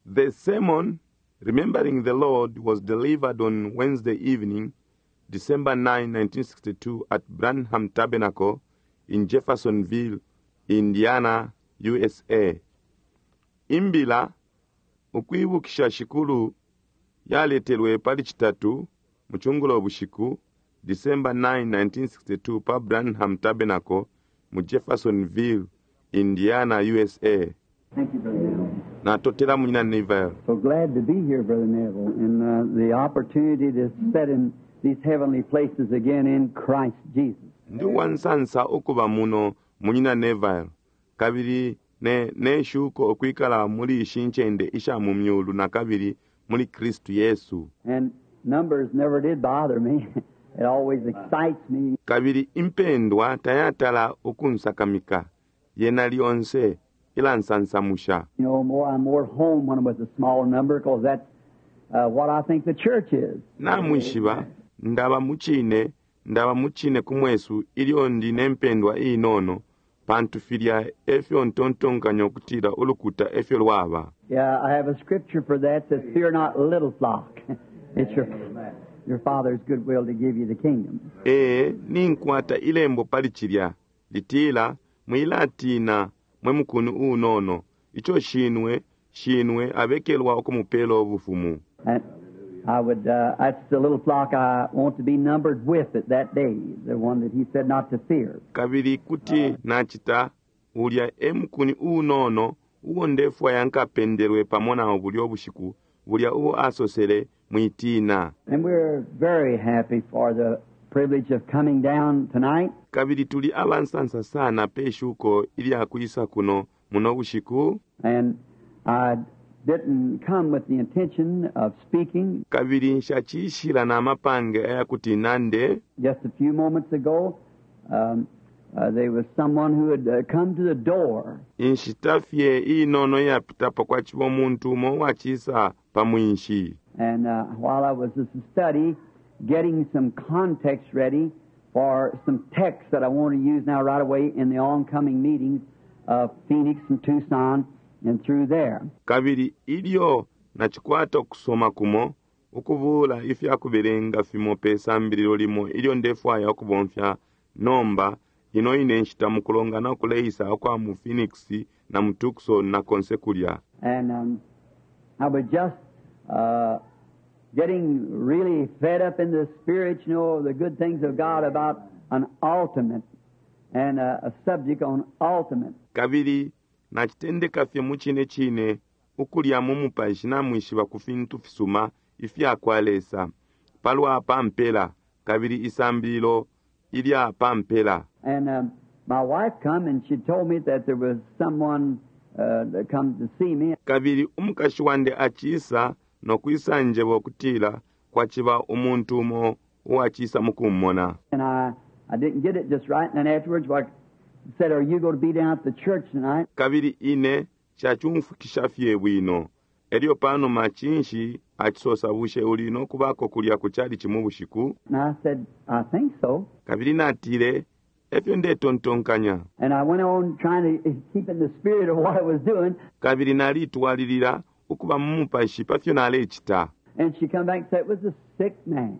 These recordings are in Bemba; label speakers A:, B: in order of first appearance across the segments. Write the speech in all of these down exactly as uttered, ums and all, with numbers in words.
A: The sermon, Remembering the Lord, was delivered on Wednesday evening, December nine, nineteen sixty-two, at Branham Tabernacle in Jeffersonville, Indiana, U S A. Imbila, Ukwibukisha Shikulu, yaletelwe pali Citatu mu cungulo bushiku, December nine, nineteen sixty-two, pa Branham Tabernacle mu Jeffersonville, Indiana, U S A.
B: Thank you, Brother Neville.
A: Natotela munyina Neville.
B: So glad to be here, Brother Neville, and uh, the opportunity to sit in these heavenly places again in Christ Jesus.
A: Ndi uwansansa ukuba muno, munyina Neville, kabili ne neshuko ukwikala muli ishi ncende isha mu myulu na kabili muli Kristu Yesu.
B: And numbers never did bother me. It always excites me.
A: Kabili impendwa tayatala ukunsakamika, yena lyonse ilansansamusha.
B: You know, more I'm more at home when I'm with a small number because that's uh, what I think the church is.
A: Namwishiba ndaba mucine ndaba mucine kumwesu ilyo ndi nempendwa inono, pantu filya efyo ntontonkanya ukutila ulukuta efyo lwaba.
B: Yeah, I have a scripture for that that says, "Fear not, little flock. It's your your Father's good will to give you the kingdom."
A: Ee, ninkwata ilembo pali cilya litila, "Mwilatina, mwe mukuni unono, ico shinwe shinwe abekelwa ukumupela ubufumu."
B: And I would, uh, that's the little flock I want to be numbered with at that day, the one that he said not to fear.
A: Kabili kuti nacita ulya e mukuni unono uo ndefwaya nkapendelwe pamo nawo bulya ubushiku, bulya uo asosele, "Mwitina."
B: And we're very happy for the privilege of coming down tonight.
A: Kabili tuli abansansa sana pe shuko ilya kwisa kuno muno bushiku.
B: And I didn't come with the intention of speaking.
A: Kabili nshacishila na mapange ayakuti nande.
B: Just a few moments ago, um, uh, there was someone who had uh, come to the door.
A: Inshita fye inono iyapitapo kwaciba umuntu umo uwacisa pa mwinshi.
B: And uh, while I was at the study, getting some context ready for some texts that I want to use now right away in the oncoming meetings of Phoenix and Tucson and through there.
A: Kabili ilyo nacikwata ukusoma kumo ukubula ifya kubelenga fimo pe sambililo limo ilyo ndefwaya ukubomfya nomba ino ine nshita mukulongana ukuleisa ukwa mu Phoenix na mu Tucson na konse kulya.
B: And um, I was just uh, getting really fed up in the spirit, you know, the good things of God about an ultimate and uh, a subject on ultimate.
A: Kabili nacitendeka fye mu cine cine ukulya mu mupashi, namwishiba, ku fintu fisuma ifya kwa Lesa palwa pampela kabili isambililo ilya pampela.
B: And um, my wife come and she told me that there was someone uh, that come to see me.
A: Kabili umukashi wandi acisa nokwisa njeba ukutila kwaciba umuntu umo uwacisa mukummona.
B: And I, I didn't get it just right. And then afterwards, I said, "Are you going to be down at the church tonight?"
A: Kabili ine nshacumfwikisha fye bwino. Elyo panuma cinshi acisosa, "Bushe uli nokubako kulya ku chalichi mu bushiku?"
B: And I said, "I think so."
A: Kabili natile, "Efyo ndetontonkanya."
B: And I went on trying to keep in the spirit of what I was doing.
A: Kabili nalitwalilila ukuba mu mupashi pa fyo nalecita.
B: And she come back and said it was a sick man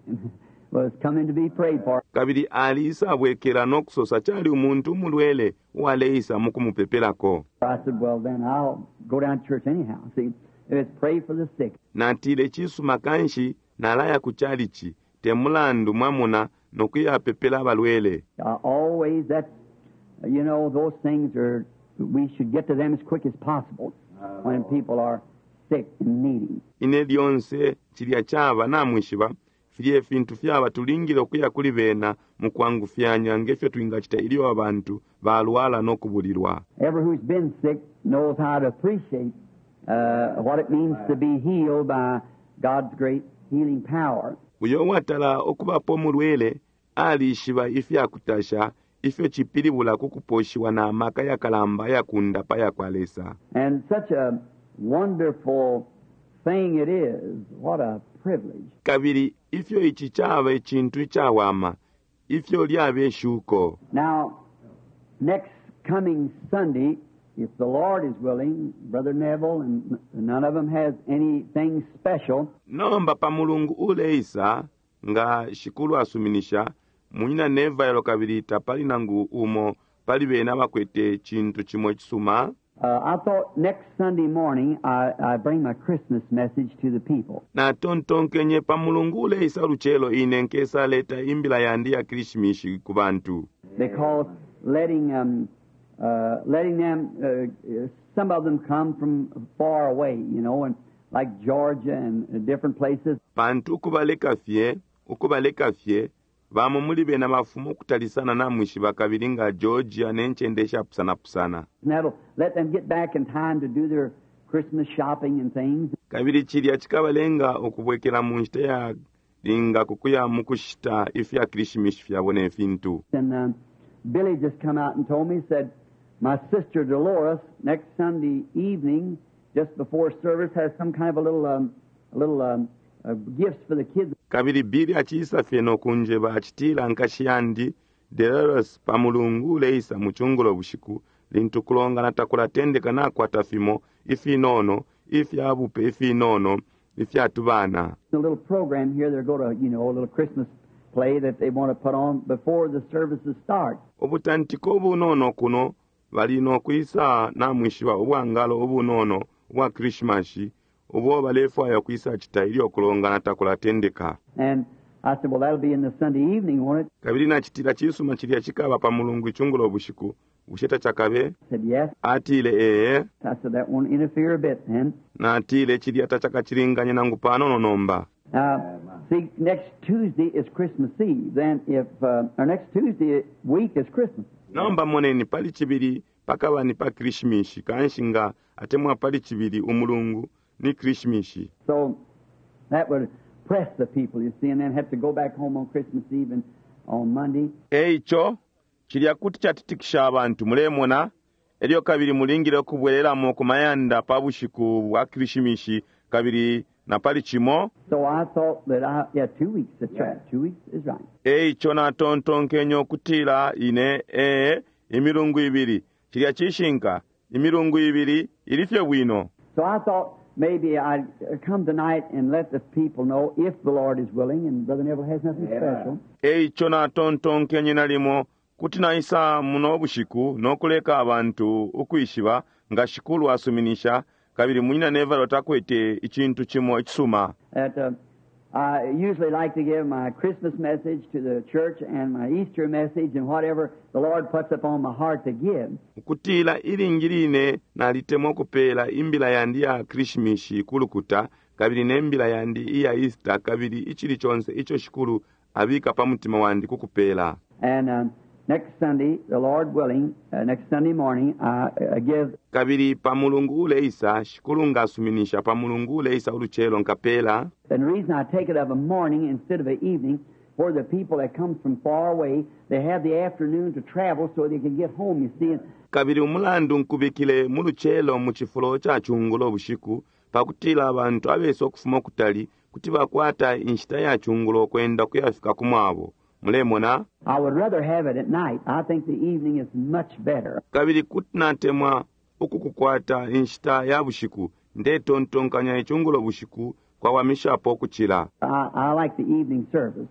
B: was coming to be prayed for.
A: Kabili alisabwekela nokusosa cali umuntu umulwele uwaleisa mukumupepelako.
B: I said, "Well, then I'll go down to church anyhow. See, if it's pray for the sick."
A: Natile, "Cisuma, kanshi nalaya ku chalichi te mulandu, mwamuna, nokuyapepela abalwele."
B: Uh, always that, you know, those things are, we should get to them as quick as possible when people are sick and needing.
A: Ine lyonse cilya caba, namwishiba, filya ifintu fyaba tulingile ukuya kuli bena mukwangufyanya ngefyo twingacita ilyo abantu balwala nokubulilwa.
B: Ever who's been sick knows how to appreciate uh, what it means to be healed by God's great healing power.
A: Uyo uwatala okubapo mulwele alishiba ifyakutasha ifyo cipilibula ku kuposhiwa na maka yakalamba ayakundapa yakwa Lesa.
B: And such a wonderful thing it is. What a privilege.
A: Kabili ifyo ici caba icintu icawama, ifyo lyaba ishuko.
B: Now, next coming Sunday If the Lord is willing, Brother Neville, and none of them has anything special,
A: Nomba pa mulungu uleisa nga shikulu asuminisha munyina Neville kabili tapali nangu umo pali bena bakwete cintu cimo icisuma.
B: Uh, I thought next Sunday morning I, I bring my Christmas message to the people.
A: Natontonkenye pa mulungu uleisa lucelo ine nkesaleta imbila yandi ya Krishimishi ku bantu.
B: Because letting um, uh, letting them, uh, some of them come from far away, you know, and like Georgia and different places.
A: Pantu ukubaleka fye, ukubaleka fye, bamo muli bena bafuma ukutalisana namwishiba kabili nga Georgia ne ncende ishapusanapusana.
B: And that'll let them get back in time to do their Christmas shopping and things.
A: Kabili cilya cikabalenga ukubwekela mu nshita ya linga kukuya mu kushita ifya Krishimishi fyabo ne fintu.
B: And um, Billy just come out and told me, said, my sister Dolores, next Sunday evening, just before service, has some kind of a little, um, a little um, uh, gifts for the kids.
A: Kabili Billy aciisa fye nokunjeba acitila nkashi yandi Dolores pa mulungu uleisa mu cungulo bushiku lintu kulongana takulatendeka nakwata fimo ifinono ifya bupe ifinono ifyatubana.
B: A little program here, they're going to, you know, a little Christmas play that they want to put on before the services start.
A: Ubutantiko ubunono kuno bali nokwisa namwishiba ubwangalo ubunono ubwa Krishmashi ubo balefwaya ukwisa cita ilyo kulongana takulatendeka.
B: And I said, well, that'll be in the Sunday evening, won't it?
A: Kabili nacitila cisuma cilya cikaba pa mulungu icungulo bushiku bushe tacakabe?
B: I said, yes.
A: Atile ee.
B: I said, that won't interfere a bit then.
A: Natile cilya tacakacilinganye nangu panono nomba.
B: Now, see, next Tuesday is Christmas Eve. Then if, uh, our next Tuesday week is Christmas.
A: Nomba moneni pali cibili pakaba ni pa Krishimishi kanshi nga atemwa pali cibili umulungu ni Krishimishi.
B: So that would press the people, you see, and then have to go back home on Christmas Eve and on Monday.
A: Eico cilya kuti catitikisha abantu mulemona elyo kabili mulingile ukubwelelamo ku mayanda pa bushiku bwa Krishimishi kabili na pali cimo.
B: So I thought that I, yeah, two weeks, that's right. Two weeks is right.
A: Eico natontonkenye ukutila ine ee imilungu ibili cilya cishinka imilungu ibili ili fye bwino.
B: So I thought maybe I'd come tonight and let the people know if the Lord is willing, and Brother Neville has nothing special.
A: Eico natontonkenye nalimo kuti naisa muno bushiku nokuleka abantu ukwishiba nga shikulu asuminisha kabili munyina Neville takwete icintu cimo icisuma.
B: That, uh, I usually like to give my Christmas message to the church and my Easter message and whatever the Lord puts upon my heart to give.
A: Ukutila ilingi line nalitemwa ukupela imbila yandi ya Krishimishi kulukuta kabili ne mbila yandi iya Easter kabili icili conse ico shikulu abika pa mutima wandi kukupela.
B: And, um, next Sunday, the Lord willing, uh, next Sunday morning, I, uh, give.
A: Kabili pa mulungu uleisa shikulu ngasuminisha pa mulungu uleisa ulucelo nkapela.
B: And the reason I take it of a morning instead of an evening, for the people that come from far away, they have the afternoon to travel so they can get home, you see.
A: Kabili umulandu nkubikile mu lucelo mu cifulo ca cungulo bushiku pakutila abantu abesa ukufuma kutali kuti bakwata inshita ya cungulo kwenda kuyafika ku mwabo. Mulemona?
B: I would rather have it at night. I think the evening is much better.
A: Kabili kuti natemwa ukukukwata inshita ya bushiku ndetontonkanya icungulo bushiku kwawamishapo kucila.
B: I, I like the evening service.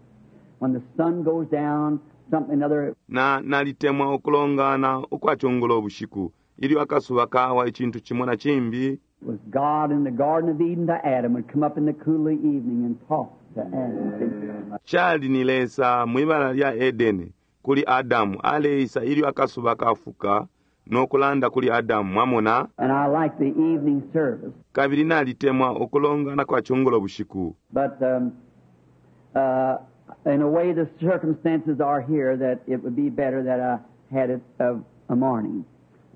B: When the sun goes down, something other.
A: Na nalitemwa ukulongana ukwa cungulo bushiku ilyo akasuba kawa icintu cimo na cimbi.
B: Was God in the Garden of Eden to Adam would come up in the cool of the evening and talk to Adam.
A: Cali ni Lesa mwibala lya Edeni kuli Adamu aleisa ilyo akasuba kafuka nokulanda kuli Adamu mwamona.
B: And I like the evening service.
A: Kabili nalitemwa ukulongana kwa cungulo bushiku.
B: But, um, uh, in a way the circumstances are here that it would be better that I had it of a morning.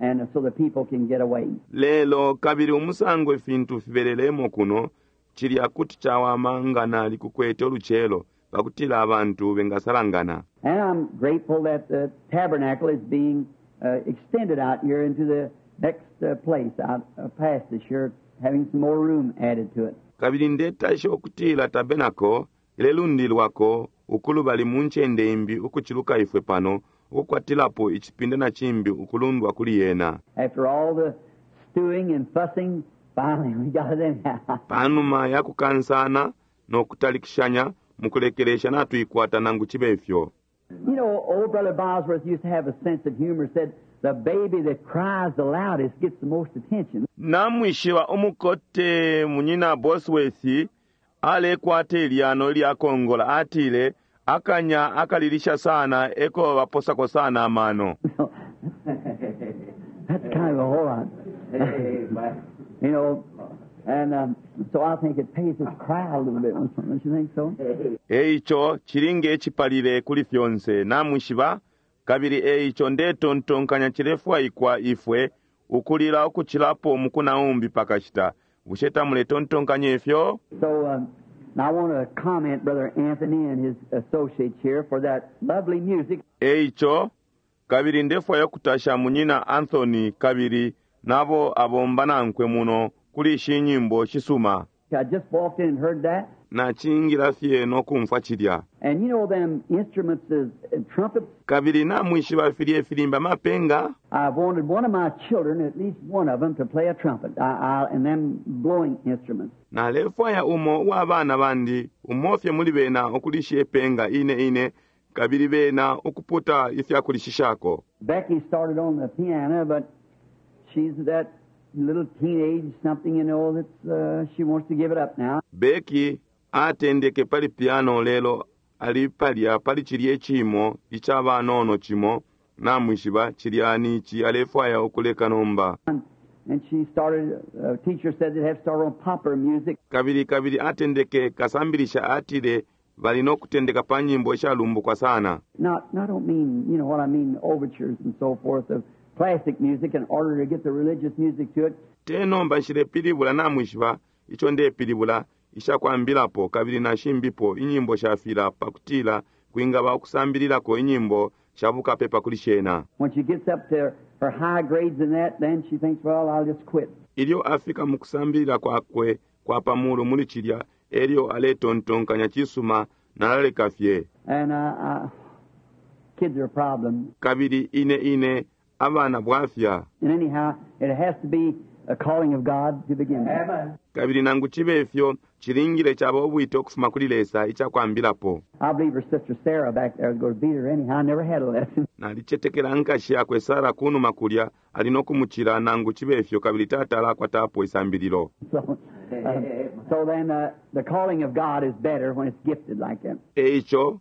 B: And so the people can get away.
A: Lelo kabili umusango ifintu fibelelemo kuno cilya kuti cawama nga nali kukwete ulucelo pakutila abantu bengasalangana.
B: And I'm grateful that the tabernacle is being, uh, extended out here into the next, uh, place out, uh, past this year, having some more room added to it.
A: Kabili ndetasha ukutila tabernacle ilelundilwako ukulubali mu ncende imbi ukuciluka ifwe pano ukukwatilapo icipinda na cimbi ukulundwa kuli yena.
B: After all the stewing and fussing, finally we got it anyhow.
A: Panuma ya kukansana no kutalikishanya mukulekelesha natuikwata nangu chibe ifyo.
B: You know, old Brother Bosworth used to have a sense of humor, said, the baby that cries the loudest gets the most attention.
A: Namwishiba umukote munyina Bosworth alekwata ilyano ilyakongola atile akanya akalilisha sana eko baposako sana amano.
B: That's kind of a whole lot. You know, and um, so I think it pays us cry a little bit, don't you think so?
A: Eicho chilinge echipalile kuli fyonse namwishiba kabili eicho ndetontonkanya chilefwaikwa ifwe ukulila ukuchilapo mukunaumbi pakashita bushe tamuletontonkanya ifyo.
B: So um, now I want to comment Brother Anthony and his associates here for that lovely music.
A: Eicho kabili ndefwaya kutasha munyina Anthony kabili nabo abomba nankwe muno kuli ishi nyimbo shisuma.
B: I just walked in and heard that.
A: Nachingila fye nokumfwa chilya.
B: And you know them instruments is, and trumpets.
A: Kabili namwishiba filye filimba mapenga.
B: I've wanted one of my children, at least one of them, to play a trumpet I, I, and them blowing instruments.
A: Nalefwaya umo uwa bana bandi umofye muli bena okulisha ipenga ine ine kabili bena ukuputa ifyakulishishako.
B: Becky started on the piano, but she's that little teenage something, you know, that's uh, she wants to give it up now.
A: Becky atendeke pali piano lelo ali palya pali chilye chimo ichabanono chimo namwishiba chilyani ichi alefwaya okuleka nomba.
B: And she started, a teacher said they'd have to start on popular music.
A: Kabili kabili atendeke kasambilisha atile bali nokutendeka pa nyimbo ishalumbukwa sana.
B: Not, I don't mean, you know what I mean, overtures and so forth of classic music in order to get the religious music to it.
A: Tenomba nshilepilibula namwishiba icho ndepilibula ishakwambilapo kabili nashimbipo inyimbo shafila pakutila kwingaba okusambililako inyimbo shabukapepa kuli shena.
B: When she gets up to her high grades in that, then she thinks, well, I'll just quit.
A: Ilyo afika mu kusambilila kwakwe kwa pamulu muli chilya elyo aletontonkanya chisuma nalaleka fye.
B: And uh, uh, kids are a problem.
A: Kabili ine ine abana bwafya.
B: And anyhow, it has to be a calling of God to begin with.
C: Amen.
A: Kabili nangu chibe ifyo chilingile chaba obwite okufuma kuli Lesa ichakwambilapo.
B: I believe her sister Sarah back there is going to beat her anyhow. I never had a lesson.
A: Nalichetekela nkashi yakwe Sarah kunuma kulya ali nokumuchila nangu chibe ifyo kabili tata alakwatapo isambililo.
B: So, uh, so then uh, the calling of God is better when it's gifted like that.
A: Eicho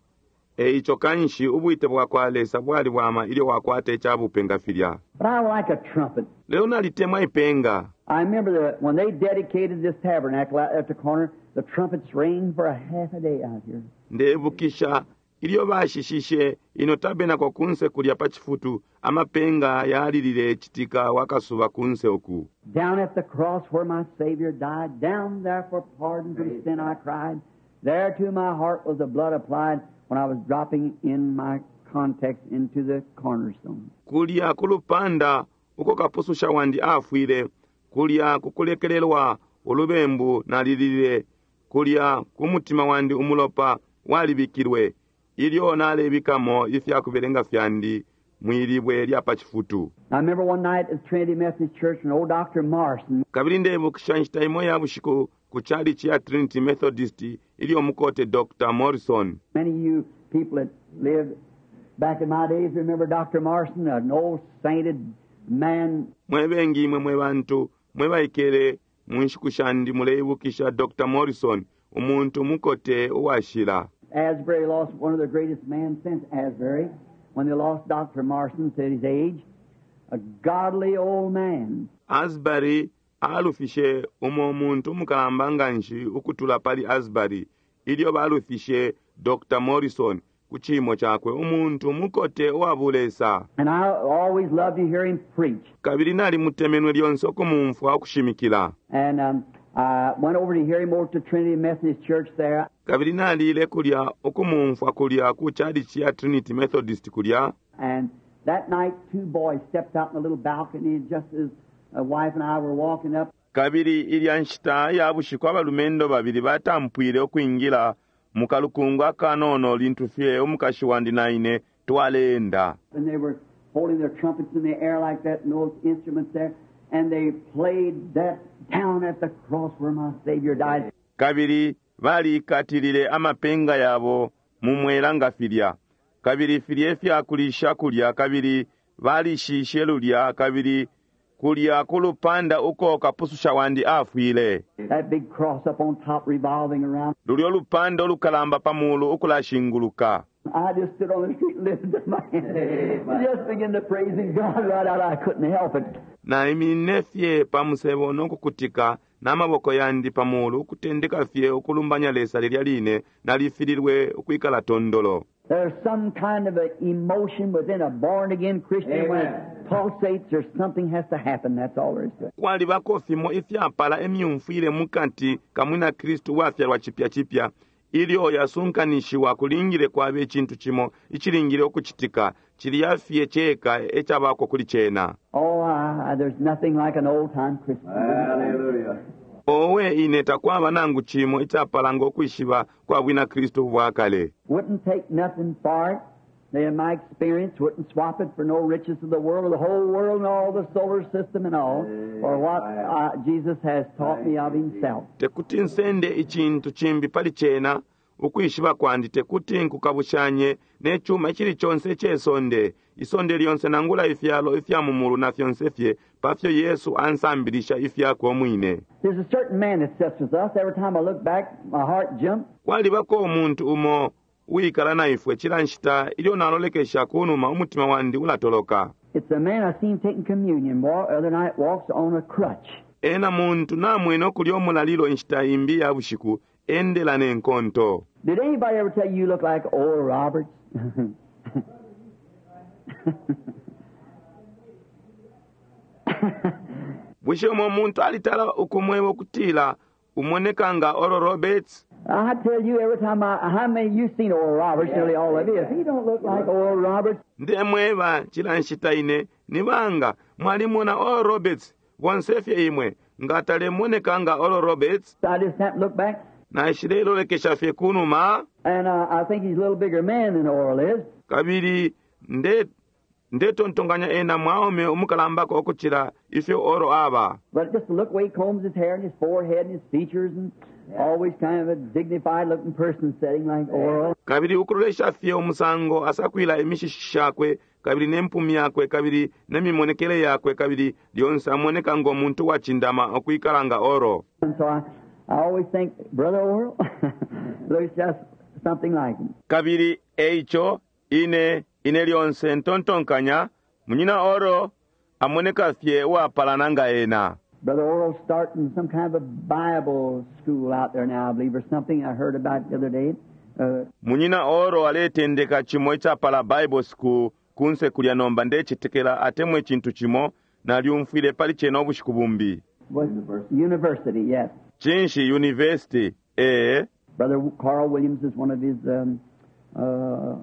A: eicho kanshi ubwite bwakwa Lesa bwali bwama ilyo wakwata echabupenga filya.
B: But I like a trumpet.
A: Leo nalitemwa ipenga.
B: I remember the, when they dedicated this tabernacle out at the corner, the trumpets rang for a half a day out here.
A: Ndebukisha ilyo bashishishe ino tabernacle kunse kulya pa chifutu amapenga yalilile chitika wakasuba kunse oku.
B: Down at the cross where my Savior died, down there for pardon from sin I cried. There to my heart was the blood applied when I was dropping in my context into the cornerstone.
A: Kulya kulupanda uko kapususha wandi afwile, kulya kukulekelelwa ulubembu nalilile, kulya kumutima wandi umulopa walibikilwe, ilyo nalebikamo ifyakubelenga fyandi mwilibwe lya pa chifutu.
B: I remember one night at Trinity Methodist Church, an old Doctor Morrison
A: Kabili ndebukisha nshita imo ya bushiku ku chalichi ya Trinity Methodist ilyo mukote Doctor Morrison.
B: Many of you people that lived back in my days remember Doctor Morrison, an old sainted man.
A: Mwe bengi imwe mwe bantu mwe baikele mu nshiku shandi muleibukisha Doctor Morrison, umuntu mukote uwashila.
B: Asbury lost one of the greatest men since Asbury when they lost Doctor Morrison at his age, a godly old man.
A: Asbury alufishe umo muntu mukalamba nganshi ukutula pali Asbury ilyo balufishe Doctor Morrison ku chimo chakwe umuntu mukote uwabulesa.
B: And I always loved to hear him preach.
A: Kabili nalimutemenwe lyonse okumumfwa okushimikila.
B: And um, I went over to hear him over to Trinity Methodist Church there.
A: Kabili nalile kulya okumumfwa kulya ku chalichi ya Trinity Methodist kulya.
B: And that night, two boys stepped out in the little balcony just as a wife and I were walking up.
A: Kabili ilya nshita ya bushiku abalumendo babili batampwile okwingila mu kalukungu akanono lintu fye umukashi wandi na ine Twaleenda.
B: And they were holding their trumpets in the air like that and those instruments there. And they played that down at the cross where my Savior died.
A: Kabili balikatilile amapenga yabo mu mwela nga filya, kabili filya ifyakulisha kulya, kabili balishishe lulya, kabili kulya ku lupanda uko kapususha wandi afwile.
B: That big cross up on top revolving around.
A: Lulyo lupanda ulukalamba pa mulu ukulashinguluka.
B: I just stood on the street and lifted up my hand. Just began to praising God right out. I couldn't help it.
A: Naiminine fye pa musebo nokukutika n'amaboko yandi pa mulu, ukutendeka fye ukulumbanya Lesa lilya line nalifililwe ukwikala tondolo.
B: There's some kind of an emotion within a born again Christian when it pulsates or something has to happen. That's all there is to it.
A: Kwalibako fimo ifyapala emyumfwile mukati ka mwina Kristu wafyalwa chipya chipya ilyo yasunkanishiwa kulingile kwaba icintu cimo icilingile ukucitika, cilya fye ceka ecabako kuli cena.
B: Oh, I, I, there's nothing like an old time Christian.
C: Hallelujah.
A: Owe ine takwaba nangu cimo icapala ngo kwishiba kwa bwina Kristu bwa kale.
B: Wouldn't take nothing for it. In my experience, wouldn't swap it for no riches of the world, or the whole world and all the solar system and all, for what uh, Jesus has taught me of himself.
A: Tekuti nsende icintu cimbi pali cena, ukwishiba kwandi tekuti nkukabushanye ne cuma icili conse icesonde, isonde lyonse nangula ifyalo ifya mu mulu na fyonse fye, pafyo Yesu ansambilisha ifyakwe umwine.
B: There's a certain man that sits with us. Every time I look back, my heart jumps.
A: Kwalibako umuntu umo uwikala na ifwe cila nshita ilyo nalolekesha kunuma umutima wandi ulatoloka.
B: It's a man I seen taking communion wa- other night walks on a crutch.
A: Ena muntu namwene okulya omulalilo inshita imbi ya bushiku endela n'enkonto.
B: Did anybody ever tell you you look like Oral Roberts?
A: Bushe umo muntu alitala ukumweba ukutila umoneka nga Oral Roberts?
B: I tell you every time I, how many you've seen Oral Roberts, nearly all of you. If he don't look like Oral Roberts,
A: Ndemweba cila nshita ine nibanga mwalimona Oral Roberts bonse fye imwe nga talemoneka nga Oral Roberts.
B: I just happen to look back,
A: Naishilelolekesha fye kunuma
B: and uh, I think he's a little bigger man than Oral is.
A: kabili nde ndetontonganya ena mwaume umukalambako okucila ifyo Oral aba.
B: But just to look the way he combs his hair and his forehead and his features, and always kind of a dignified looking person sitting like Oral.
A: Kabili ukulolesha fye umusango asakwila imishishi shakwe kabili n'empumi yakwe kabili n'emimonekele yakwe kabili lyonse amoneka ng'omuntu wacindama okwikala nga Oral.
B: And so I, I always think, Brother Oral looks just something like him.
A: Kabili eico ine ine lyonse ntontonkanya munyina Oral amoneka fye uwapalana nga ena.
B: Brother Oral's starting some kind of a Bible school out there now, I believe, or something I heard about the other day. Uh,
A: Munyina Oral aletendeka cimo icapala Bible school kunse kulya nomba ndecetekela atemwe icintu cimo nalyumfwile pali cena ubushiku bumbi.
B: was university, yes.
A: Cinshi university ee.
B: Brother Carl Williams is one of his um, uh,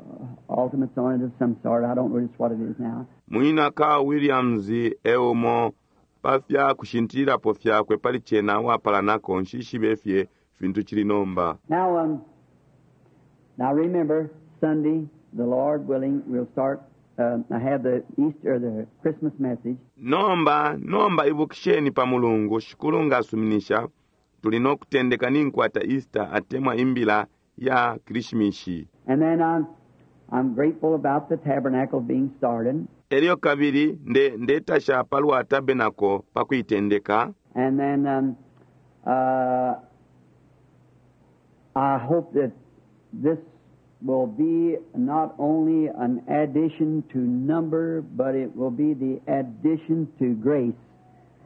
B: ultimates on it of some sort. I don't know just what it is now.
A: Munyina Carl Williams eumo pafya kushintililapo fyakwe pali cena uwapalanako nshishibe fye fintu cili nomba.
B: Now, um, now remember, Sunday, the Lord willing, we'll start. Uh, I have the Easter, the Christmas message.
A: Nomba nomba ibukisheni pa mulungu shikulu ngasuminisha tuli nokutendeka ninkwata Easter atemwa imbila ya Krishimishi.
B: And then I'm, I'm grateful about the tabernacle being started.
A: Elyo kabili nde ndetasha palwa tabernacle pa kuitendeka.
B: And then um, uh, I hope that this will be not only an addition to number, but it will be the addition to grace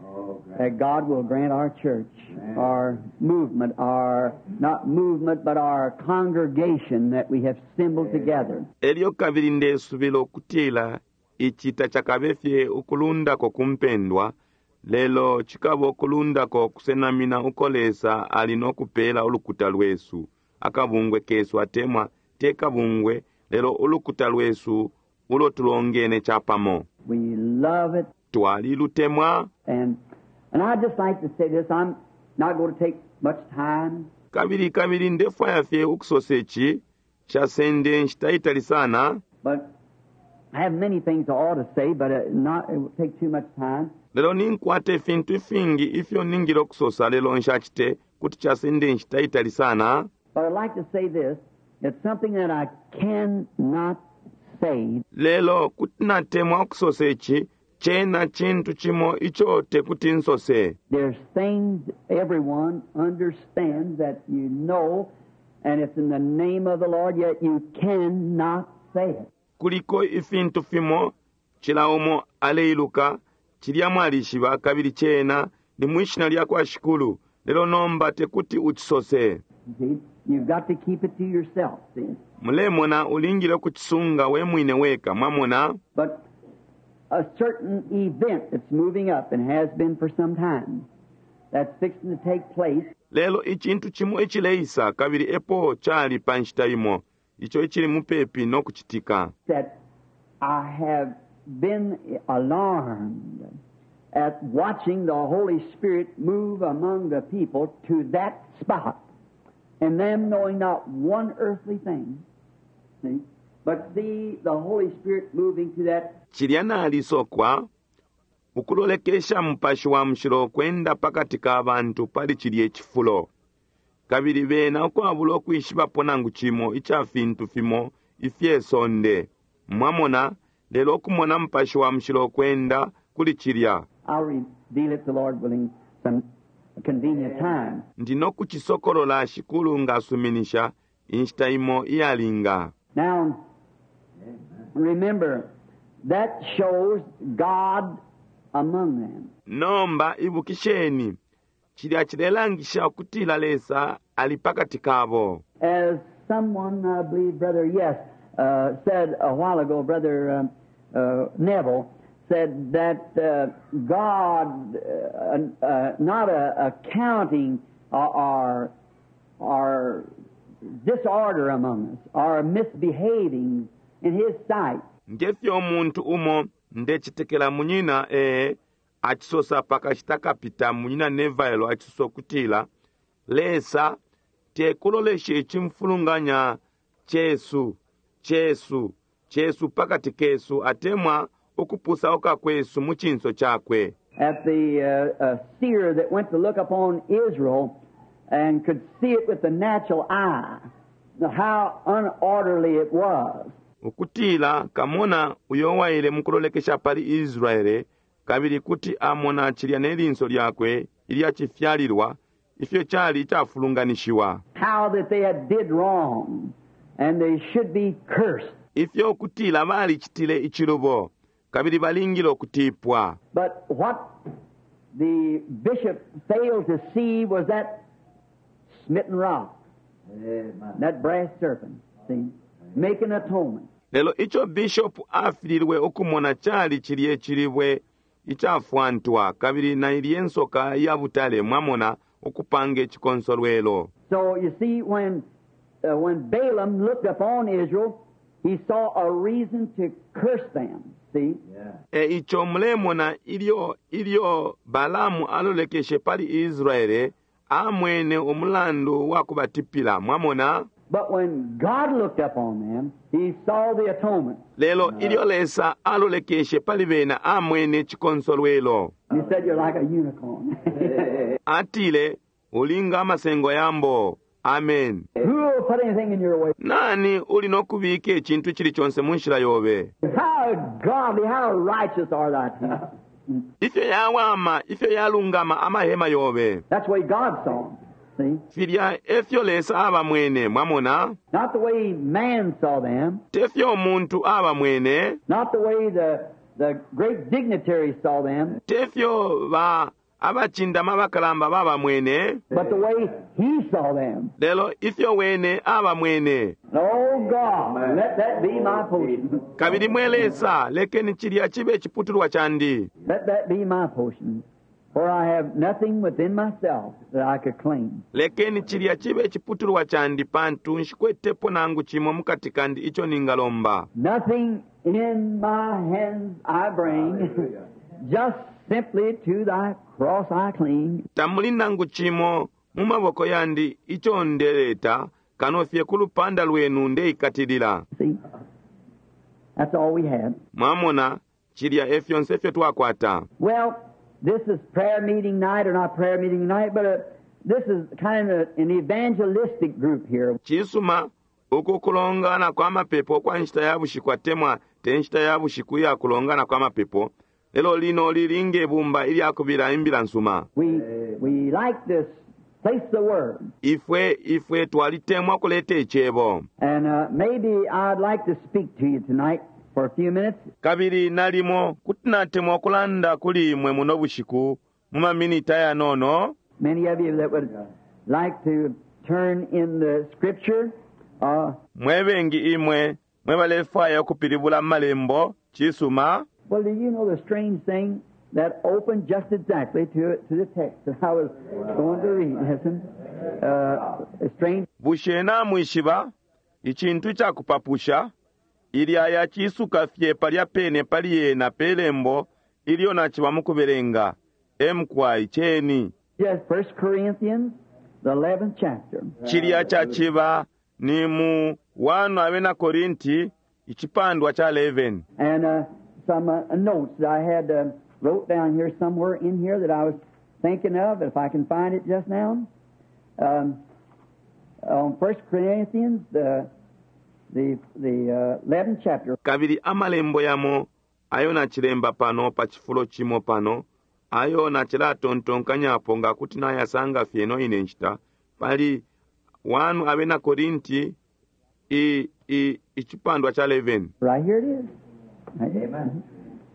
C: Oh, great.
B: that God will grant our church,
C: Amen.
B: our movement, our, not movement, but our congregation that we have assembled together.
A: Elyo kabili ndesubila ukutila ici tacakabe fye ukulundako ku mpendwa, lelo cikaba ukulundako kusenamina uko Lesa ali nokupela ulukuta lwesu, akabungwe kesu atemwa te kabungwe, lelo ulukuta lwesu ulo tulongene capamo.
B: We love it.
A: Twalilutemwa.
B: And, and I'd just like to say this. I'm not going to take much time.
A: Kabili kabili ndefwaya fye ukusosa ici, nshasende nshita itali sana.
B: But I have many things I ought to say, but uh, not, it would take too much time.
A: Lelo ninkwata ifintu ifingi ifyo ningile ukusosa, lelo nshacite kuti casenda inshita itali sana.
B: But I'd like to say this. It's something that I cannot say.
A: Lelo kuti natemwa ukusosa ici, cena cintu cimo ico tekuti nsose.
B: There's things everyone understands that you know, and it's in the name of the Lord, yet you cannot say it.
A: Kuliko ifintu fimo cila umo aleiluka, cilya mwalishiba, kabili cena ni mwishina lya kwa Shikulu, lelo nomba tekuti ucisose.
B: You see, you've got to keep it to yourself, see.
A: Mulemona ulingile ukucisunga we mwine weka, mwamona.
B: But a certain event that's moving up and has been for some time, that's fixing to take place.
A: Lelo icintu cimo icileisa, kabili epo cali pa nshita imo, ico icili mupepi no kucitika.
B: That I have been alarmed at watching the Holy Spirit move among the people to that spot, and them knowing not one earthly thing, see, but see the Holy Spirit moving to that.
A: Cilya nalisokwa ukulolekesha Mupashi wa Mushilo kwenda pakati ka bantu pali cilye cifulo, kabili bena ukwabula ukwishibapo nangu cimo ica fintu fimo ifye sonde, mwamona, lelo ukumona Mupashi wa Mushilo kwenda kuli cilya.
B: I'll reveal it, the Lord willing, some convenient time.
A: Ndi nokucisokolola Shikulu ngasuminisha inshita imo iyalinga.
B: Now, remember, that shows God among them.
A: Nomba ibukisheni, cilya cilelangisha ukutila Lesa ali pakati kabo.
B: As someone, I believe, Brother, yes, uh, said a while ago, Brother um, uh, Neville, said that uh, God, uh, uh, not uh, accounting our, our disorder among us, our misbehaving in His sight.
A: Ngefyo umuntu umo ndecitekela munyina, eh, acisosa pakashita kapita munyina Neville acisosa ukutila Lesa tekulolesha icimfulunganya cesu, cesu, cesu pakati kesu, atemwa ukupusauka kwesu mu cinso cakwe.
B: At the, uh, uh, seer that went to look upon Israel and could see it with the natural eye, how unorderly it was.
A: Ukutila kamona uyo waile mukulolekesha pali Israele, kabili kuti amona cilya ne linso lyakwe ilya cifyalilwa, ifyo cali icafulunganishiwa.
B: How that they had did wrong and they should be cursed.
A: Ifyo ukutila balicitile icilubo, kabili balingile ukutipwa.
B: But what the bishop failed to see was that smitten rock,
C: Amen.
B: that brass serpent, see, making atonement.
A: Lelo ico bishop afililwe ukumona cali cilye cilibwe icafwantwa, kabili na ilye nsoka ya butale, mwamona, ukupanga icikonsolwelo.
B: So you see, when, uh, when Balaam looked upon Israel, he saw a reason to curse them. See?
C: Yeah.
A: E ico mulemona ilyo, ilyo Balaamu alolekeshe pali Israele, amwene umulandu wa kubatipila, mwamona.
B: But when God looked upon them, he saw the atonement.
A: Lelo ilyo Lesa alolekeshe pali bena, amwene cikonsolwelo.
B: He said, You're like a unicorn.
A: Atile, ulinga amasengo yambo. Amen.
B: Who will put anything in your way?
A: Nani uli nokubika icintu icili conse mu nshila yobe?
B: How godly, how righteous are thy people?
A: Ifyo yawama, ifyo yalungama amahema yobe.
B: That's the way God saw them. See?
A: Filya efyo Lesa abamwene, mwamona?
B: Not the way man saw them.
A: Tefyo umuntu abamwene.
B: Not the way the, the great dignitaries saw them.
A: Tefyo ba abacindama abakalamba babamwene.
B: But the way he saw them.
A: Lelo ifyo wene abamwene.
B: Oh God, let that be my portion.
A: Kabili mwe Lesa, lekeni cilya chibe chiputulwa chandi.
B: Let that be my portion. For I have nothing within myself that I could claim.
A: Lekeni cilya chibe chiputulwa chandi pantu nshikwetepo nangu chimo mukati kandi icho ningalomba.
B: Nothing in my hands I bring, just simply to thy cross I cling.
A: Tamuli nangu chimo mu maboko yandi icho ndeleta, kano fye ku lupanda lwenu ndeikatilila.
B: See? That's all we had.
A: Mwamona, cilya e fyonse ifyo twakwata.
B: Well, this is prayer meeting night, or not prayer meeting night, but uh, this is kind of an evangelistic group here.
A: Cisuma, uku kulongana kwa mapepo kwa nshita ya bushiku atemwa te nshita ya bushiku iya kulongana kwa mapepo, lelo lino lili nge bumba ilya kubila imbila nsuma.
B: We, we like this place the word.
A: Ifwe ifwe twalitemwa kuleta icebo.
B: And uh, maybe I'd like to speak to you tonight for a few minutes.
A: Kabili nalimo kuti natemwa kulanda kuli imwe muno bushiku mu maminiti ayanono.
B: Many of you that would like to turn in the scripture, uh,
A: Mwe bengi imwe mwe balefwaya ukupilibula amalembo, cisuma.
B: Well, do you know the strange thing that opened just exactly to, to the text that I was going to read? Listen, uh, a strange
A: Bushe namwishiba icintu icakupapusha ilya yacisuka fye palya pene pali yena pe lembo ilyo naciba mu kubelenga emkwai ceni.
B: Just First Corinthians, the eleventh chapter.
A: Cilya caciba ni mu wano abena Korinti icipandwa ca eleven.
B: And uh, some uh, notes that I had uh, wrote down here somewhere in here that I was thinking of, if I can find it just now. Um, on First Corinthians, the the the uh, eleventh chapter.
A: Kabili amalembo yamo ayo nacilemba pano pa cifulo cimo pano ayo nacilatontonkanyapo nga kuti nayasanga fye ino ine nshita pali wanu abena Korinti i, i, icipandwa ca eleven.
B: Right here it is. Right here.
C: Amen.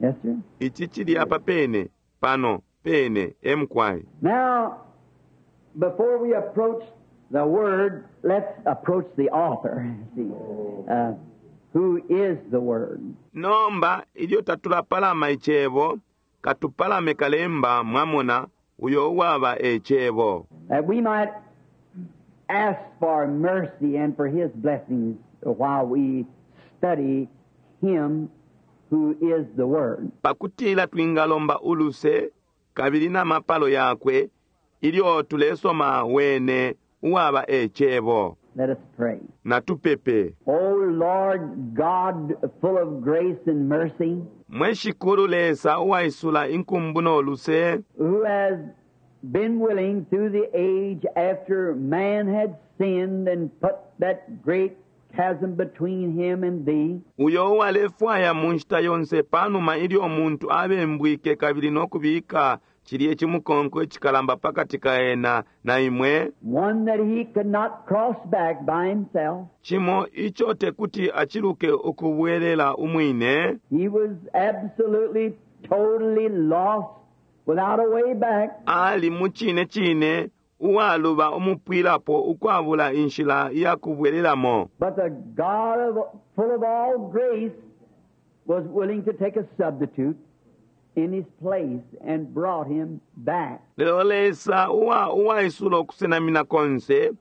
B: Yes, sir.
A: Ici cili apa pene pano pene emkwai.
B: Now, before we approach the Word, let's approach the author. See, uh, who is the Word?
A: Nomba ilyo tatulapalama icebo katupalame kalemba mwamona uyo uwaba ecebo.
B: That we might ask for mercy and for His blessings while we study Him who is the Word.
A: Pakutila twingalomba uluse kabili na mapalo yakwe ilyo tulesoma wene uwaba ecebo.
B: Let us pray.
A: Natupepe.
B: O Lord God, full of grace and mercy,
A: Mwe Shikulu Lesa uwaisula inkumbu no luse,
B: who has been willing through the age after man had sinned and put that great chasm between him and thee,
A: uyo uwalefwaya mu nshita yonse panuma ilyo umuntu abembwike kabili no kubika cilye cimukonko icikalamba pakati ka ena na imwe,
B: one that he could not cross back by himself.
A: cimo ico tekuti aciluke ukubwelela umwine.
B: He was absolutely, totally lost without a way back.
A: Ali mu cine cine uwaluba umupwilapo ukwabula inshila ya kubwelelamo.
B: But the God of, full of all grace was willing to take a substitute in his place and brought him back.
A: Lelo Lesa uwa uwaisula ukusenamina konse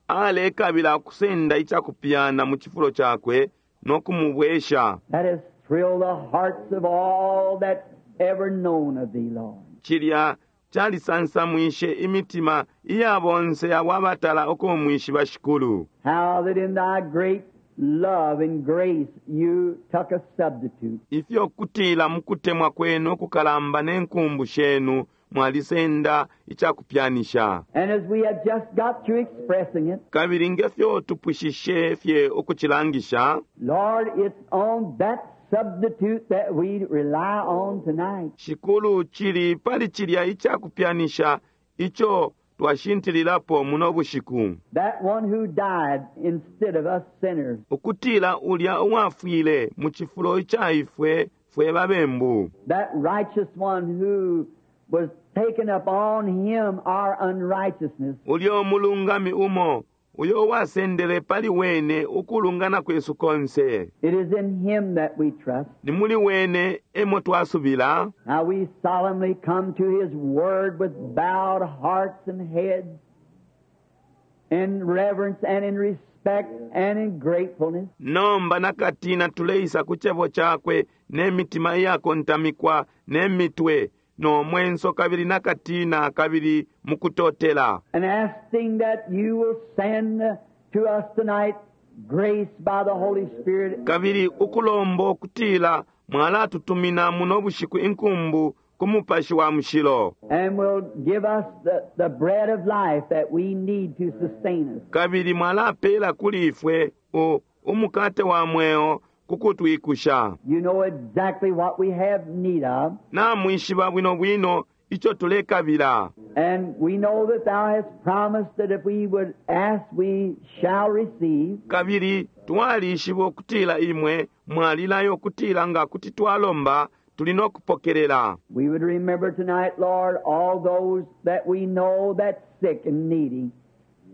A: alekabila kusenda icakupyana mu cifulo cakwe no kumubwesha.
B: That has thrilled the hearts of all that ever known of thee, Lord.
A: Cilya calisansamwishe imitima iya bonse abo abatala ukumwishiba Shikulu.
B: How that in thy great love and grace you took a substitute.
A: Ifyo kutila mu kutemwa kwenu kukalamba ne nkumbu shenu mwalisenda icakupyanisha.
B: And as we have just got through expressing it,
A: Kabili ngefyo tupwishishe fye ukucilangisha,
B: Lord, it's on that substitute that we rely on tonight.
A: Shikulu cili pali cilya icakupyanisha ico twashintililapo muno bushiku.
B: That one who died instead of us sinners.
A: Ukutila ulya uwafwile mu cifulo ica ifwe fwe babembu.
B: That righteous one who was taken upon him our unrighteousness.
A: Ulyo mulungami umo uyo wasendele pali wene ukulungana kwesu konse.
B: It is in him that we trust.
A: Ni muli wene emo twasubila.
B: Now we solemnly come to his word with bowed hearts and heads in reverence and in respect and in gratefulness.
A: Nomba nakatina tuleisa ku cebo cakwe ne mitima iyakontamikwa ne mitwe no mwenso kabili nakatina kabili mukutotela.
B: And asking that you will send to us tonight grace by the Holy Spirit
A: Kabili ukulomba ukutila mwalatutumina muno bushiku inkumbu ku Mupashi wa Mushilo.
B: and will give us the, the bread of life that we need to sustain us.
A: Kabili mwalapela kuli ifwe u, umukate wa mweo kukutwikusha.
B: You know exactly what we have need of,
A: Namwishiba bwino bwino icho tulekabila.
B: and we know that Thou hast promised that if we would ask, we shall receive.
A: Kabili twalishiba ukutila imwe mwalilayo ukutila nga kuti twalomba tuli no kupokelela.
B: We would remember tonight, Lord, all those that we know that's sick and needy,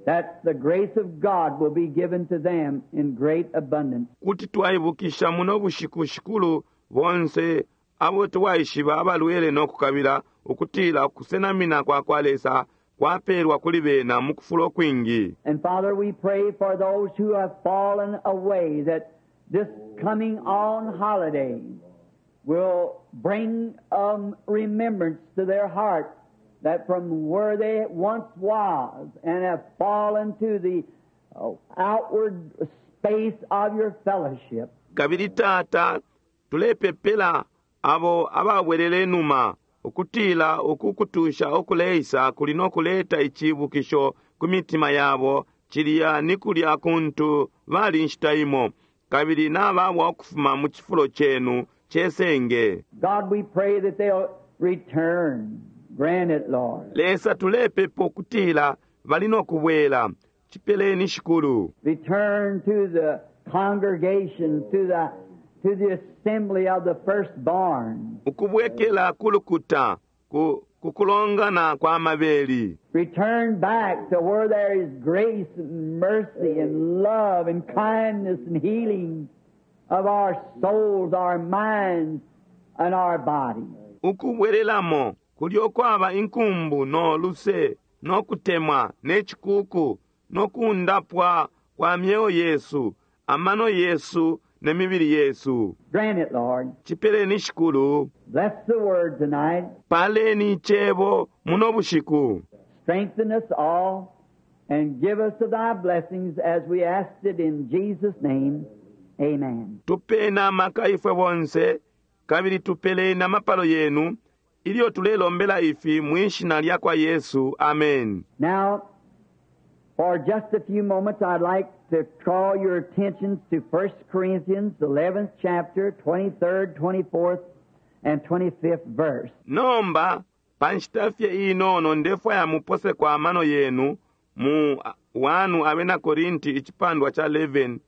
B: that the grace of God will be given to them in great abundance.
A: Kuti twaibukisha muno bushiku shikulu bonse abo twaishiba abalwele no kukabila ukutila kusenamina kwa kwa Lesa kwapelwa kuli bena mu kufula ukwingi.
B: And Father, we pray for those who have fallen away that this coming on holiday will bring um, remembrance to their heart that from where they once was and have fallen to the uh, outward space of your fellowship,
A: Kabili tata tulepepela abo ababwelele numa ukutila uku kutusha okuleisa kuli no kuleta icibukisho ku mitima yabo cilya ni kulya kuntu bali nshita imo kabili nababwa ukufuma mu cifulo cenu cesenge.
B: God, we pray that they'll return. Grant it, Lord.
A: Lesa tulepepa ukutila bali no kubwela cipeleni shikulu.
B: Return to the congregation, to the, to the assembly of the firstborn.
A: Ukubwekela kulukuta ku kukulongana kwa mabeli.
B: Return back to where there is grace and mercy and love and kindness and healing of our souls, our minds, and our bodies.
A: Ukubwelelamo kulyo kwaba inkumbu no luse no kutemwa ne cikuku no kundapwa kwa myeo yesu amano yesu ne mibili yesu.
B: Grant it, Lord.
A: Cipeleni shikulu.
B: Bless the word tonight.
A: Paleni icebo muno bushiku.
B: Strengthen us all and give us of thy blessings as we asked it in Jesus' name. Amen.
A: Tupeni amaka ifwe bonse kabili tupeleni amapalo yenu ilyo tulelombela ifi mwishina lya kwa Yesu. Amen.
B: Now, for just a few moments, I'd like to draw your attentions to First Corinthians, the eleventh chapter, twenty-third, twenty-fourth, and twenty-fifth verse.
A: Nomba pa nshita fye inono ndefwaya mupose kwa amano yenu mu wanu abena Korinti icipandwa cha eleven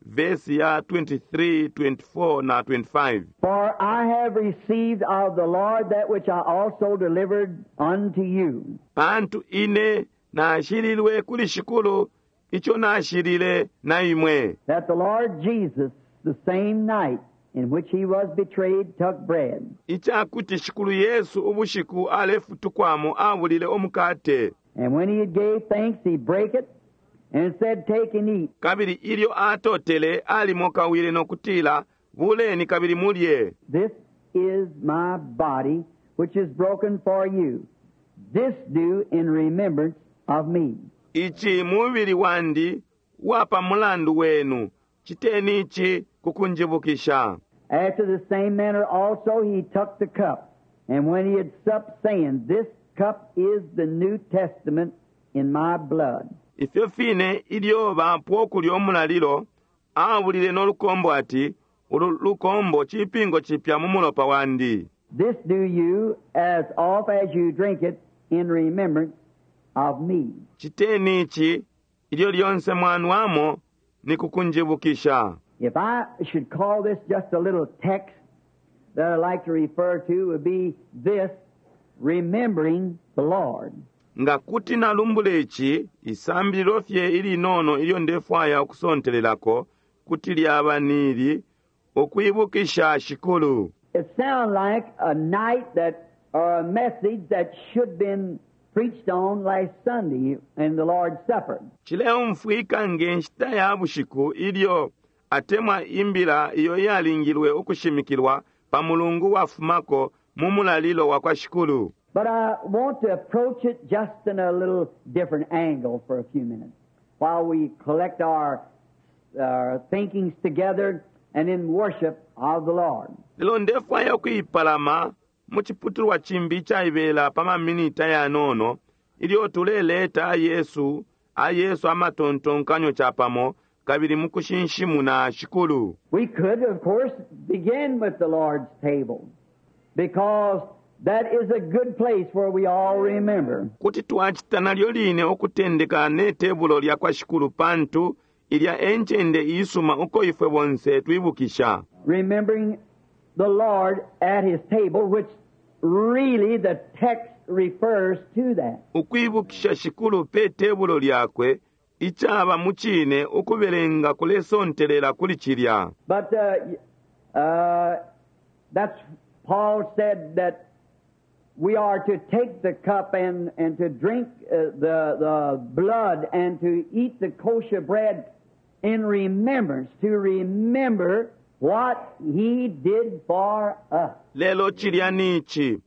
A: verse ya twenty-three, twenty-four na twenty-five.
B: For I have received of the Lord that which I also delivered unto you.
A: Pantu ine nashililwe kuli shikulu icho nashilile na imwe.
B: That the Lord Jesus, the same night in which he was betrayed, took bread.
A: Ichakuti shikulu Yesu ubushiku alefutukwamo abulile omukate.
B: And when he had gave thanks, he brake it and said, Take and eat.
A: Kabili ilyo atotele alimokawile nokutila, buleni kabili mulye.
B: This is my body, which is broken for you. This do in remembrance of me.
A: Ichi mubili wandi wapa mulandu wenu, chiteni ichi kukunjibukisha.
B: After the same manner also he took the cup, and when he had supped, saying, This cup is the New Testament in my blood.
A: Ifyo fine ilyo bapwa okulya omulalilo, abulile n'olukombo ati, ulu lukombo chipingo chipya mu mulopa wandi.
B: This do you, as oft as you drink it, in remembrance of me.
A: Chiteni ichi ilyo lyonse mwanwamo ni kukunjibukisha.
B: If I should call this just a little text that I'd like to refer to, would be this, remembering the Lord.
A: Nga kuti nalumbula ichi, isambililo fye ilinono ilyo ndefwaya ukusontelelako, kuti lyaba nili, ukwibukisha shikulu.
B: It sounds like a night that, or a message that should have been preached on last Sunday in the Lord's Supper.
A: Chileumfwika nge nshita ya bushiku ilyo atemwa imbila iyo yalingilwe ukushimikilwa pa mulungu wafumako mu mulalilo wa kwa shikulu.
B: But I want to approach it just in a little different angle for a few minutes while we collect our our thinkings together and in worship of the Lord.
A: Lelo ndefwaya ukuipalama mu ciputulwa cimbi icaibela pa maminiti ayanono ilyo tuleleta ayesu ayesu amatontonkanyo capamo kabili mu kushinshimuna Shikulu.
B: We could, of course, begin with the Lord's table because that is a good place where we all remember.
A: Kuti twacita nalyo line ukutendeka ne tebulo lya kwa Shikulu pantu ilya e ncende iisuma uko ifwe bonse twibukisha.
B: Remembering the Lord at His table, which really the text refers to that.
A: Ukwibukisha Shikulu pe tebulo lyakwe icaba mu cine ukubelenga kulesontelela kuli cilya.
B: But uh, uh, that's Paul said that we are to take the cup and, and to drink uh, the, the blood and to eat the kosher bread in remembrance, to remember what he did for us.
A: Lelo cilya nici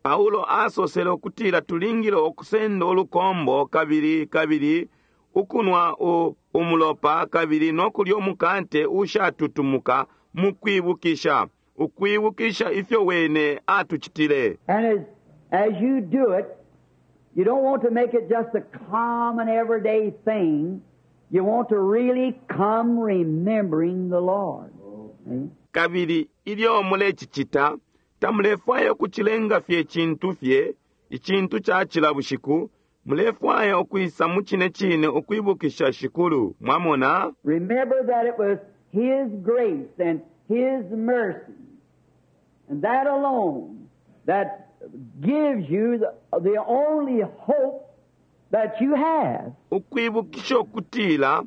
A: Paulo asosele ukutila tulingile ukusenda ulukombo kabili kabili ukunwa u, umulopa kabili nokulya umukate ushatutumuka mu kwibukisha, ukwibukisha ifyo wene atucitile.
B: And as, as you do it, you don't want to make it just a common everyday thing. You want to really come remembering the Lord. See?
A: Kabili ilyo mulecicita tamulefwaya ukucilenga fye icintu fye icintu ca cila bushiku, mulefwaya ukwisa mu cine cine ukwibukisha Shikulu. Mwamona?
B: Remember that it was His grace and His mercy, and that alone, that gives you the, the only hope that you have.
A: Ukwibukisha ukutila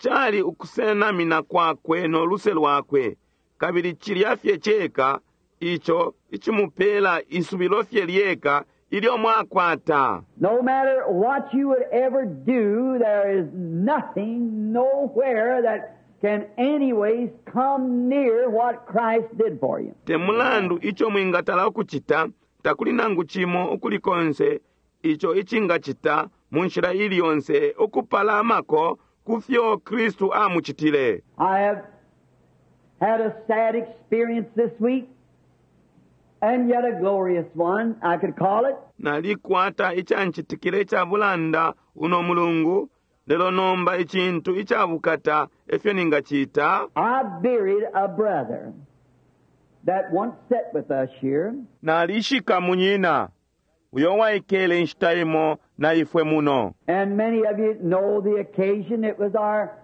A: cali ukusenamina kwakwe no luse lwakwe, kabili cilya fye ceka ico icimupela isubilo fye lyeka ilyo mwakwata.
B: No matter what you would ever do, there is nothing, nowhere that can anyways come near what Christ did for you.
A: Te mulandu ico mwingatala ukucita, takuli nangu cimo ukuli konse ico icingacita mu nshila ili yonse ukupalamako ku fyo Kristu amucitile.
B: I have had a sad experience this week, and yet a glorious one, I could call it.
A: Nalikwata icancitikile ica bulanda uno mulungu, lelo nomba icintu icabukata efyo ningacita.
B: I buried a brother that once sat with us here.
A: Nalishika munyina uyo waikele inshita imo na ifwe muno.
B: And many of you know the occasion. It was our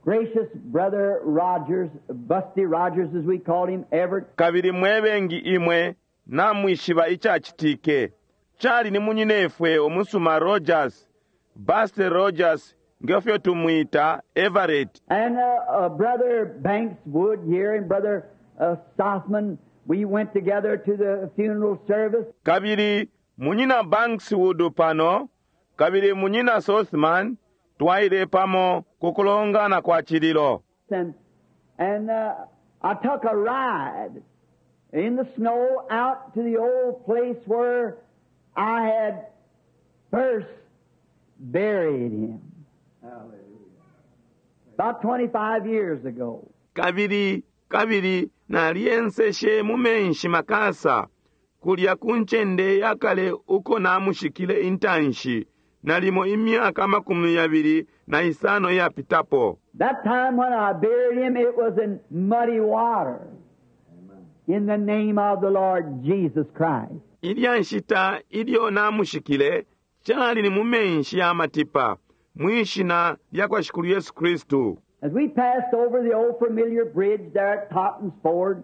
B: gracious brother Rogers, Busty Rogers as we called him, Everett.
A: Kabili mwebengi imwe namwishiba icacitike. Cali ni munyinefwe omusuma Rogers, Busty Rogers ngefyo tumwita Everett.
B: And, uh, uh, Brother Banks Wood here and Brother, uh, Sothmann, we went together to the funeral service.
A: Kabili munyina Banks Wood pano, kabili munyina Sothmann twaile pamo kukulongana kwa cililo.
B: And, and, uh, I took a ride in the snow out to the old place where I had first buried him. About twenty-five years ago.
A: Kabili, kabili nalienseshe mu menshi makasa kulya ku ncende yakale uko namushikile intanshi nalimo imyaka makumi yabili na isano iyapitapo.
B: That time when I buried him, it was in muddy water. In the name of the Lord Jesus Christ.
A: Ilya nshita ilyo namushikile cali ni mu menshi ya matipa mwishina lya kwa Shikulu Yesu Kristu.
B: As we passed over the old familiar bridge there at Totten's Ford,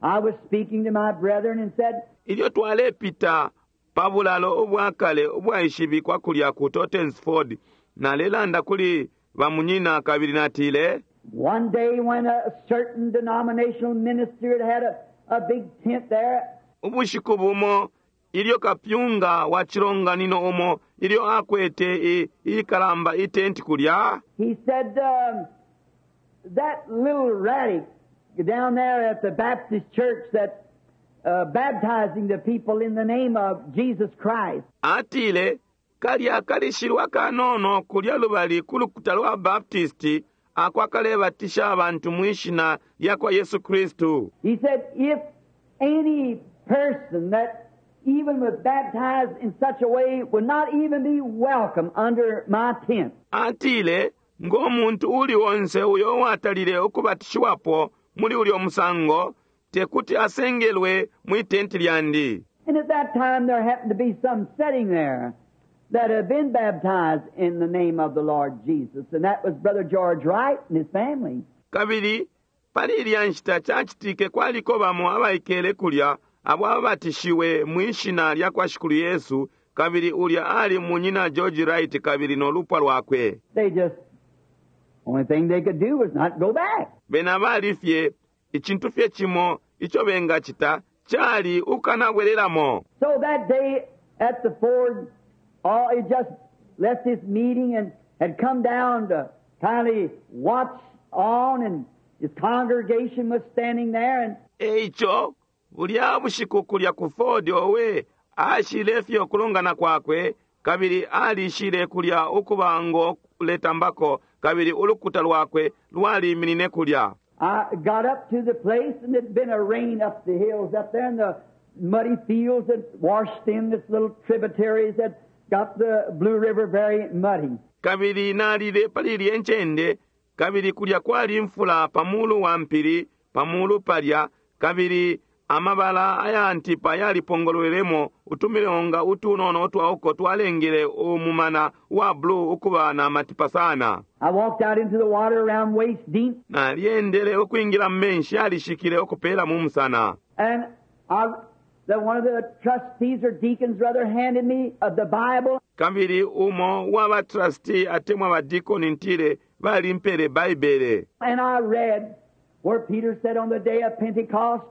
B: I was speaking to my brethren and said,
A: Ilyo twalepita pa bulalo ubwakale ubwaishibikwa kulya ku Totten's Ford, nalelanda kuli bamunyina kabili natile,
B: One day when a certain denominational minister had had a, a big tent there,
A: ubushiku bumo ilyo kapyunga wa cilonganino umo ilyo akwete i-, ikalamba itenti kulya,
B: he said, um, that little radic down there at the Baptist church that, uh, baptizing the people in the name of Jesus Christ.
A: Atile kalya kalishilwa kanono kulya lubali ku lukuta lwa Baptist ako akalebatisha abantu mwishina lyakwa Yesu Kristu.
B: He said, if any person that even was baptized in such a way would not even be welcome under my tent.
A: Atile ng'omuntu uli onse uyo uwatalile ukubatishiwapo muli ulyo musango tekuti asengelwe mwi tenti lyandi.
B: And at that time there happened to be some sitting there that had been baptized in the name of the Lord Jesus, and that was Brother George Wright and his family.
A: Kabili pali ilya nshita cacitike kwaliko bamo abaikele kulya abo ababatishiwe mwishina lya kwa Shikulu Yesu, kabili ulya ali munyina George Wright kabili no lupwa lwakwe.
B: They just, only thing they could do was not go back.
A: Bena bali fye icintu fye cimo ico bengacita cali ukanabwelelamo.
B: So that day at the Ford, oh, he just left his meeting and had come down to kindly watch on, and his congregation was standing there, and
A: Eico bulya bushiku kulya ku Ford owe ashile fye ukulongana kwakwe kabili alishile kulya ukuba ngo kuletambako kabili ulukuta lwakwe lwaliminine kulya.
B: I got up to the place, and there'd been a rain up the hills up there, and the muddy fields that washed in this little tributaries that got the Blue River very muddy.
A: Kabili nalile pali ilye ncende kabili kulya kwali imfula pamulu wa mpili pamulu palya kabili amabala aya ntipa yalipongolwelemo utumilonga utunono utwauko twalengele umumana wa blue ukuba na matipa sana.
B: I walked out into the water around waist deep,
A: Nalyendele ukwingila mu menshi yalishikile ukupela mu musana.
B: and I, the, one of the trustees or deacons rather handed me uh, the Bible,
A: Kabili umo wa ba trustee atemwa ba deacon ntile balimpele Baibele.
B: and I read where Peter said on the day of Pentecost,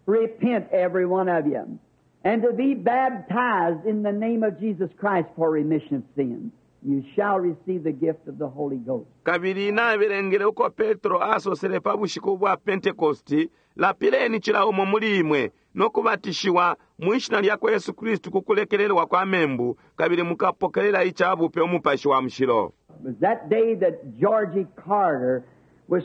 B: "Repent, every one of you, and to be baptized in the name of Jesus Christ for remission of sins. You shall receive the gift of the Holy Ghost."
A: Kabili nabelengele uko Petro asosele pa bushiku bwa Pentekosti, lapileni cila umo muli imwe nokubatishiwa mwishina lya kwa Yesu Kristu ku kulekelelwa kwa membu, kabili mukapokelela icabupe umupashi wa mushilo.
B: It was that day that Georgie Carter was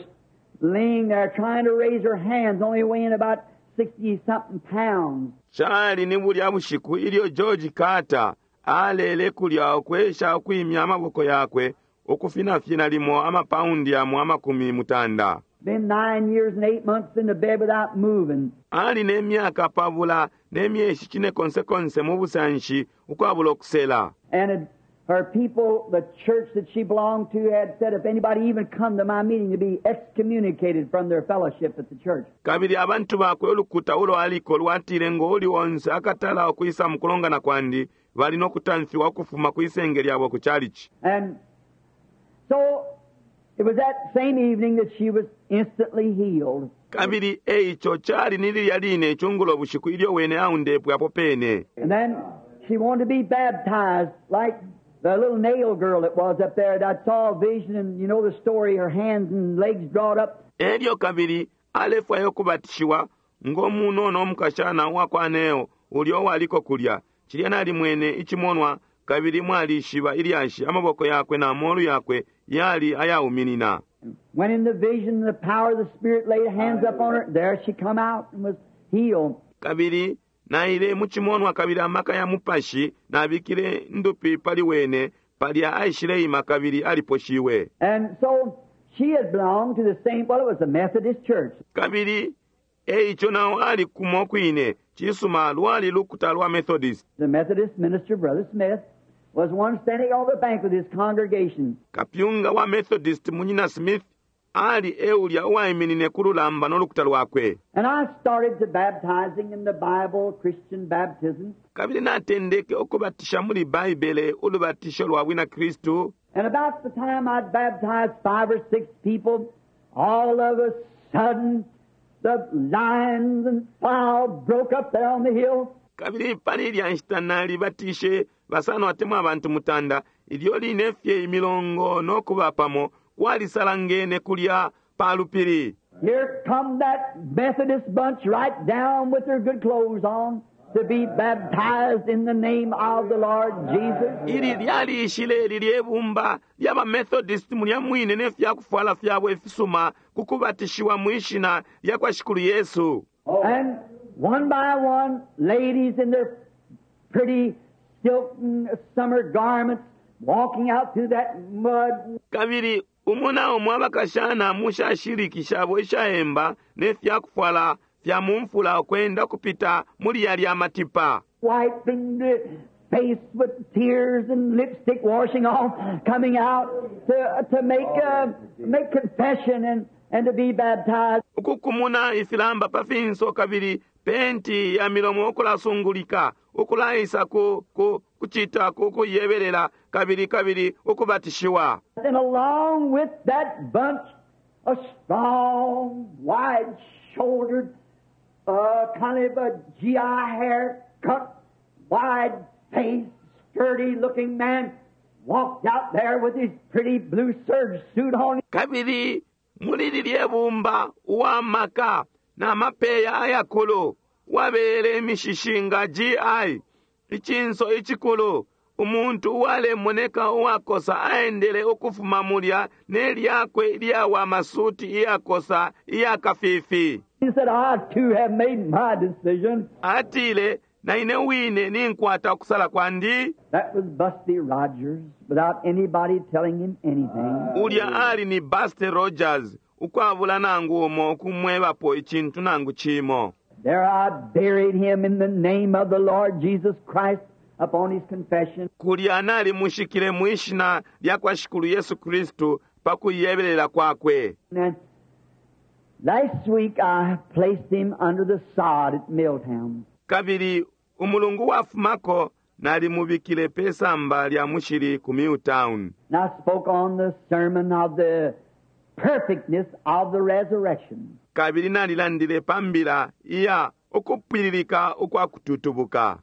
B: laying there trying to raise her hands, only weighing about sixty something pounds.
A: Cali ni bulya bushiku ilyo George Carter alele kulya ukwesha ukwimya amaboko yakwe ukufinafina limo amapaundi yamo amakumi mutanda.
B: Been nine years and eight months in the bed without moving.
A: Ali ne myaka pabula ne myeshi cine konsekonse mu busanshi ukwabula okusela.
B: And it, her people, the church that she belonged to, had said if anybody even come to my meeting to be excommunicated from their fellowship at the church.
A: Kabili abantu bakwe ulukuta ulo aliko lwatile ngo uli onse akatala okwisa mu kulongana kwandi bali nokutamfiwa ukufuma kwisenge lyabo ku chalichi.
B: And so it was that same evening that she was instantly healed.
A: Kabili eico cali ni lilya line icungulo bushiku ilyo wene aundepwe apo pene.
B: And then she wanted to be baptized like the little nail girl that was up there. I saw a vision, and you know the story, her hands and legs drawn up.
A: Elyo kabili alefwayo kubatishiwa ng'omunono omukashana uwakwa neo ulyo uwaliko kulya. Cilya nalimwene icimonwa kabili mwalishiba ilyashi amaboko yakwe na molu yakwe yali ayauminina.
B: When in the vision, the power of the Spirit laid hands up on her. There she come out and was healed.
A: Kabili naile mu cimonwa kabili amaka ya mupashi nabikile ndupi pali wene palya aishileima kabili aliposhiwe.
B: And so she had belonged to the same, well, it was a Methodist church.
A: Kabili eico nawo ali kumo kwine cisuma lwali lukuta lwa Methodist.
B: The Methodist minister, Brother Smith, was one standing on the bank with his congregation.
A: Kapyunga wa Methodist munyina Smith ali eulya uwaiminine ku lulamba n'olukuta lwakwe.
B: And I started to baptizing in the Bible, Christian baptism.
A: Kabili natendeke okubatisha muli Baibele ulubatisho lwa bwina Kristu.
B: And about the time I'd baptized five or six people, all of a sudden the lions and fowl broke up there on the hill.
A: Kabili pali ilya nshita nalibatishe basano atemwa abantu mutanda ilyo line fye imilongo n'okuba pamo kwalisalangene kulya pa lupili.
B: Here come that Methodist bunch right down with their good clothes on. to be baptized in the name of the Lord Jesus.
A: Ili lyalishile lilye bumba ly'abamethodist mulya mwine ne fyakufwala fyabo ifisuma ku kubatishiwa mwi shina lya kwa Shikulu Yesu.
B: And one by one, ladies in their pretty silken summer garments walking out through that mud,
A: Kabili umo na umo abakashana mu shashiliki shabo ishaemba ne fyakufwala fya mu mfula ukwenda kupita muli yalya matipa.
B: Wiping the face with tears and lipstick washing off, coming out to, to make, uh, make confession and, and to be baptized.
A: Ukukumuna ifilamba pa finso kabili penti ya milomo ukulasungulika ukulaisa ku, ku, kucita ku kuyebelela kabili kabili ukubatishiwa.
B: And along with that bunch, a strong, wide-shouldered, uh, kind of a G I haircut, wide-faced, sturdy-looking man walked out there with his pretty blue serge suit on.
A: Kabili muli lilye bumba uwamaka na mapeya ayakulu wabele imishishi nga G I icinso icikulu umuntu uwalemoneka uwakosa aendele ukufuma mulya ne lyakwe ilyawa masuti iyakosa iyakafifi.
B: He said, "I too have made my decision."
A: Atile na ine wine ninkwata ukusala kwandi.
B: That was Busty Rogers without anybody telling him anything.
A: Ulya ali ni Busty Rogers ukwabula nangu umo ukumwebapo icintu nangu cimo.
B: There I buried him in the name of the Lord Jesus Christ upon his confession.
A: Kulya nalimushikile mwishina lya kwa Shikulu Yesu Kristu pa kuyebelela kwakwe.
B: And last week I placed him under the sod at Milltown.
A: Kabili umulungu wafumako nalimubikile pe samba lya mushili ku Milltown.
B: And I spoke on the sermon of the perfectness of the resurrection.
A: Kabili nalilandile pa mbila iya ukupwililika ukwa kututubuka.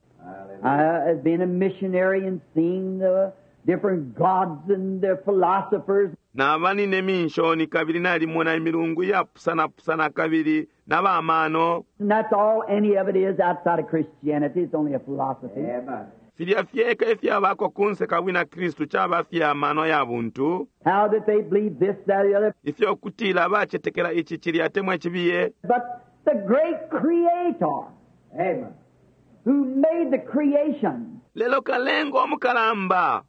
B: I have been a missionary and seen the different gods and the philosophers.
A: Naba nine minshoni kabili nalimona imilungu iyapusanapusana kabili na bamano.
B: And that's all any of it is outside of Christianity. It's only a philosophy.
C: Amen.
A: Filya fyeka ifyabako kunse ka bwina Kristu caba fya mano ya buntu.
B: How that they believe this, that, or the other.
A: Ifyo kutila bacetekela ici cilya atemwa cibiye.
B: But the great Creator
C: Amen.
B: who made the creation,
A: Lelo kalenga omukalamba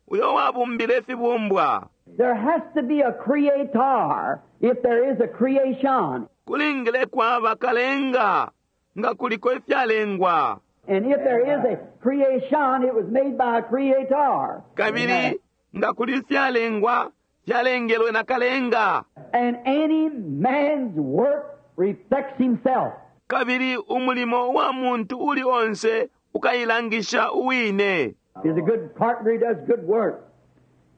A: uyo wabumbile ifibumbwa.
B: There has to be a creator if there is a creation.
A: Kulingile kwaba kalenga nga kuliko ifyalengwa.
B: And if there is a creation, it was made by a creator.
A: Kabili nga kuli ifyalengwa fyalengelwe na kalenga.
B: And any man's work reflects himself.
A: Kabili umulimo wa muntu uli onse ukailangisha uwine.
B: He's a good carpenter, he does good work.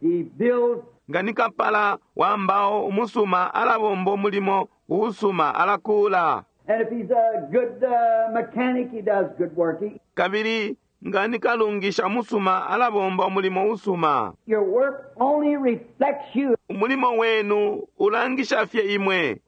B: He builds
A: Nga ni kapala wa mbao umusuma alabomba umulimo uusuma alakula.
B: And if he's a good uh, mechanic, he does good work. He,
A: Kabili nga ni kalungisha musuma alabomba umulimo usuma.
B: Your work only reflects you.
A: Umulimo wenu ulangisha fye imwe.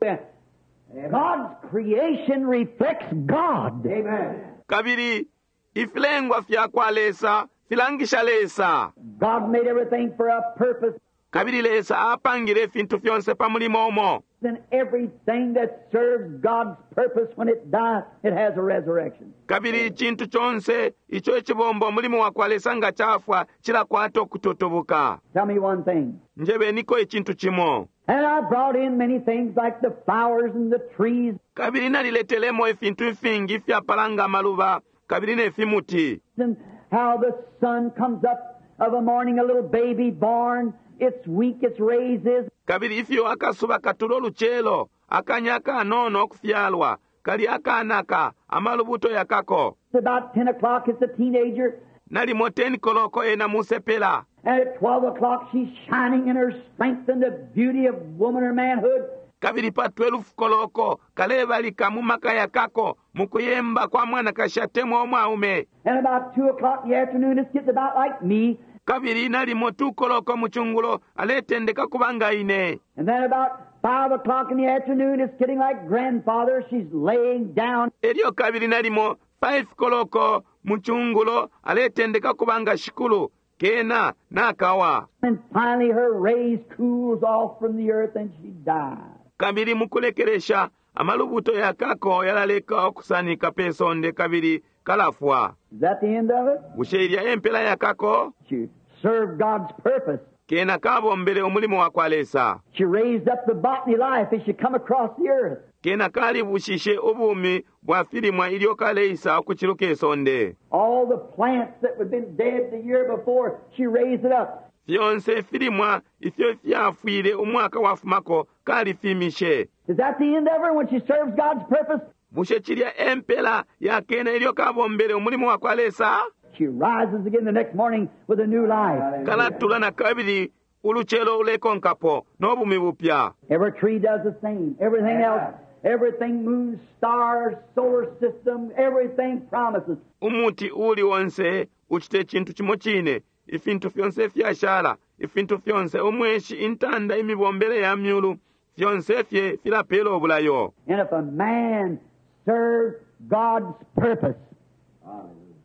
B: God's creation reflects God.
C: Amen.
A: Kabili ifilengwa fya kwa Lesa filangisha Lesa.
B: God made everything for a purpose,
A: Kabili Lesa apangile ifintu fyonse pa mulimo umo.
B: And everything that serves God's purpose, when it dies, it has a resurrection.
A: Kabili icintu conse ico icibomba umulimo wa kwa Lesa nga cafwa cilakwata ukututubuka.
B: Tell me one thing.
A: Njebeniko icintu cimo.
B: And I brought in many things like the flowers and the trees
A: Kabili naliletelemo ifintu ifingi ifyapala amaluba kabili ne fimuti.
B: And how the sun comes up of a morning, a little baby born, it's weak, its rays is.
A: Kabili ifyo akasuba katula ulucelo akanya akanono okufyalwa kali akanaka amalubuto yakako.
B: It's about ten o'clock, it's a teenager.
A: Nalimo ten koloko ena musepela.
B: And at twelve o'clock, she's shining in her strength and the beauty of woman or manhood.
A: Kabili pa twelve koloko kalebalika mu maka yakako mu kuyemba kwa mwanakashi atemwa omwaume.
B: And about two o'clock in the afternoon, it's getting about like me.
A: Kabili nalimo two koloko mu chungulo aletendeka kubanga ine.
B: And then about five o'clock in the afternoon, it's getting like grandfather. She's laying down.
A: Elyo kabili nalimo Five koloko mu cungulo aletendeka kuba nga shikulu kena nakawa
B: And finally her rays cools off from the earth and she dies.
A: kabili mukulekelesha amalubuto yakako yalaleka okusanika pe sonde kabili kalafwa
B: Is that the end of it?
A: bushe ilya empela yakako
B: She served God's purpose.
A: kena kabombele umulimo wa kwa lesa
B: She raised up the botany life as she come across the earth.
A: kena kalibushishe ubumi bwa filimwa ilyo kaleisa ukuciluka isonde
B: All the plants that had been dead the year before, she raised it up.
A: fyonse filimwa ifyo fyafwile umwaka wafumako kalifimishe
B: Is that the end of her when she serves God's purpose?
A: bushe cilya empela yakena ilyo kabombele umulimo wa kwa lesa
B: She rises again the next morning with a new life.
A: kalatula na kabili ulucelo ulekonkapo n'obumi bupya
B: Every tree does the same. Everything else, everything moves, stars, solar system, everything promises.
A: umuti uli onse uchite chintu chimo chine ifintu fyonse fyashala ifintu fyonse umweshi intanda imibombele ya myulu fyonse fye filapela obulayo
B: And if a man serves God's purpose,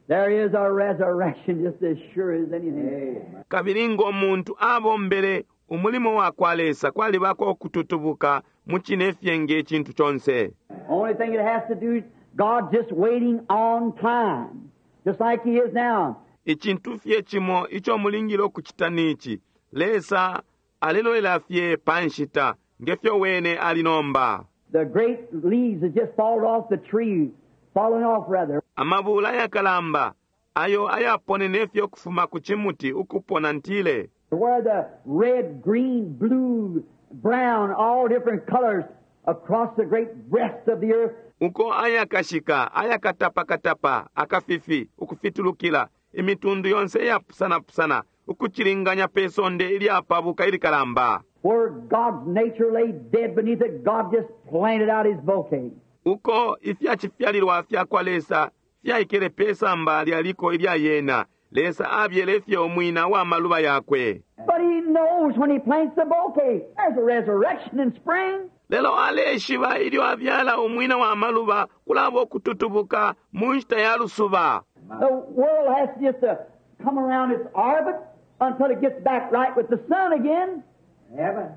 B: there is a resurrection just as sure as anything.
A: kabili ng'omuntu abombele umulimo wa kwa lesa kwalibako okututubuka mu chine fye ng'ekintu kyonse
B: Only thing it has to do, God's just waiting on time, just like He is now.
A: icintu fye chimo icho mulingile okuchita nichi lesa alelolela fye pa nshita ngefyo wene ali nomba
B: The great leaves that just fallen off the tree, fallen off rather,
A: amabula ayakalamba ayo ayaponene fye okufuma ku chimuti ukupona ntile
B: where the red, green, blue, brown, all different colors across the great breast of the earth.
A: uko ayakashika ayakatapakatapa akafifi ukufitulukila imitundu yonse iyapusanapusana ukuchilinganya pe sonde ilyapabuka ilikalamba
B: Where God's nature lay dead beneath it, God just planted out His bouquet.
A: uko ifyachifyalilwa fyakwa lesa fyaikele pe samba lyaliko ilya yena lesa abyele fye omwina wa maluba yakwe
B: But He knows when He plants the bouquet, there's a resurrection in spring.
A: lelo aleshiba ilyo abyala omwina wa maluba kulaba okututubuka mu nshita ya lusuba
B: The world has just to come around its orbit until it gets back right with the sun again,
C: Heaven.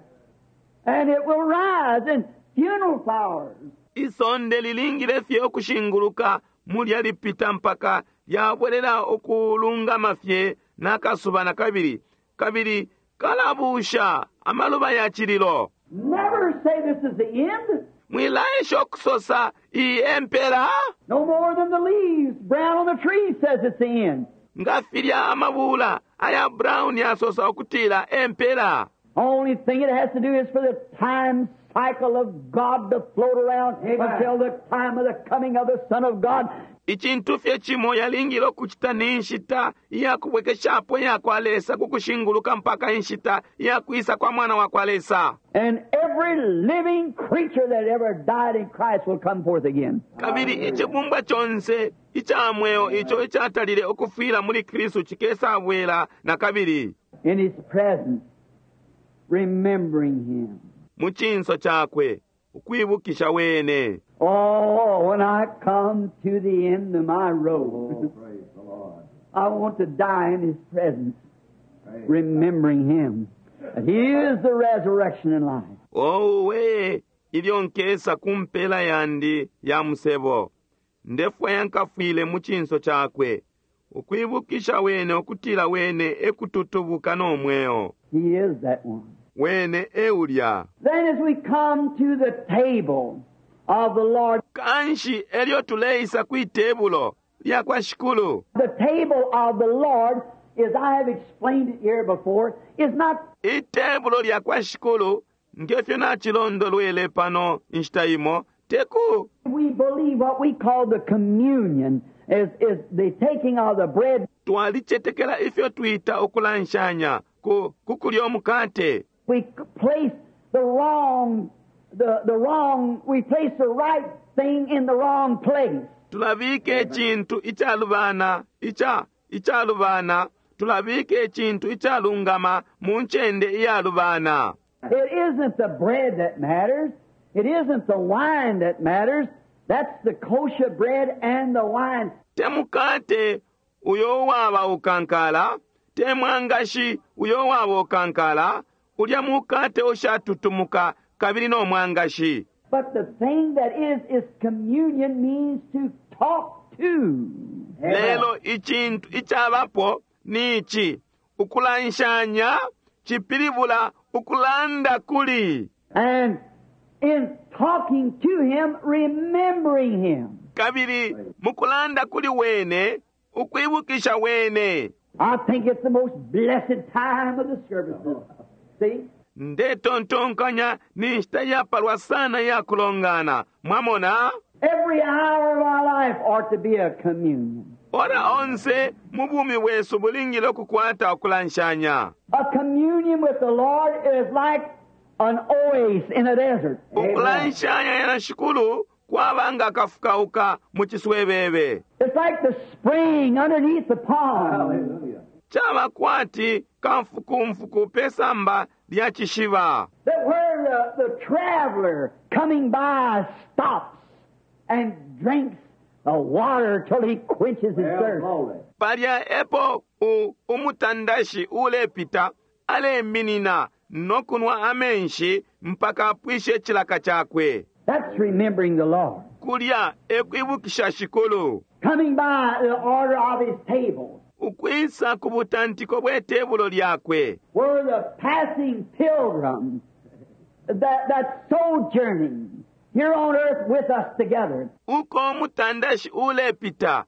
B: and it will rise in funeral flowers.
A: isonde lilingile fye okushinguluka mulya lipita mpaka lyabwelela okulungama fye n'akasuba na kabili kabili kalabusha amaluba ya chililo
B: Never say this is the end.
A: mwilaesha okusosa iyi empera
B: No more than the leaves brown on the tree says it's the end.
A: nga filya amabula aya brown yasosa okutila empera
B: Only thing it has to do is for the time cycle of God to float around
C: Amen.
B: until the time of the coming of the Son of God.
A: icintu fye cimo yalingile okucita ni nshita iyakubwekeshapo iyakwa lesa kukushinguluka mpaka inshita iyakwisa kwa mwana wa kwa lesa
B: And every living creature that ever died in Christ will come forth again.
A: kabili icibumbwa conse ica mweo ico icatalile ukufwila muli kristu cikesabwela na kabili
B: In His presence, remembering Him.
A: mu cinso cakwe ukwibukisha wene
B: Oh, when I come to the end of my road,
C: Oh, praise the Lord.
B: I want to die in His presence,
C: Praise
B: remembering Him. That He is the resurrection and life.
A: owe ilyo nkesa ku mpela yandi ya musebo ndefwaya nkafwile mu cinso cakwe ukwibukisha wene ukutila wene ekututubuka n'omweo
B: He is that one.
A: wene eulya
B: Then as we come to the table of the Lord,
A: kanshi elyo tuleisa kwi tebulo lya kwa shikulu
B: the table of the Lord, as I have explained it here before, is not
A: itebulo lya kwa shikulu ngefyo nachilondolwele pano inshita imo teku
B: we believe what we call the communion is, is the taking of the bread.
A: twalicetekela ifyo twita ukulanshanya ku kukulya omukate
B: We place the wrong, the, the wrong, we place the right thing in the wrong place.
A: tulabika ekintu icalubana ica icalubana tulabika ekintu icalungama mu ncende iyalubana
B: It isn't the bread that matters. It isn't the wine that matters. That's the kosher bread and the wine.
A: Te mukate uyo uwaba ukankala, te mwangashi uyo uwaba ukankala, ulya mukate ushatutumuka kabili no mwangashi.
B: But the thing that is, is communion means to talk to.
A: Lelo icintu icabapo ni ici, ukulanshanya cipilibula ukulanda kuli.
B: And in talking to Him, remembering Him.
A: Kabili mukulanda kuli wene, ukwibukisha wene.
B: I think it's the most blessed time of the services. See?
A: Ndetontonkanya ni nshita yapalwa sana ya kulongana. Mwamona?
B: Every hour of our life ought to be a communion.
A: Ora onse mu bumi bwesu bulingile okukwata okulanshanya.
B: A communion with the Lord is like an oasis in a desert.
A: Ukulanshanya na Shikulu kwaba nga akafukauka mu ciswebebe.
B: It's like the spring underneath the pond.
C: Hallelujah.
A: Chaba kwati kamfukumfuku pe samba lya chishiba.
B: That where the, the traveler coming by stops and drinks the water till he quenches his
C: Well,
B: thirst.
C: glory.
A: Palya epo u, umutandashi ulepita aleminina nokunwa amenshi mpaka apwishe chilaka chakwe.
B: That's remembering the Lord.
A: Kulya ekwibukisha Shikulu.
B: Coming by the order of his table,
A: Ukwisa ku butantiko bwe tebulo lyakwe.
B: where the passing pilgrim that, that sojourning here on earth with us together,
A: Uko umutandashi ulepita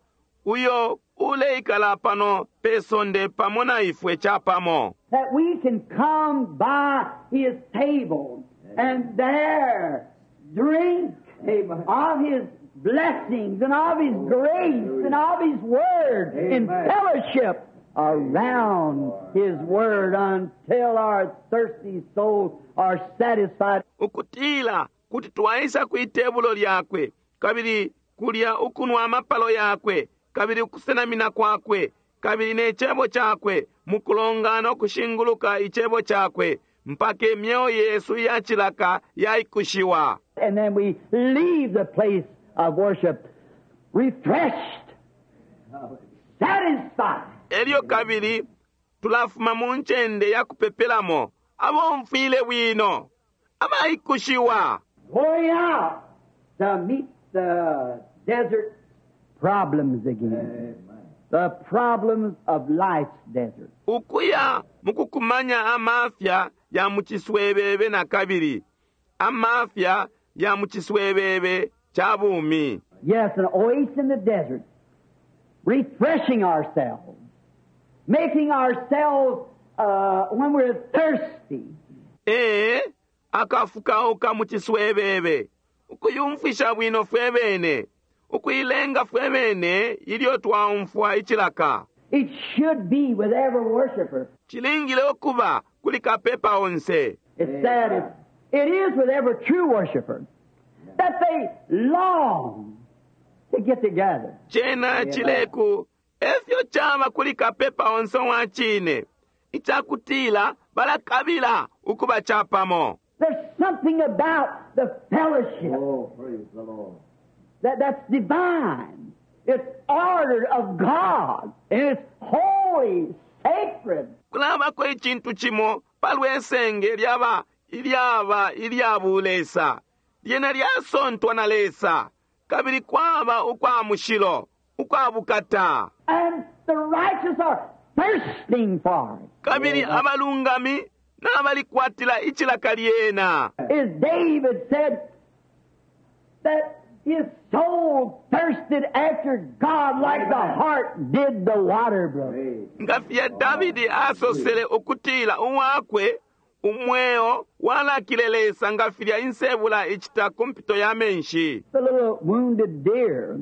A: uyo uleikala pano pe sonde pamo na ifwe chapamo.
B: that we can come by his table and there drink
C: Amen.
B: of his blessings and of his grace and of his word in
C: Amen.
B: fellowship around his word until our thirsty souls are satisfied.
A: Ukutila kuti twaisa kwi tebulo lyakwe kabili kulya ukunwa amapalo yakwe kabili ukusenamina kwakwe kabili ne cebo chakwe mukulongana okushinguluka icebo chakwe mpaka emyeo yesu yachilaka yaikushiwa.
B: And then we leave the place of worship refreshed, satisfied.
A: Elyo kabili tulafuma mu ncende ya kupepelamo abomfwile bwino abaikushiwa
B: Going out to meet the desert problems again.
C: Amen.
B: The problems of life's desert.
A: Ukuya mukukumanya amafya ya muchiswebebe na kabili amafya ya muchiswebebe cha bumi.
B: Yes, an oasis in the desert, refreshing ourselves, making ourselves uh, when we're thirsty.
A: Ee, akafukauka muchiswebebe ukuyumfisha bwino fwe bene ukuilenga fwe bene ilyo twaumfwa icilaka.
B: It should be with every worshiper.
A: Chilingile okuba kuli kapepa onse.
B: It's sad. It, it is with every true worshiper that they long to get together.
A: Chena chileku efyo chaba kuli kapepa onse wa chine ichakutila balakabila ukuba chapamo.
B: There's something about the fellowship
C: Oh, praise the Lord.
B: that, that's divine. It's ordered of God, and it's holy, sacred.
A: Kulabako ichintu chimo palwesenge lyaba ilyaba ilya bulesa lyena lyasontwa na Lesa kabili kwaba ukwa mushilo ukwa bukata.
B: And the righteous are thirsting for it.
A: Kabili abalungami n'abalikwatila icilaka lyena.
B: As David said, that his soul thirsted after God like the hart did the water brook.
C: Praise.
A: Nga filya Davidi asosele ukutila uwakwe umweo walakile Lesa nga filya insebula icita ku mpito ya menshi.
B: The little wounded deer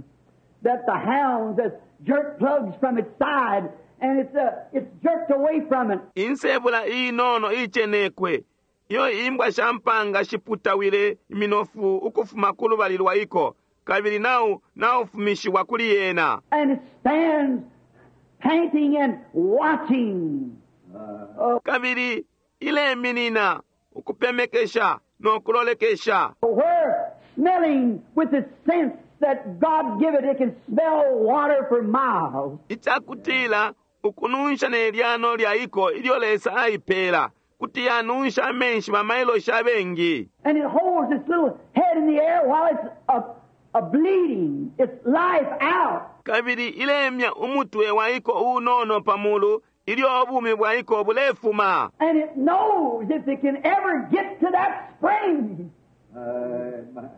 B: that the hounds has jerked plugs from its side and it's, uh, it's jerked away from it.
A: Insebula inono ichenekwe iyo imbwa sha mpanga shiputawile iminofu ukufuma ku lubali lwa iko kabili nau naufumishiwa kuli yena.
B: And it stands panting and watching.
C: Uh,
A: Kabili ileminina ukupemekesha no kulolekesha.
B: Where smelling with its sense that God give it, it can smell water for miles.
A: Icakutila ukununsha ne lyano lya iko ilyo Lesa aipela kuti yanunsha amenshi bamailoshi abengi.
B: And it holds its little head in the air while it's a, a bleeding, its life out.
A: Kabili ilemya umutwe wa iko unono pamulu ilyo ubumi bwa iko bulefuma.
B: And it knows if it can ever get to that spring
C: Amen.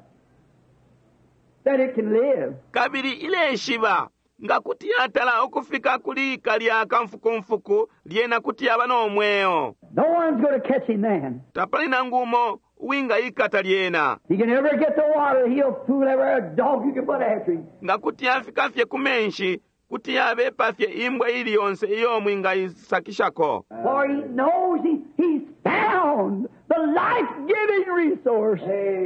B: that it can live.
A: Kabili ileshiba nga kuti yatala ukufika kuli kalya kamfukumfuku lyena kuti yaba no mweo.
B: No one's going to catch him then.
A: Tapali nangu umo uwingayikata lyena.
B: He can ever get the water, he'll fool every dog you can put after him.
A: Nga kuti yafika fye ku menshi kuti yabepa fye imbwa ili yonse iyo mwingayisakishako.
B: For he knows he, he's found the life-giving resource.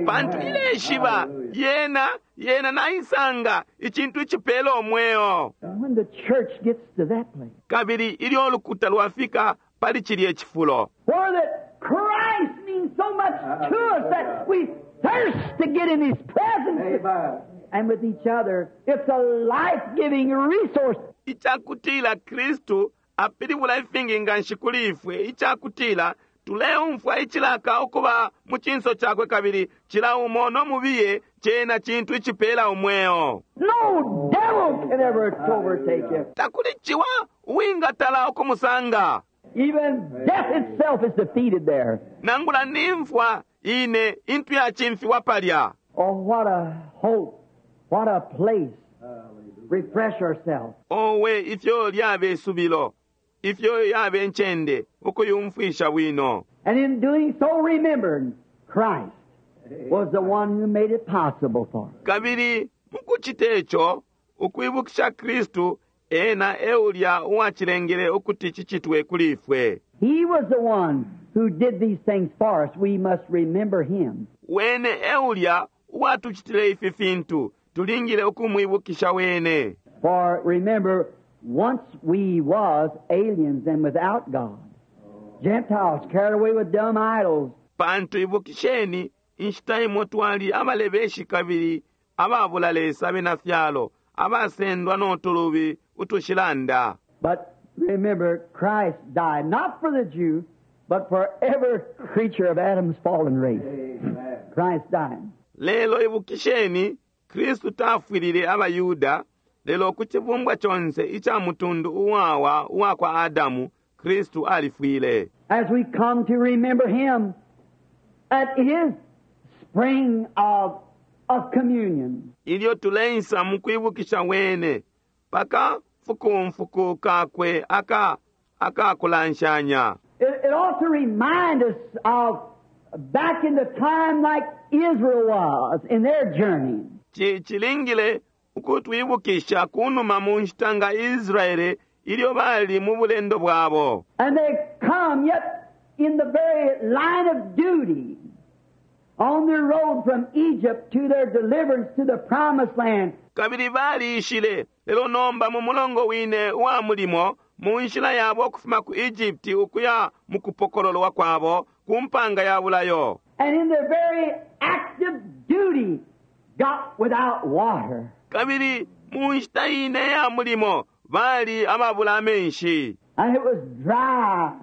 A: Pantu ileshiba
C: Hallelujah.
A: yena yena naisanga icintu icipela umweo.
B: And when the church gets to that place,
A: Kabili ilyo ulukuta lwafika pali cilye cifulo
B: where that Christ means so much to us that we thirst to get in His presence
C: Amen.
B: and with each other, it's a life-giving resource.
A: Icakutila Kristu apilibula ifingi nganshi kuli ifwe icakutila tuleumfwa icilaka ukuba mu cinso cakwe kabili cila umo no mubiye cena cintu icipela umweo.
B: No devil can ever overtake you.
A: Takuli ciwa uwingatala ukumusanga.
B: Even death itself is defeated there.
A: Nangula nimfwa ine intu yacimfiwa palya.
B: Oh, what a hope. What a place.
C: Hallelujah.
B: Refresh ourselves.
A: Owe ifyo lyabe isubilo ifyo yabe ncende ukuyumfwisha bwino.
B: And in doing so, remembering Christ was the one who made it possible for us.
A: Kabili mukucita ico ukwibukisha Kristu ena eulya uwacilengele ukuti cicitwe kuli ifwe.
B: He was the one who did these things for us. We must remember him.
A: Wene eulya uwatucitile ifi fintu tulingile ukumwibukisha wene.
B: For remember, once we was aliens and without God, Gentiles carried away with dumb idols.
A: Pantu ibukisheni inshita imo twali abalebeshi kabili ababula Lesa abena fyalo abasendwa no tulubi utushilanda.
B: But remember, Christ died not for the Jew, but for every creature of Adam's fallen race.
C: Amen.
B: Christ died.
A: Lelo ibukisheni Kristu tafwilile abayuda lelo ku cibumbwa conse ica mutundu uwawa uwa kwa Adamu Kristu alifwile.
B: As we come to remember him at his spring of, of communion.
A: Ilyo tuleisa mu kwibukisha wene paka fukumfuku kakwe aka akakulanshanya.
B: It, it ought to remind us of back in the time like Israel was in their journey.
A: Ci cilingile ukutwibukisha kunuma mu nshita nga Israele ilyo bali mu bulendo bwabo.
B: And they come yet in the very line of duty on their road from Egypt to their deliverance to the promised land.
A: Kabili baliishile lelo nomba mu mulongo wine uwa mulimo mu nshila yabo ukufuma ku Egypt ukuya mu kupokololwa kwabo ku mpanga ya bulayo.
B: And in their very active duty got without water.
A: Kabili mu nshita ine ya mulimo bali ababula amenshi.
B: And it was dry.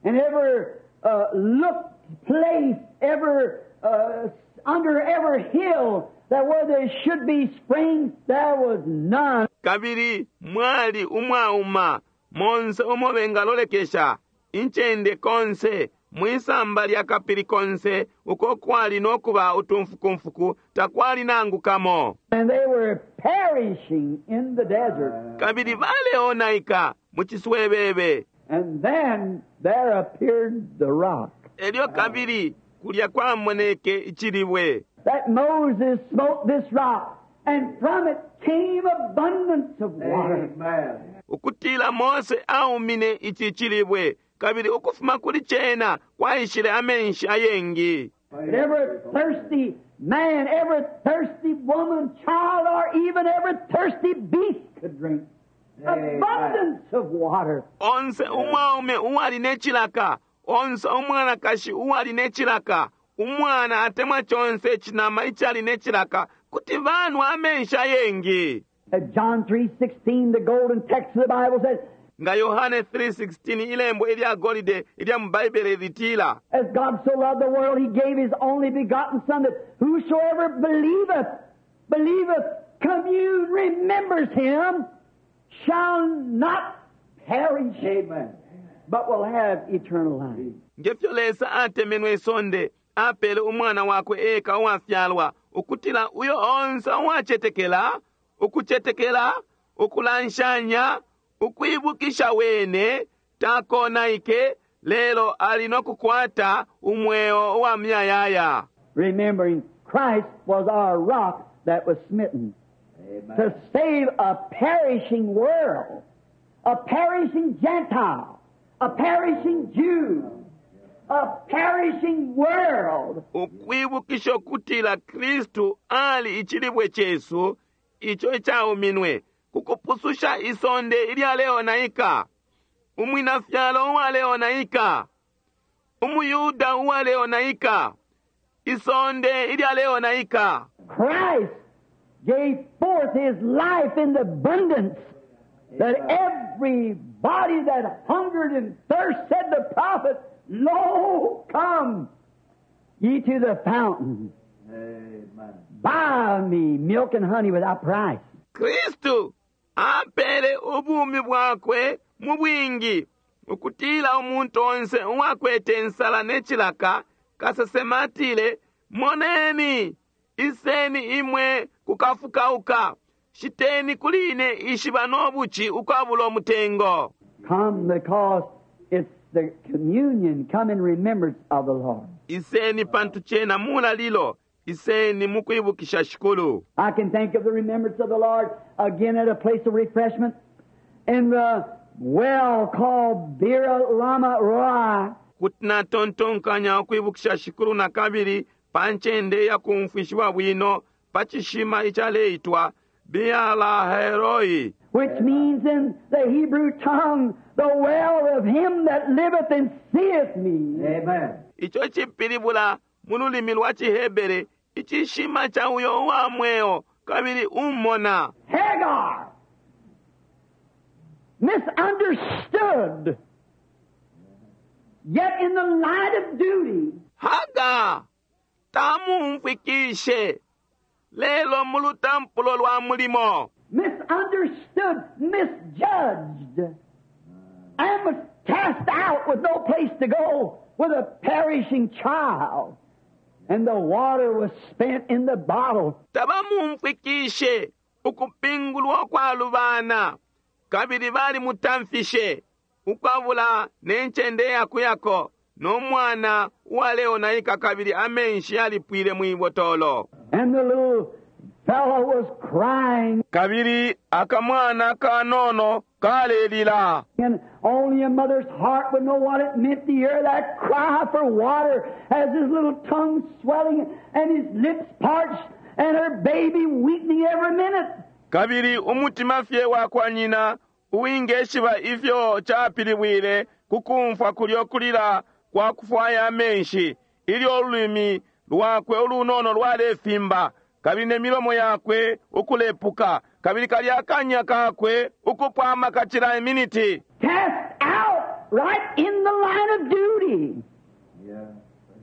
B: And every uh, looked place, every, uh, under every hill that where there should be springs, there was none.
A: Kabili mwali umwauma monse umo bengalolekesha incende konse mwisamba lya kapili konse uko kwali nokuba utumfukumfuku takwali nangu kamo.
B: And they were perishing in the desert.
A: Kabili baleonaika mu ciswebebe.
B: And then there appeared the rock
A: Elyo kabili kulya kwamoneke icilibwe
B: that Moses smote this rock, and from it came abundance of water.
C: Amen.
A: Ukutila Mose aumine ici cilibwe kabili ukufuma kuli cena kwaishile amenshi ayengi.
B: And every thirsty man, every thirsty woman, child, or even every thirsty beast could drink. Abundance of water.
A: Onse umwaume uwali ne cilaka, onse umwanakashi uwali ne cilaka, umwana atemwa conse icinama icali ne cilaka Kuti banwa amenshi ayengi.
B: At John three sixteen, the golden text of the Bible says,
A: Nga Yohane three sixteen, ilembo ilya golide ilya mu Baibele litila,
B: "As God so loved the world, he gave his only begotten Son, that whosoever believeth, believeth, commune, remembers him, shall not perish,
C: Amen.
B: but will have eternal life."
A: Ngefyo Lesa atemenwe isonde, apele umwana wakwe eka uwafyalwa, ukutila uyo onse uwacetekela, ukucetekela, ukulanshanya, ukwibukisha wene, takonaike, lelo ali no kukwata umweo uwa muyayaya.
B: Remembering Christ was our rock that was smitten
C: Amen.
B: to save a perishing world, a perishing Gentile, a perishing Jew, a perishing world.
A: Ukwibukisha ukutila Kristu ali icilibwe cesu ico icauminwe kukupususha isonde ilyaleonaika, umwinafyalo uwaleonaika, umuyuda uwaleonaika, isonde ilyaleonaika.
B: Christ gave forth his life in abundance that everybody that hungered and thirst, said the prophet, "Lo, come ye to the fountain.
C: Amen.
B: Buy me milk and honey without price."
A: Kristu apele ubumi bwakwe mu bwingi ukutila umuntu onse uwakwete insala ne cilaka, kasesema atile, "Moneni, iseni imwe kukafukauka, shiteni kuli ine ishiba no buci ukwabula umutengo."
B: Come because it's the communion. Come in remembrance of the Lord.
A: Iseni pantu cena mulalilo, iseni mukwibukisha Shikulu.
B: I can think of the remembrance of the Lord again at a place of refreshment in the well called Beer Lama Roi.
A: Kuti natontonkanya ukwibukisha Shikulu na kabili pa ncende yakumfwishiwa bwino pa cishima icaleitwa Bealaheroi,
B: which means in the Hebrew tongue, the well of him that liveth and seeth me.
C: Amen.
A: Ico cipilibula mu lulimi lwa ciHebere, icishima ca uyo uwa mweo kabili umona.
B: Hagar, misunderstood, yet in the line of duty,
A: Haga tamumfwikishe, lelo mu lutampulo lwa mulimo,
B: misunderstood, misjudged, and was cast out with no place to go with a perishing child. And the water was spent in the bottle.
A: Tabamumfwikishe, ukupingulwa kwalubana, kabili balimutamfishe ukwabula ne ncende yakuyako no mwana uwaleonaika, kabili amenshi yalipwile mwibotolo.
B: And the little fellow was crying.
A: Kabili akamwana kanono kalelila.
B: And only a mother's heart would know what it meant to hear that cry for water as his little tongue swelling and his lips parched and her baby weakening every minute.
A: Kabili umutima fye wa kwa nyina uwingeshiba ifyo capilibwile kukumfwa kulyo kulila kwa kufwaya amenshi ilyo ululimi lwakwe ulunono lwalefimba kabili ne milomo yakwe ukulepuka kabili kalya akanya kakwe ukupwa amaka cila iminiti.
B: Cast out right in the line of duty.
C: Yeah.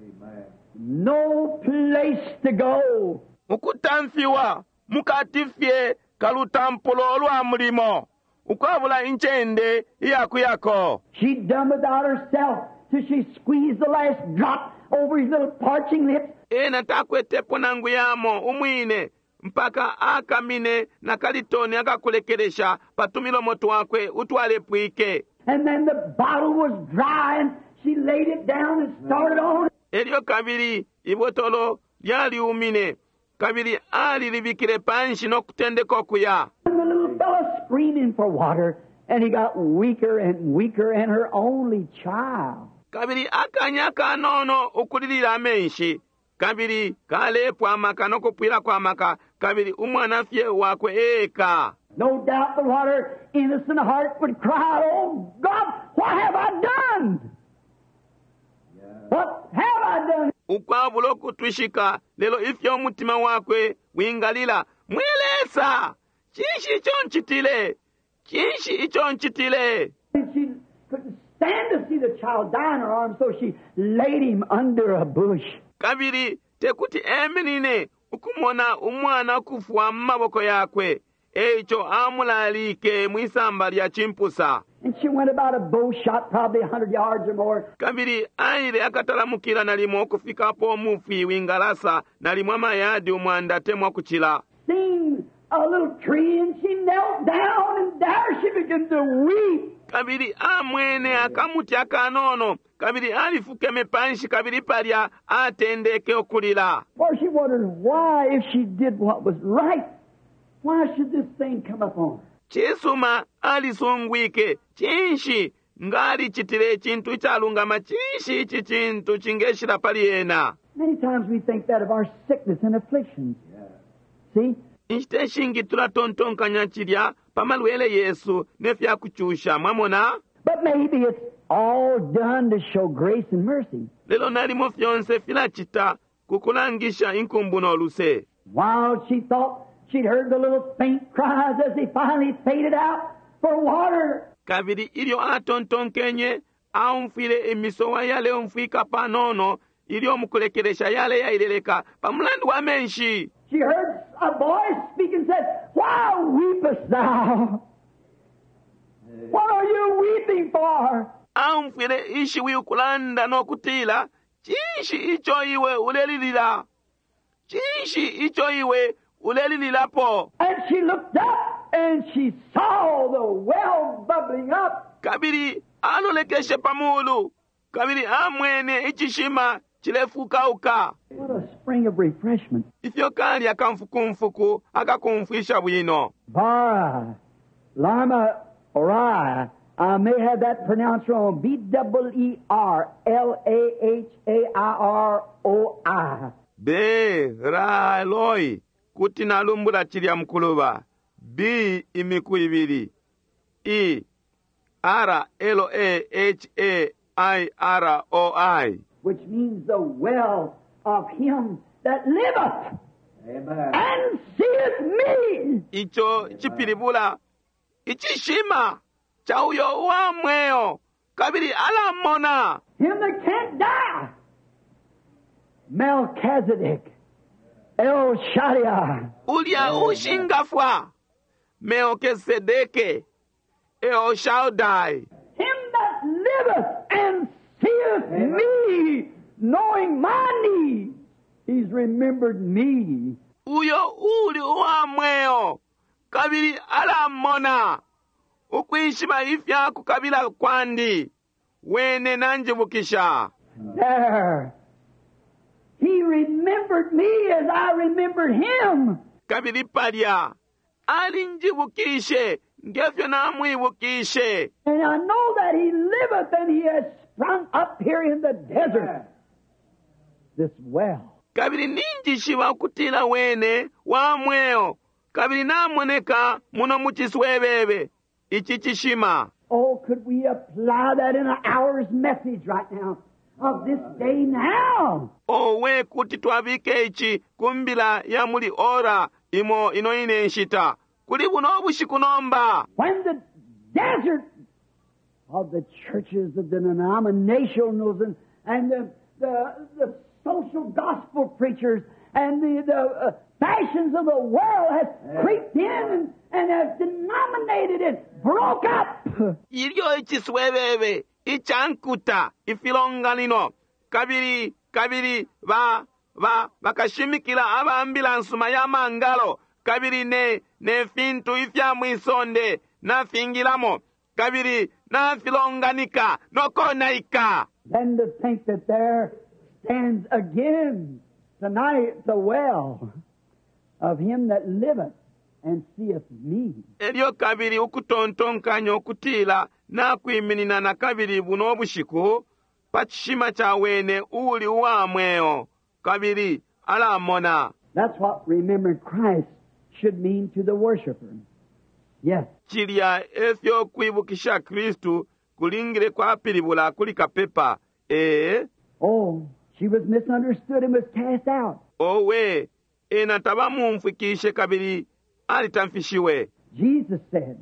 C: Amen.
B: No place to go.
A: Ukutamfiwa mukati fye kalutampulo lwa mulimo, ukwabula incende iyakuyako.
B: She'd done without herself till she squeezed the last drop over his little parching lips.
A: Ena takwetepo nangu yamo umwine mpaka akamine na kalitoni akakulekelesha pa tumilomo twakwe utwalepwike.
B: And then the bottle was dry and she laid it down and started on.
A: Elyo kabili ibotolo lyaliumine kabili alilibikile panshi no kutendeka okuya.
B: And the little fellow screaming for water. And he got weaker and weaker and her only child.
A: Kabili akanya kanono ukulilila amenshi kabili kalepwa amaka no kupwilako amaka kabili umwana fye wakwe eka.
B: No doubt but what her innocent heart would cry, "Oh God, what have I done?
C: Yeah.
B: What have I done?"
A: Ukwabulo kutwishika lelo ifyo umutima wakwe wingalila, mwe Lesa, cinshi ico ncitile? Cinshi ico ncitile?
B: And she couldn't stand to see the child die in her arms, so she laid him under a bush.
A: Kabili tekuti eminine ukumona umwana kufwa mu maboko yakwe, eico amulalike mwisamba lya chimpusa.
B: And she went about a bow shot, probably a hundred yards or more.
A: Kabili aile akatalamukila nalimo ukufikapo umufwi wingalasa nalimo amayadi umwanda atemwa kuchila.
B: Seen a little tree, and she knelt down, and there she began to weep.
A: Kabili amwene akamuti akanono, kabili alifukeme panshi, kabili palya atendeke ukulila.
B: For she wondered why, if she did what was right, why should this thing come upon her?
A: Cisuma alisungwike, cinshi ngalicitile icintu icalungama, cinshi ici cintu cingeshila pali ena?
B: Many times we think that of our sickness and afflictions. See?
A: Inshita ishingi tulatontonkanya cilya pa malwele yesu ne fya kucusha, mwamona?
B: But maybe it's all done to show grace and mercy.
A: Lelo nalimo fyonse filacita ku kulangisha inkumbu no luse.
B: While she thought she'd heard the little faint cries as they finally faded out for water,
A: Kabili ilyo atontonkenye aumfwile imisowa yaleumfwika panono ilyo mukulekelesha yale yaileleka pa mulandu wa menshi.
B: she heard a voice speak and said, Why weepest thou? What are you weeping for?
A: Aumfwile ishiwi ukulanda no kutila, cinshi ico iwe ulelilila? Cinshi ico iwe ulelililapo?
B: And she looked up and she saw the well bubbling up.
A: Kabili alolekeshe pa mulu, kabili amwene icishima cilefukauka.
B: What a spring of refreshment.
A: Ifyo kali akamfukumfuku akakumfwisha bwino.
B: Bara, Lama, Rai. I may have that pronounced wrong. B double E R L A H A I R O I.
A: Be ra loi kuti nalumbula cilya mukuluba. B imiku ibili. E R L A H A I R O I.
B: Which means the well of him that liveth
C: Amen.
B: and seeth me.
A: Ico cipilibula icishima cha uyo uwa mweo kabili alamona.
B: Him that can't die. Melchizedek, El Shaddai.
A: Ulya ushingafwa Melkisedeke El Shaddai.
B: Him that liveth and seeth me, knowing my need, he's remembered me.
A: Uyo uli uwa mweo kabili alamona ukwishiba ifya kukabila kwandi wene nanjibukisha.
B: There. He remembered me as I remembered him.
A: Kabili palya alinjibukishe ngefyo namwibukishe.
B: And I know that he liveth and he has sprung up here in the desert, this well.
A: Kabili ninjishiba ukutila wene wa mweo kabili namoneka muno mu ciswebebe ici cishima.
B: Oh, could we apply that in an hour's message right now of this day now?
A: Owe kuti twabike ici ku mbila ya muli ora imo ino ine nshita kuli buno bushiku nomba.
B: When the desert of the churches, the denominationals, and, and the, the, the social gospel preachers and the, the uh, fashions of the world has creeped in and, and has denominated it, broke up.
A: Ilyo iciswebebe icankuta ifilonganino kabili kabili ba ba bakashimikila aba mbila nsuma ya mangalo kabili ne ne fintu ifya mwisonde nafingilamo kabili nafilonganika nokonaika.
B: Then to think that there stands again tonight the well of him that liveth and seeth me.
A: Elyo kabili ukutontonkanya ukutila nakwiminina na kabili buno bushiku pa cishima ca wene uuli uwa mweo kabili alamona.
B: That's what remembering Christ should mean to the worshiper. Yes.
A: Cilya efyo kwibukisha Kristu kulingile kwapilibula kuli kapepa. Ee,
B: Oh, She was misunderstood and was cast out.
A: Owe, ena tabamumfwikishe kabili alitamfishiwe.
B: Jesus said,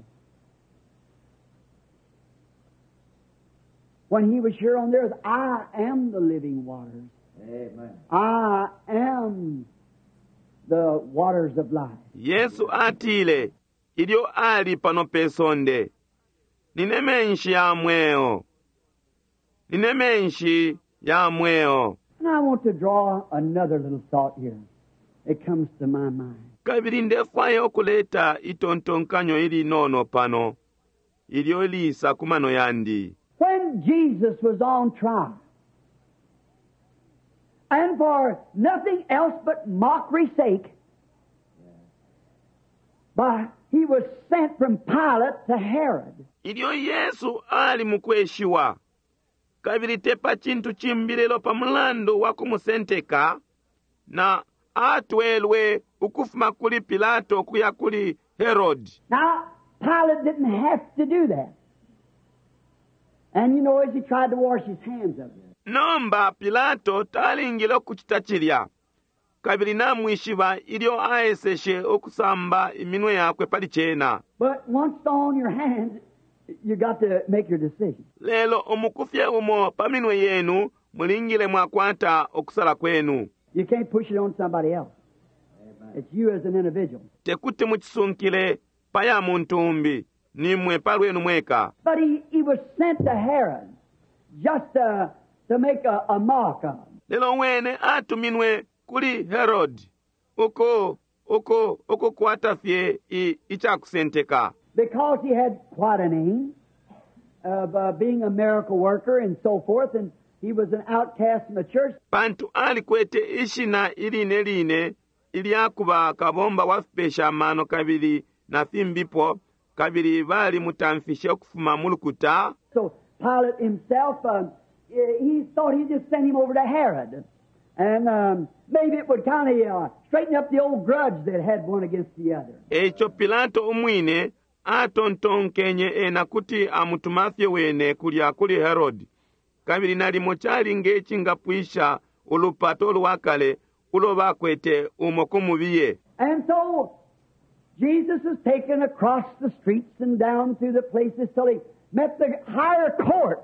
B: when he was here on the earth, I am the living waters.
C: Amen.
B: I am the waters of life.
A: Yesu atile ilyo ali pano pe sonde, nine menshi ya mweo, nine menshi ya mweo.
B: And I want to draw another little thought here. It comes to my mind.
A: Kabili ndefwaya ukuleta itontonkanyo ilinono pano ilyo lisa ku mano yandi.
B: When Jesus was on trial, and for nothing else but mockery's sake, by, he was sent from Pilate to Herod.
A: Ilyo Yesu ali mukweshiwa, kabili te pa cintu cimbi lelo pa mulandu wa kumusenteka, na atwelwe ukufuma kuli Pilato kuya kuli Herod.
B: Now, Pilate didn't have to do that. And you know, as he tried to wash his hands of it.
A: Nomba Pilato talingile ukucita cilya, kabili namwishiba ilyo aeseshe ukusamba iminwe yakwe pali cena.
B: But once on your hands, you got to make your decision.
A: Lelo umukufye umo pa minwe yenu mulingile mwakwata okusala kwenu.
B: You can't push it on somebody else. It's you as an individual.
A: Tekuti muchisunkile pa ya muntu umbi, nimwe pa lwenu mweka.
B: But he, he was sent to Herod just to, to make a, a mock of him.
A: Lelo wene atuminwe kuli Herod uko uko ukukwata fye i- icakusenteka.
B: Because he had quite a name of uh, being a miracle worker and so forth, and he was an outcast from the church.
A: Pantu alikwete ishina iline line ilyakuba kabomba wa fipesha amano kabili na fimbipo, kabili balimutamfishe ukufuma mu lukuta.
B: So Pilate himself, uh, he thought he'd just send him over to Herod. And um, maybe it would kind of uh, straighten up the old grudge that had one against the other.
A: Eico Pilato umwine atontonkenye ena kuti amutumafye wene kulya kuli Herod, kabili nalimo cali ngecingapwisha ulupato lwakale ulo bakwete umo kumubiye.
B: And so Jesus was taken across the streets and down through the places till he met the higher court,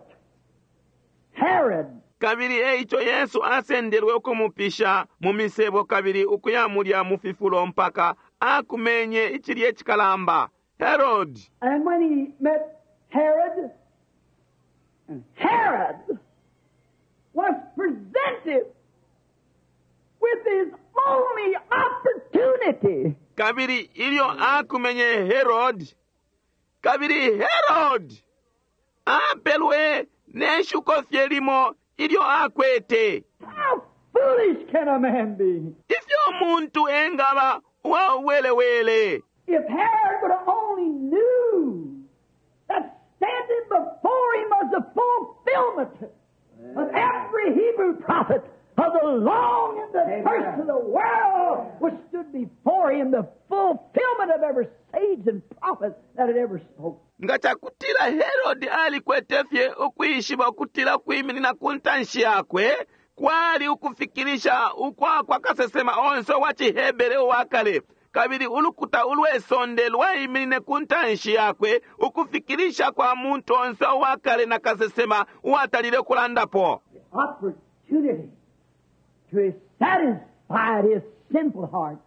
B: Herod.
A: Kabili eico Yesu asendelwe ukumupisha mu misebo kabili ukuya mulya mu fifulo mpaka akumenye icilye icikalamba Herod.
B: And when he met Herod, and Herod was presented with his only opportunity.
A: Kabili ilyo akumenye Herod, kabili Herod apelwe neshuko fye limo ilyo akwete.
B: How foolish can a man be?
A: Ifyo umuntu engaba uwauwelewele.
B: If Herod would have only knew that standing before him was the fulfillment of every Hebrew prophet of the long and the curse of the world which stood before him, the fulfillment of every sage and prophet that had ever spoken.
A: Nga cakutila Herod alikwete fye ukwishiba ukutila ukwiminina ku ntanshi yakwe kwali ukufikilisha ukwa kwa kasesema onse wa ciHebere uwakale, kabili ulukuta ulwesonde lwaiminine ku ntanshi yakwe ukufikilisha kwa muntu onse uwakale na kasesema uwatalile ukulandapo.
B: The opportunity to satisfy his sinful heart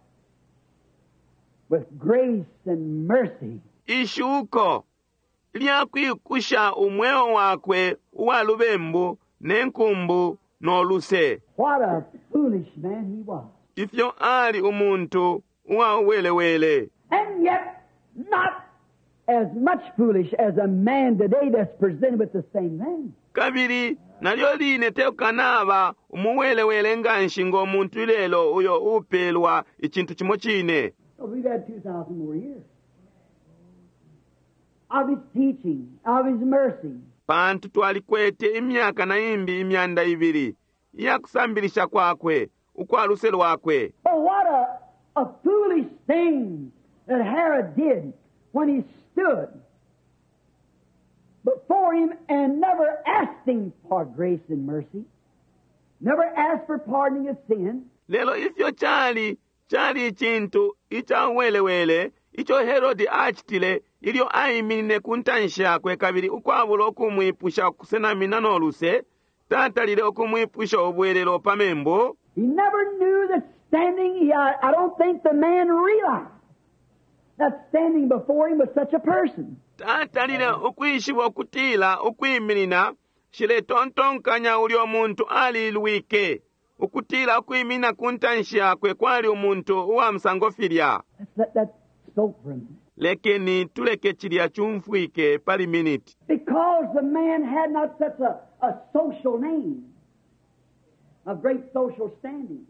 B: with grace and mercy.
A: Ishuko lyakwikusha umweo wakwe uwa lubembu ne nkumbu no luse.
B: What a foolish man he was.
A: Ifyo ali umuntu uwa uwelewele.
B: And yet not as much foolish as a man today that's presented with the same thing.
A: Kabili nalyo line teukanaba umuwelewele nganshi ngo muntu ilelo uyo upelwa icintu cimo cine.
B: So we've had two thousand more years of his teaching, of his mercy.
A: Pantu twalikwete imyaka na imbi imyanda ibili iyakusambilisha kwakwe ukwa luse lwakwe.
B: Oh, what a, a foolish thing that Herod did when he stood before him and never asked him for grace and mercy, Never asked for pardoning of sin.
A: Lelo ifyo cali cali icintu icawelewele ico Herodi acitile ilyo aiminine ku ntanshi yakwe kabili ukwabula ukumwipusha ukusenamina no luse, tatalile ukumwipusha ubwelelo pa membu.
B: He never knew that standing, he, I, I don't think the man realized that standing before him was such a person.
A: Tatalile ukwishiba ukutila ukwiminina shiletontonkanya ulyo muntu alilwike ukutila ukwiminina ku ntanshi yakwe kwali umuntu uwa musango filya.
B: Let's let that soak for a minute.
A: Lekeni tuleke cilya chumfwike pali miniti.
B: Because the man had not such a, a social name, of great social standing,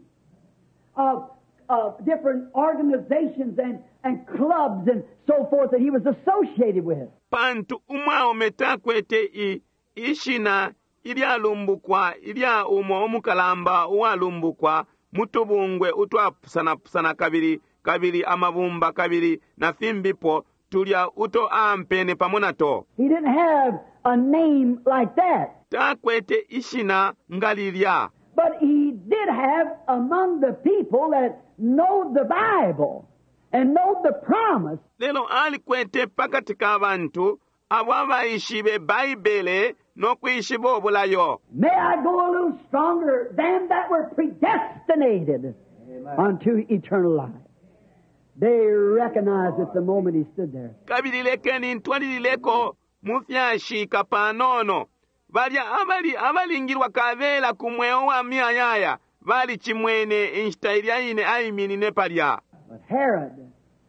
B: of, of different organizations and, and clubs and so forth that he was associated with.
A: Pantu umwaume takwete i ishina ilyalumbukwa ilya umo umukalamba uwalumbukwa mutubungwe utwapusanapusana kabili kabili amabumba kabili na fimbipo tulya uto ampene pamo nato.
B: He didn't have a name like that.
A: Takwete ishina nga lilya.
B: But he did have among the people that know the Bible and know the promise.
A: Lelo alikwete pakati ka bantu abo abaishibe Baibele no kwishiba obulayo.
B: May I go a little stronger than that were predestinated unto eternal life. They recognized it the moment he stood there.
A: Kabili lekeni ntwalilileko mu fyashika panono. Balya abali abalingilwa kabela ku mweo wa miyayaya balicimwene inshita ilya ine aiminine palya.
B: But Herod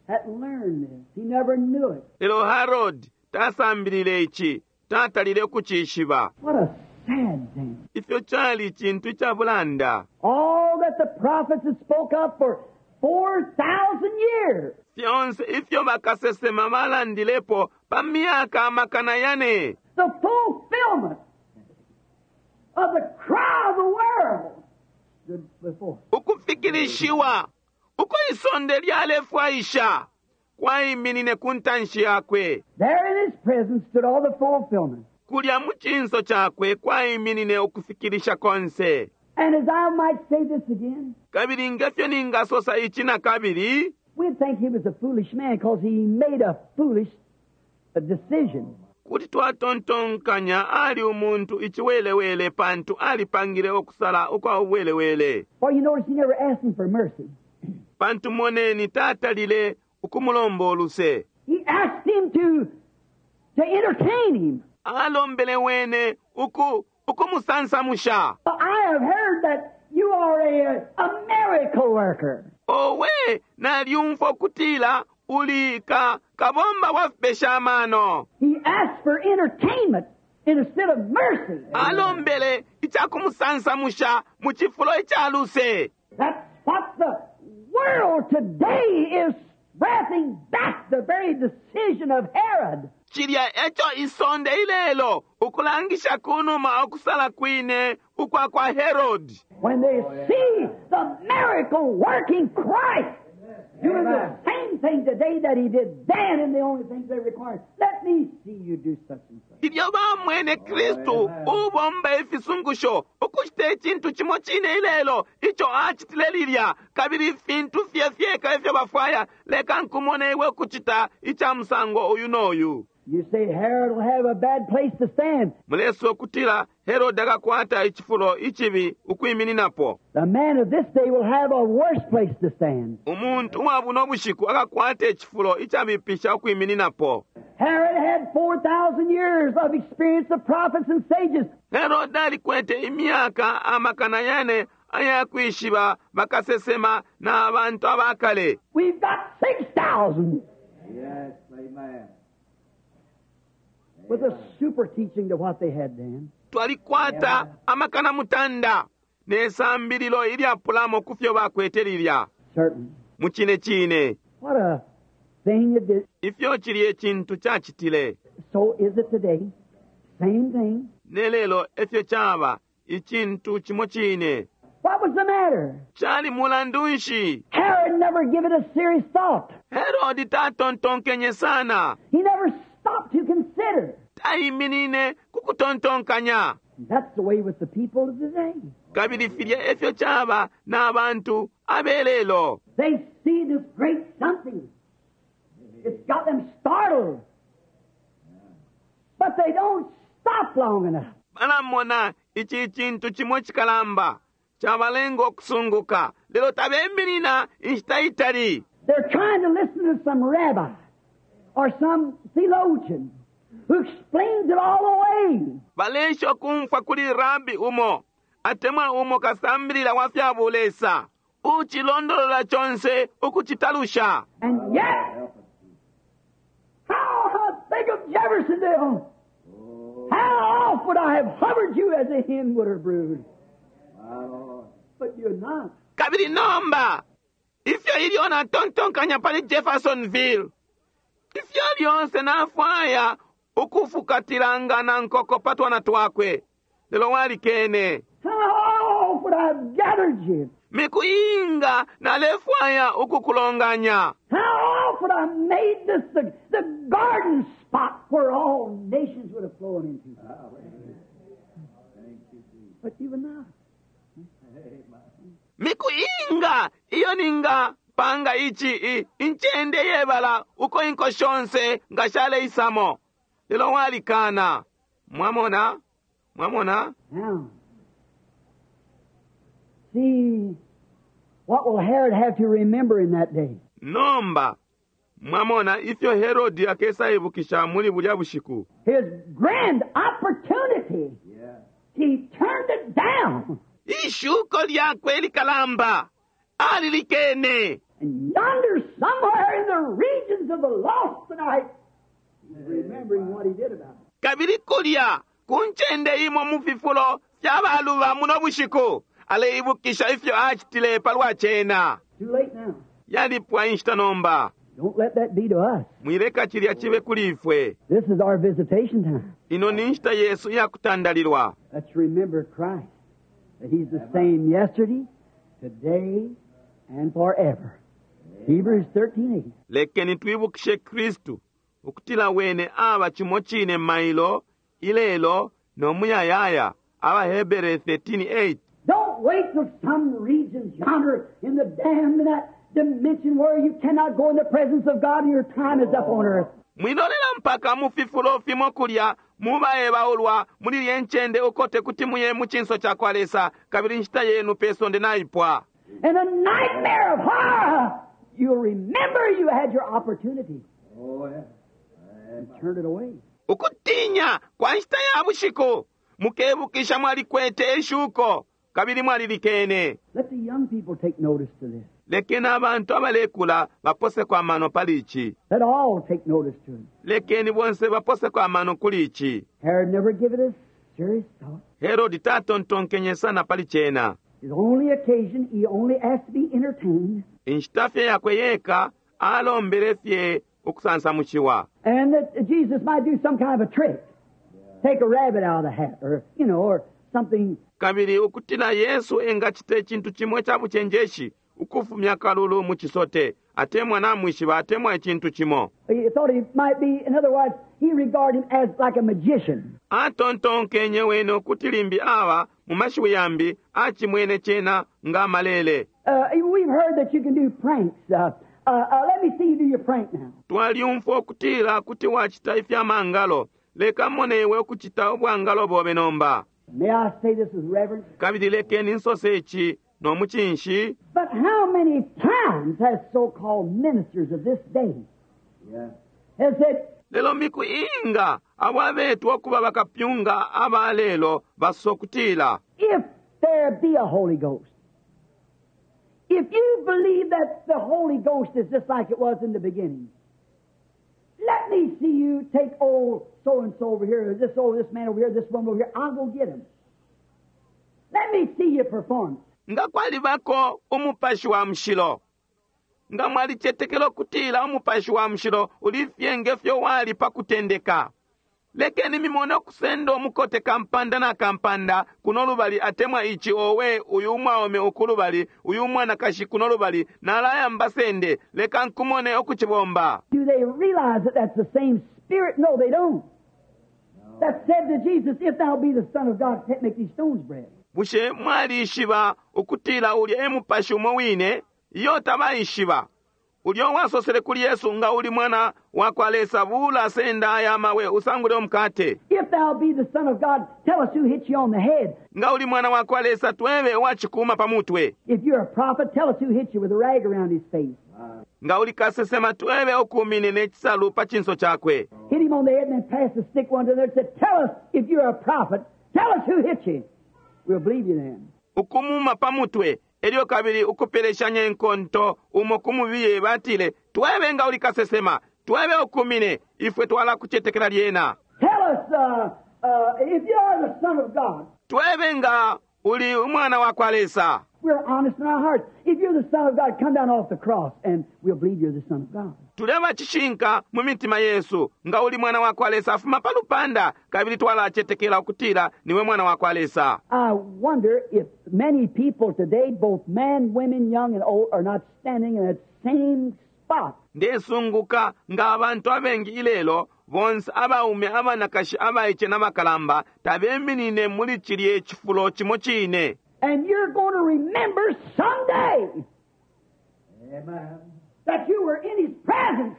B: hadn't learned this. He never knew it.
A: Lelo Herod tasambilile ici, tatalile ukucishiba.
B: What a sad thing.
A: Ifyo cali cintu ica bulanda.
B: All that the prophets had spoke of for four thousand years.
A: Fyonse ifyo bakasesema balandilepo pa myaka amakana yane.
B: The fulfillment of the cry of the world before.
A: Ukufikilishiwa uko isonde lyalefwaisha kwaiminine ku ntanshi yakwe.
B: There in his presence stood all the fulfillment.
A: Kulya mu cinso cakwe kwaiminine ukufikilisha konse.
B: And as I might say this again,
A: Kabili ngefyo ningasosa ici na kabili,
B: we'd think he was a foolish man because he made a foolish decision.
A: kuti twatontonkanya ali umuntu iciwelewele pantu alipangile okusala ukwa ubwelewele.
B: For you notice he never asked him for mercy.
A: Pantu moneni tatalile ukumulomba oluse.
B: He asked him to, to entertain him.
A: Alombele wene uku ukumusansamusha.
B: I have heard that you are a, a miracle worker.
A: Owe nalyumfwa ukutila uli ka kabomba wa fipesha amano.
B: He asked for entertainment instead of mercy.
A: Alombele icakumusansamusha mu cifulo ica luse.
B: That's what the world today is wrapping back the very decision of Herod.
A: Cilya eco isonde ilelo ukulangisha kunuma okusala kwine ukwa kwa Herod.
B: When they see the miracle working Christ doing the same thing today that he did then, and the only things they require, let me see you do such and such.
A: Ilyo bamwene Kristu ubomba ifisungusho ukucita icintu cimo cine ilelo ico acitile lilya kabili ifintu fye fyeka ifyo bafwaya leka nkumone iwe ukucita ica musango uyu n'oyu.
B: You say Herod will have a bad place to stand.
A: Muleso okutila Herod akakwata icifulo icibi ukwimininapo.
B: The man of this day will have a worse place to stand.
A: Umuntu uwa buno bushiku akakwata icifulo icabipisha ukwimininapo.
B: Herod had four thousand years of experience of prophets and sages.
A: Herod alikwete imyaka amakana yane ayakwishiba bakasesema na abantu abakale.
B: We've got six thousand.
C: Yes, amen.
B: With a super teaching to what they had then.
A: Twalikwata amakana mutanda ne sambililo ilyapulamo ku fyo bakwete lilya.
B: Certainly.
A: Mu cine cine.
B: What a thing it did.
A: Ifyo cili ecintu cacitile.
B: So is it today. Same thing.
A: Ne lelo efyo caba icintu cimo cine.
B: What was the matter?
A: Cali mulandu nshi?
B: Herod never gave it a serious thought.
A: Herod tatontonkenye sana.
B: He never stopped to consider.
A: Taiminine kukutontonkanya.
B: That's the way with the people of today.
A: Kabili filya efyo caba na bantu abelelo.
B: They see this great something. It's got them startled. But they don't stop long enough.
A: Balamona ici cintu cimo cikalamba cabalenga okusunguka, lelo tabeminina inshita itali.
B: They're trying to listen to some rabbi or some theologian who explains it all away.
A: Balesha okumfwa kuli rabi umo atemwa umo kasambilila wa fya bulesa ucilondolola conse ukucitalusha.
B: And yet, how I think of Jeffersonville. How oft would I have hovered you as a hen would her brood?
C: My Lord.
B: But you're not.
A: Kabili nomba ifyo ilyo natontonkanya pali Jeffersonville, ifyo lyonse nafwaya ukufukatilanga na nkoko pa twana twakwe, lelo walikene.
B: How oft would I have gathered you?
A: Miku inga nalefwaya ukukulonganya.
B: How oft would I have made this the, the garden spot where all nations would have flown into?
C: Hallelujah. Thank you, Jesus.
B: But you would not.
C: Amen.
A: Miku inga iyo ninga panga ichi i, incende yebala uko inko shonse nga shaleisamo, lelo walikana. Mwamona? Mwamona?
B: Now, see, what will Herod have to remember in that day?
A: Nomba mwamona ifyo Herodi akesaibukisha muli bulya bushiku.
B: His grand opportunity.
C: Yeah.
B: He turned it down.
A: Ishuko lyakwe likalamba alilikene.
B: And yonder somewhere in the regions of the lost tonight, he's remembering what he did about it.
A: Kabili kulya ku ncende imo mu fifulo fya baluba muno bushiku aleibukisha ifyo acitile palwa cena.
B: Too late now.
A: Yalipwa inshita nomba.
B: Don't let that be to us.
A: Mwileka cilya cibe kuli ifwe.
B: This is our visitation time.
A: Ino ni nshita yesu iyakutandalilwa.
B: Let's remember Christ, that He's the same yesterday, today, and forever. Hebrews thirteen eight.
A: Lekeni twibukishe Kristu ukutila wene aba cimo cine mailo ilelo no muyayaya. Abahebere thirteen eight.
B: Don't wait till some regions yonder in the damned in that dimension where you cannot go in the presence of God and your time is up on earth.
A: Mwilolela mpaka mu fifulo fimo kulya mubaebaulwa muli lye ncende uko tekuti muye mu cinso ca kwa Lesa, kabili inshita yenu pe sonde naipwa.
B: In a nightmare of horror, you'll remember you had your opportunity.
C: Oh, yeah.
B: And turn it away.
A: Ukutinya kwa nshita ya bushiku mukebukisha mwalikwete eshuko kabili mwalilikene.
B: Let the young people take notice to this.
A: Lekeni abantu abalekula baposeko amano pali ici.
B: Let all take notice to it.
A: Lekeni bonse baposeko amano kuli ici.
B: Herod never gave it a serious thought.
A: Herodi tatontonkenye sana pali cena.
B: His only occasion, he only asked to be entertained.
A: Inshita fye yakwe yeka alombele fye ukusansamushiwa.
B: And that Jesus might do some kind of a trick. Take a rabbit out of the hat or, you know, or something.
A: Kabili ukutila Yesu engacita icintu cimwe ca bucenjeshi ukufumya kalulu mu cisote, atemwa namwishiba atemwa icintu cimo.
B: He thought he might be, in other words, he regarded him as like a magician.
A: Atontonkenye wene ukuti limbi aba mu mashiwi yambi acimwene cena nga malele.
B: Uh, we've heard that you can do pranks. Uh, uh, uh, let me see you do your prank now.
A: Twaliumfwa ukutila kuti wacita ifya mangalo. Leka mone iwe ukucita ubwangalo bobe nomba.
B: May I say this with reverence?
A: Kabili lekeni nsose ici no mucinshi.
B: But how many times has so-called ministers of this day
C: Yeah.
B: has said,
A: Lelo miku inga abo abetwa okuba bakapyunga aba lelo basokutila.
B: If there be a Holy Ghost, if you believe that the Holy Ghost is just like it was in the beginning, let me see you take old so-and-so over here, or this old this man over here, this woman over here. I'll go get him. Let me see you perform.
A: Nga kwalibako umupashi wa mushilo, nga mwalicetekela ukutila umupashi wa mushilo ulifye ngefyo wali pa kutendeka, lekeni mimone okusenda omukote kampanda na kampanda kuno lubali atemwa ichi owe uyu umwaume ukulubali uyu umwanakashi kuno lubali nalaya mbasende leka nkumone okuchibomba.
B: Do they realize that that's the same spirit? No, they don't. That said to Jesus, if thou be the Son of God, make these stones bread.
A: Bushe mwalishiba ukutila ulya e mupashi umo wine? Iyo tabaishiba. Ulya wasosele kuli Yesu, nga uli mwana wa kwa Lesa, bula senda aya mawe usangule umukate.
B: If thou be the Son of God, tell us who hit you on the head.
A: Nga uli mwana wa kwa Lesa, twebe wachikuma pamutwe.
B: If you're a prophet, tell us who hit you with a rag around his face.
A: Nga uli kasesema, twebe ukumine n'ekisalu pa chinso chakwe.
B: Hit him on the head and then pass the stick one to the other and said, Tell us if you're a prophet. Tell us who hit you. We'll believe you then.
A: Ukumuma pamutwe elyo kabili ukupeleshanya enkonto umo kumubiye batile, twebe nga uli kasesema, twebe ukumine, ifwe twala kuchetekela lyena.
B: Tell us uh, uh, if you are the Son of God.
A: Twebe nga uli umwana wa kwa Lesa.
B: We're honest in our hearts. If you're the Son of God, come down off the cross and we'll believe you're the Son of God.
A: Tuleba chishinka mu mitima yesu, nga uli mwana wa kwa Lesa, afuma pa lupanda, kabili twalachetekela ukutila niwe mwana wa kwa Lesa.
B: I wonder if many people today, both men, women, young and old, are not standing in that same spot.
A: Ndesunguka nga abantu abengi ilelo, bonse abaume, abanakashi, abaiche n'abakalamba, tabeminine muli chilye chifulo chimo chine.
B: And you're going to remember someday
C: Amen.
B: that you were in His presence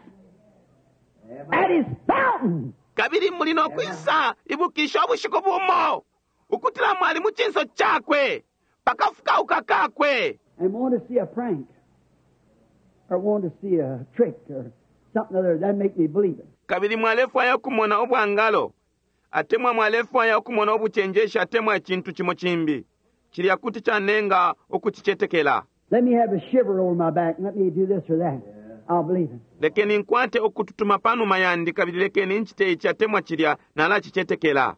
B: at
C: Amen.
B: His fountain.
A: Kabili muli nokwisa ibukisha ubushiku bumo, ukutila mwali mu chinso chakwe, pakafukauka kakwe.
B: And want to see a prank or want to see a trick or something other that make me believe it.
A: Kabili mwalefwaya okumona obwangalo, atemwa mwalefwaya okumona obuchenjeshi, atemwa echintu chimo chimbi chilya kuti chanenga okuchichetekela.
B: Let me have a shiver over my back and let me do this or that. I'll believe it.
A: Lekeni nkwate okututuma panuma yandi, kabili lekeni nchite ichi atemwa chilya, nalachichetekela.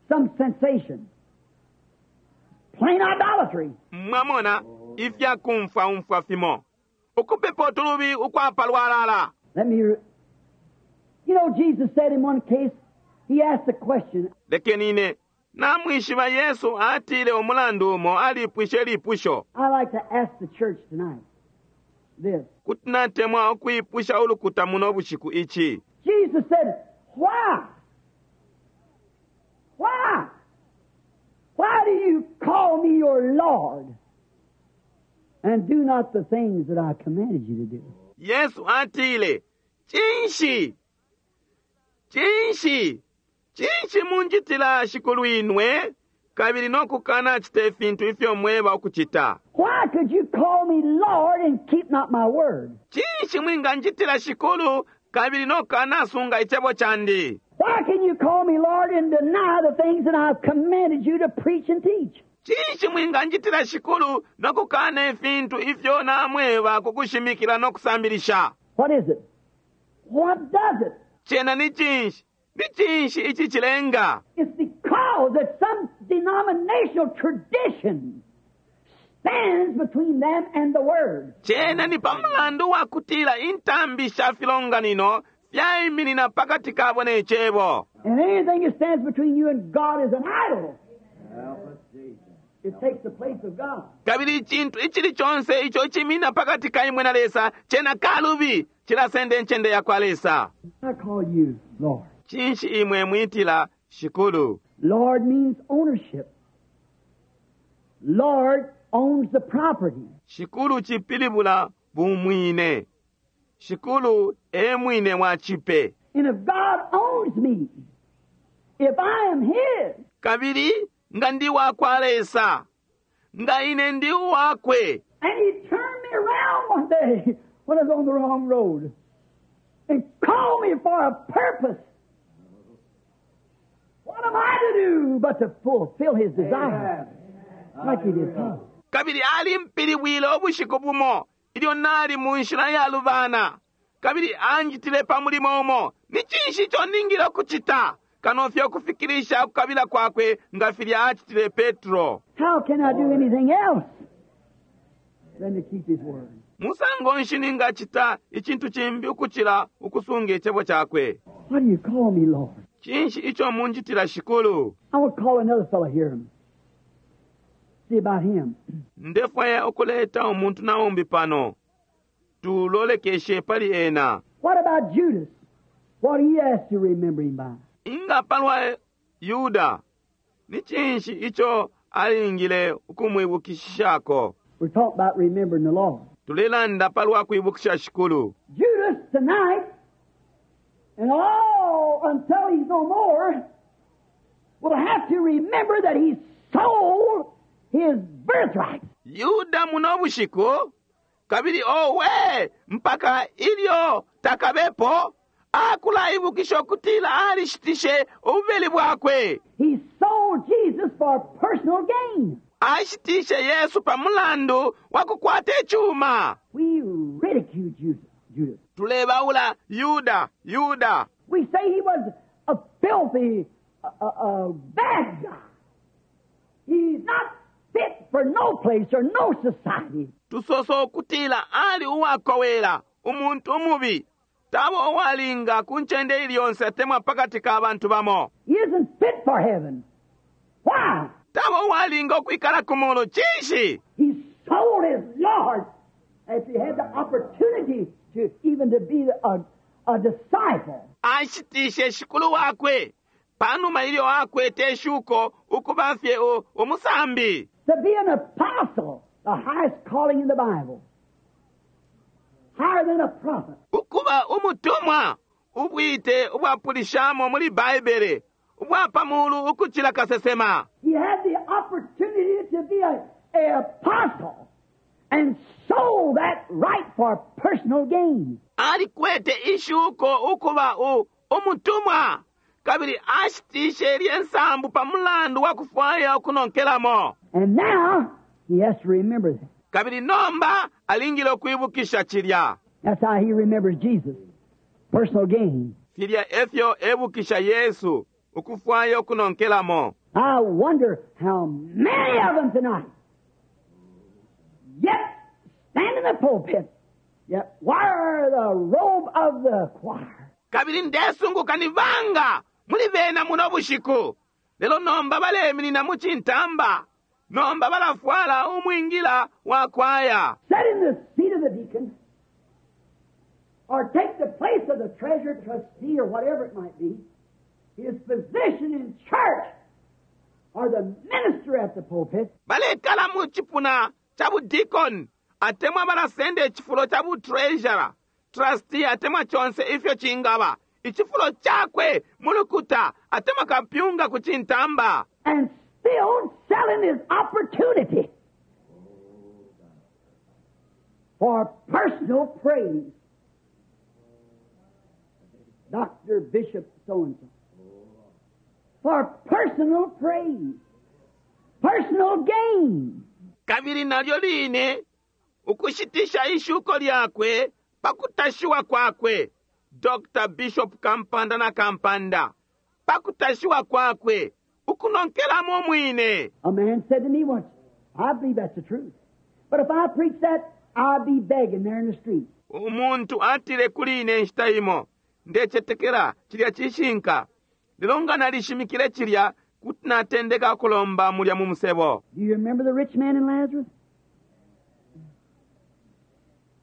B: Some sensation. Plain idolatry.
A: Mwamona ifya kumfwa umfwa fimo, ukupepa utulubi ukwapalwalala.
B: Let me. You know, Jesus said in one case, he asked a question.
A: Lekeni ine namwishiba Yesu atile umulandu umo alipwishe lipusho.
B: I like to ask the church tonight this.
A: Kuti natemwa ukuipusha ulukuta muno bushiku ichi.
B: Jesus said, Why? Why? Why do you call me your Lord and do not the things that I commanded you to do?
A: Yesu atile, Chinshi? Chinshi? Chinshi munjitila shikulu inwe? Kabili nokukana chite fintu ifyo mweba ukuchita.
B: Why could you call me Lord and keep not my word?
A: Chinshi mwinganjitila shikulu kabili nokana sunga ichebo chandi?
B: Why can you call me Lord and deny the things that I've commanded you to preach and teach?
A: Chinshi mwinganjitila shikulu nokukana ifintu ifyo namweba kukushimikila nokusambilisha?
B: What is it? What does it?
A: Chena ni chinshi? Ni chinshi ichi chilenga?
B: It's because that some denominational tradition stands between them and the Word.
A: Chena ni pamulandu wa kutila intambi sha filonganino fyaiminina pakati kabo n'echebo.
B: And anything that stands between you and God is an idol.
C: Help us, Jesus.
B: It takes the place of God.
A: Kabili ichintu ichili chonse icho chimina pakati ka imwe na Lesa chena kalubi chilasenda enchende ya kwa Lesa.
B: I call you Lord.
A: Chinshi imwe mwitila shikulu.
B: Lord means ownership. Lord owns the property.
A: Shikulu chipilibula bumwine. Shikulu e mwine wa chipe.
B: And if God owns me, if I am His,
A: Kabili nga ndi wa kwa Lesa, nga ine ndi wakwe.
B: and He turned me around one day when I was on the wrong road and called me for a purpose, what am I to do but to fulfill His desire like He did Paul?
A: Kabili alimpilibwile ubushiku bumo ilyo nali mu nshila ya lubana. Kabili anjitile pa mulimo umo. Ni chinshi icho ningile okuchita kano fye okufikirisha okukabila kwakwe nga filya achitile Petro.
B: How can I do anything else than to keep His word?
A: Musango nshi ningachita ichintu chimbi ukuchila ukusunga echebo chakwe.
B: Why do you call me Lord?
A: Chinshi icho munjitila shikulu.
B: I want to call another fellow here. See about him.
A: Ndefwaya okuleta omuntu naumbi pano tulolekeshe pali ena.
B: What about Judas? What he asked to remember him by?
A: Inga palwa Yuda ni chinshi icho Alingile ukumwibukishishako.
B: We're talking about remembering the Lord.
A: Tulelanda palwa kwibukisha Shikulu.
B: Judas tonight, and all until he's no more, will have to remember that he sold his birthright.
A: Yuda muno bushiku, kabili owe mpaka ilyo takabepo akulaibukisha ukutila alishitishe ububeli bwakwe.
B: He sold Jesus for personal gain.
A: Ashitishe Yesu pa mulandu wa kukwata ichuma.
B: We ridicule Judas. Judas.
A: Tulebaula Yuda, Yuda.
B: We say he was a filthy, a, a, a bad guy. He's not fit for no place or no society.
A: Tusosa ukutila ali uwakowela, umuntu umubi. Taba uwalinga ku ncende ili yonse atemwa pakati ka bantu bamo.
B: He isn't fit for heaven. Why?
A: Taba uwalinga ukwikala ku mulu cinshi?
B: He sold his Lord as he had the opportunity to even to be a, a disciple.
A: Ashitishe shikulu wakwe panuma ilyo akwete ishuko ukuba fye u-, umusambi.
B: To be an apostle, the highest calling in the Bible. Higher than a prophet.
A: Ukuba umutumwa, ubwite ubwapulishamo muli Baibele, ubwapamulu ukuchila kasesema.
B: He had the opportunity to be a, a apostle and sold that right for personal gain.
A: Alikwete ishuko ukuba u-, umutumwa, kabili ashitishe lye nsambu pa mulandu wa kufwaya ukunonkelamo.
B: And now he has to remember that.
A: Kabili nomba alingile ukuibukisha chilya.
B: That's how he remembers Jesus. Personal gain.
A: Filya efyo ebukisha Yesu ukufwaya ukunonkelamo.
B: I wonder how many of them tonight yet stand in the pulpit, yet wear the robe of the choir.
A: Kabili ndesunguka ni banga muli bena muno bushiku. Lelo nomba baleminina mu chintamba. Nomba balafwala umwingila wa kwaya.
B: Sit in the seat of the deacon, or take the place of the treasurer, trustee, or whatever it might be, his position in church, or the minister at the pulpit.
A: Balekala mu chipuna cha budeacon, atemwa balasenda echifulo cha bu treasurer, trustee, atemwa chonse ifyo chingaba. Ichifulo chakwe mulukuta, atemwa kapyunga kuchintamba.
B: And still selling his opportunity for personal praise. Doctor Bishop so-and-so. For personal praise. Personal gain.
A: Kabili nalyo line, ukushitisha ishuko lyakwe, pakutashiwa kwakwe. Doctor Bishop Kampanda na Kampanda. Pakutashiwa kwakwe, ukunonkelamo mwine.
B: A man said to me once, I believe that's the truth. But if I preach that, I'll be begging there in the street.
A: Umuntu atile kuli ine nshita imo, ndecetekela chilya chishinka. Lelo nga nalishimikile chilya, kuti natendeka kulomba mulya mu musebo.
B: Do you remember the rich man and Lazarus?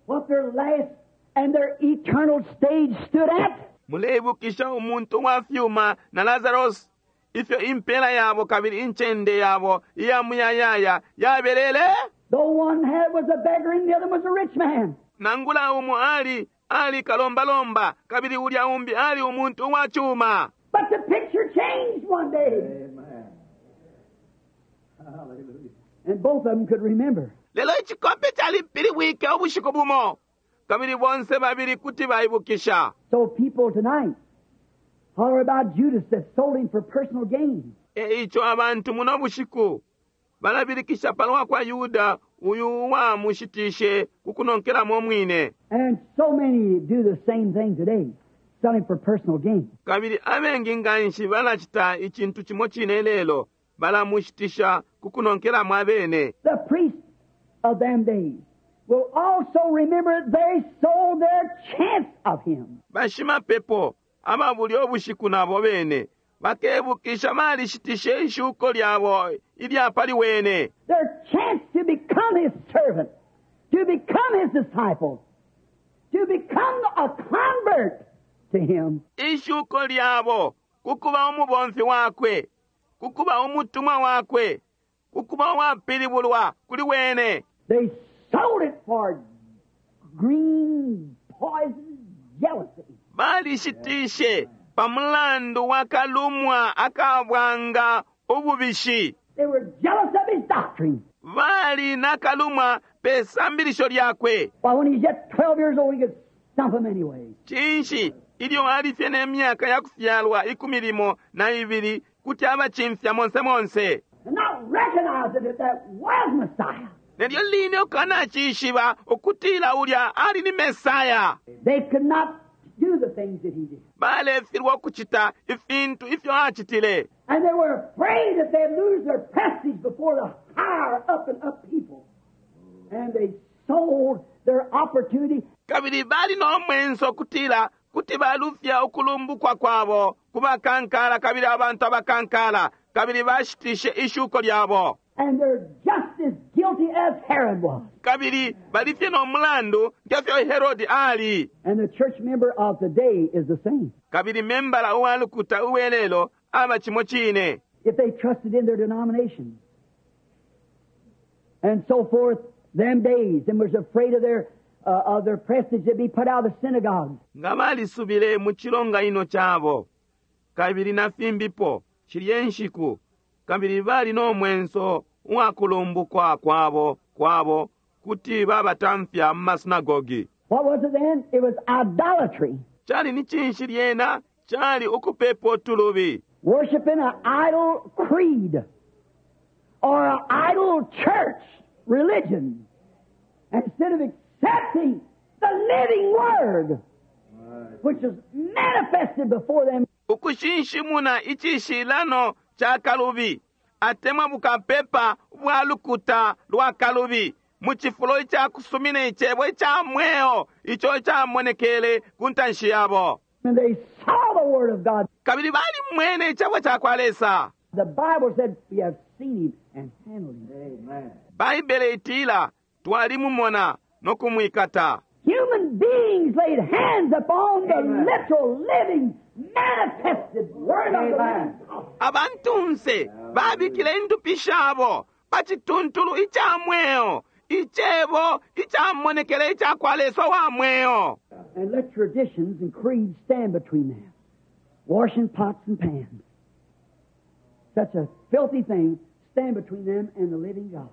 B: What their last and their eternal stage stood at?
A: Muleibukisha umuntu wa fyuma na Lazarus, ifyo impela yabo kabili incende yabo iya muyayaya yabelele?
B: Though one had was a beggar and the other was a rich man.
A: Nangula umu ali, ali kalombalomba, kabili ulya umbi ali umuntu wa chuma.
B: But the picture changed one day.
C: Amen. Hallelujah.
B: And both of them could remember.
A: Lelo ichikope chalipiliwike ubushiku bumo. Kabili bonse babili kuti baibukisha.
B: So people tonight holler about Judas that sold him for personal gain.
A: E icho abantu muno bushiku balabilikisha palwa kwa Yuda uyu wamushitishe kukunonkelamo mwine.
B: And so many do the same thing today, selling for personal gain.
A: Kabili abengi nganshi balacita icintu cimo cine lelo, balamushitisha kukunonkelamo abene.
B: The priests of them days will also remember they sold their chance of him.
A: Bashimapepo ababuli obushiku nabo bene bakebukisha balishitishe ishuko lyabo ilya pali wene.
B: Their chance to become his servant, to become his disciple, to become a convert to him.
A: Ishuko lyabo kukuba umubomfi wakwe, kukuba umutumwa wakwe, ukuba uwapilibulwa kuli wene.
B: They sold it for green poison jealousy.
A: Balishitishe pa mulandu wa kalumwa akabwanga ububishi.
B: They were jealous of his doctrine.
A: Bali na kalumwa pe sambilisho lyakwe.
B: Why, when he's yet twelve years old, he could stump 'em anyway.
A: Cinshi ilyo ali fye ne myaka ya kufyalwa ikumi limo na ibili kuti abacimfya monse monse.
B: And not recognizing that that was Messiah.
A: Nelyo line ukanacishiba ukutila ulya ali ni Mesaya.
B: They could not do the things that he did.
A: Balefilwa ukucita ifintu ifyo acitile.
B: And they were afraid that they'd lose their prestige before the higher up and up people. And they sold their opportunity.
A: Kabili bali no mwenso ukutila kuti balufya ukulumbukwa kwabo ku bakankala kabili abantu abakankala kabili bashitishe ishuko lyabo.
B: And they're just as guilty as Herod was.
A: Kabili bali fye no mulandu ngefyo Herodi ali.
B: And the church member of today is the same.
A: Kabili membala uwa lukuta uwelelo aba cimo cine.
B: If they trusted in their denomination and so forth, them days, and was afraid of their, uh, of their prestige to be put out of the synagogues.
A: Nga balisubile mu cilonganino cabo kabili na fimbipo shilye nshiku kabili bali no mwenso uwakulumbukwa kwabo kwabo kuti babatamfya mu masinagogi.
B: What was it then? It was idolatry.
A: Cali ni cinshi lyena? Cali ukupepa utulubi.
B: Worshiping an idol creed or an idol church religion instead of accepting the living Word which is manifested before them.
A: Ukushinshimuna icishilano ca kalubi atemwa bukapepa bwa lukuta lwa kalubi mu cifulo ica kusumina icebo ica mweo ico camonekele ku ntanshi yabo.
B: And they saw the Word of God.
A: Kabili balimwene icebo ca kwa Lesa.
B: The Bible said, we have seen him and handled him.
C: Amen.
A: Baibele itila twalimumona no kumwikata.
B: Human beings laid hands upon the
C: Amen.
B: literal, living, manifested Word of the
C: Amen.
B: living God.
A: Abantunse babikile indupi shabo pa cituntulu ica mweo, icebo icamonekele ica kwa Lesa wa mweo.
B: And let traditions and creeds stand between them, washing pots and pans. Such a filthy thing stand between them and the living God.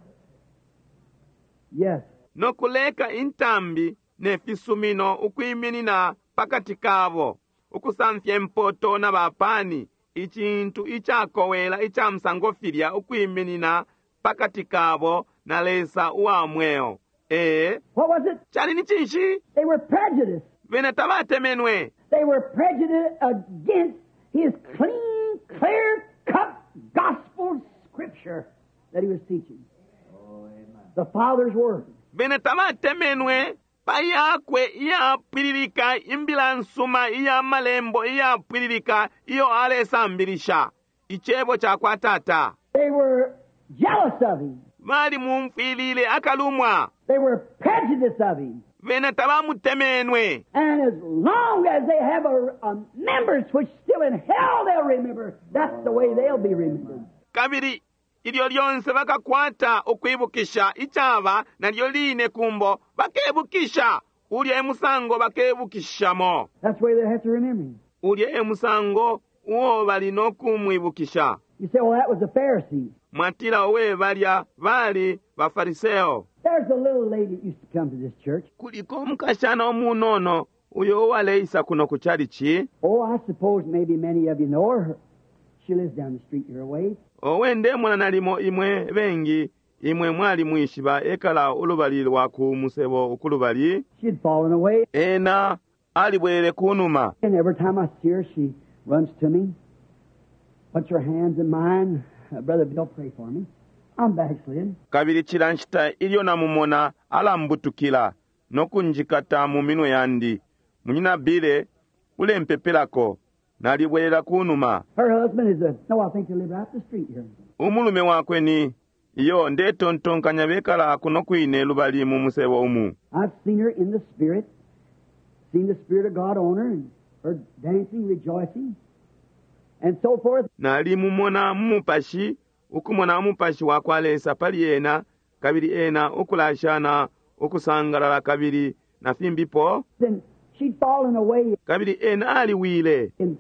B: Yes.
A: No kuleka intambi ne fisumino ukwiminina pakati kabo, ukusamfya impoto na bapani, icintu icakowela ica musango filya ukwiminina pakati kabo na Lesa uwa mweo. Ee,
B: What was it?
A: cali ni cinshi?
B: They were prejudiced.
A: Bena tabatemenwe.
B: They were prejudiced against his clean, clear-cut gospel scripture that he was teaching.
C: Oh, amen.
B: The Father's Word.
A: Bena tabatemenwe pa yakwe iyapwililika imbila nsuma iya malembo iyapwililika iyo alesambilisha icebo ca kwa Tata.
B: They were jealous of him.
A: Balimumfwilile akalumwa.
B: They were prejudiced of him.
A: Bena tabamutemenwe.
B: And as long as they have a, a members which still in hell they'll remember, that's the way they'll be remembered.
A: Kabili ilyo lyonse bakakwata ukwibukisha icaba nalyo line kumbo bakebukisha ulya e musango bakebukishamo.
B: That's the way they have to remember him.
A: Ulya e musango uo bali no kumwibukisha.
B: You say, well, that was the Pharisees.
A: Mwatila owe balya bali bafariseo.
B: There's a little lady that used to come to this church.
A: Kuliko umukashana umunono uyo uwaleisa kuno ku chalichi.
B: Oh, I suppose maybe many of you know her. She lives down the street your way.
A: Owe ndemona nalimo imwe bengi imwe mwali mwishiba ekala ulubali lwa ku musebo ukulubali.
B: She'd fallen away,
A: Ena alibwelele kunuma.
B: and every time I see her, she runs to me, puts her hands in mine. Uh, Brother Bill, pray for me. I'm backslid.
A: Kabili cila nshita ilyo namumona alambutukila no kunjikata mu minwe yandi. Munyina Bile ulempepelako nalibwelela kunuma.
B: Her husband is a, no, I think they live right up the street here.
A: Umulume wakwe ni iyo ndetontonkanya bekala kuno kwine lubali mu musebo umu.
B: I've seen her in the Spirit, seen the Spirit of God on her, and her dancing, rejoicing, and so forth.
A: Nalimumona mu mupashi ukumona umupashi wakwa Lesa pali ena, kabili ena ukulashana ukusangalala kabili na fimbipo,
B: Then she'd fallen away,
A: kabili ena aliwile.
B: and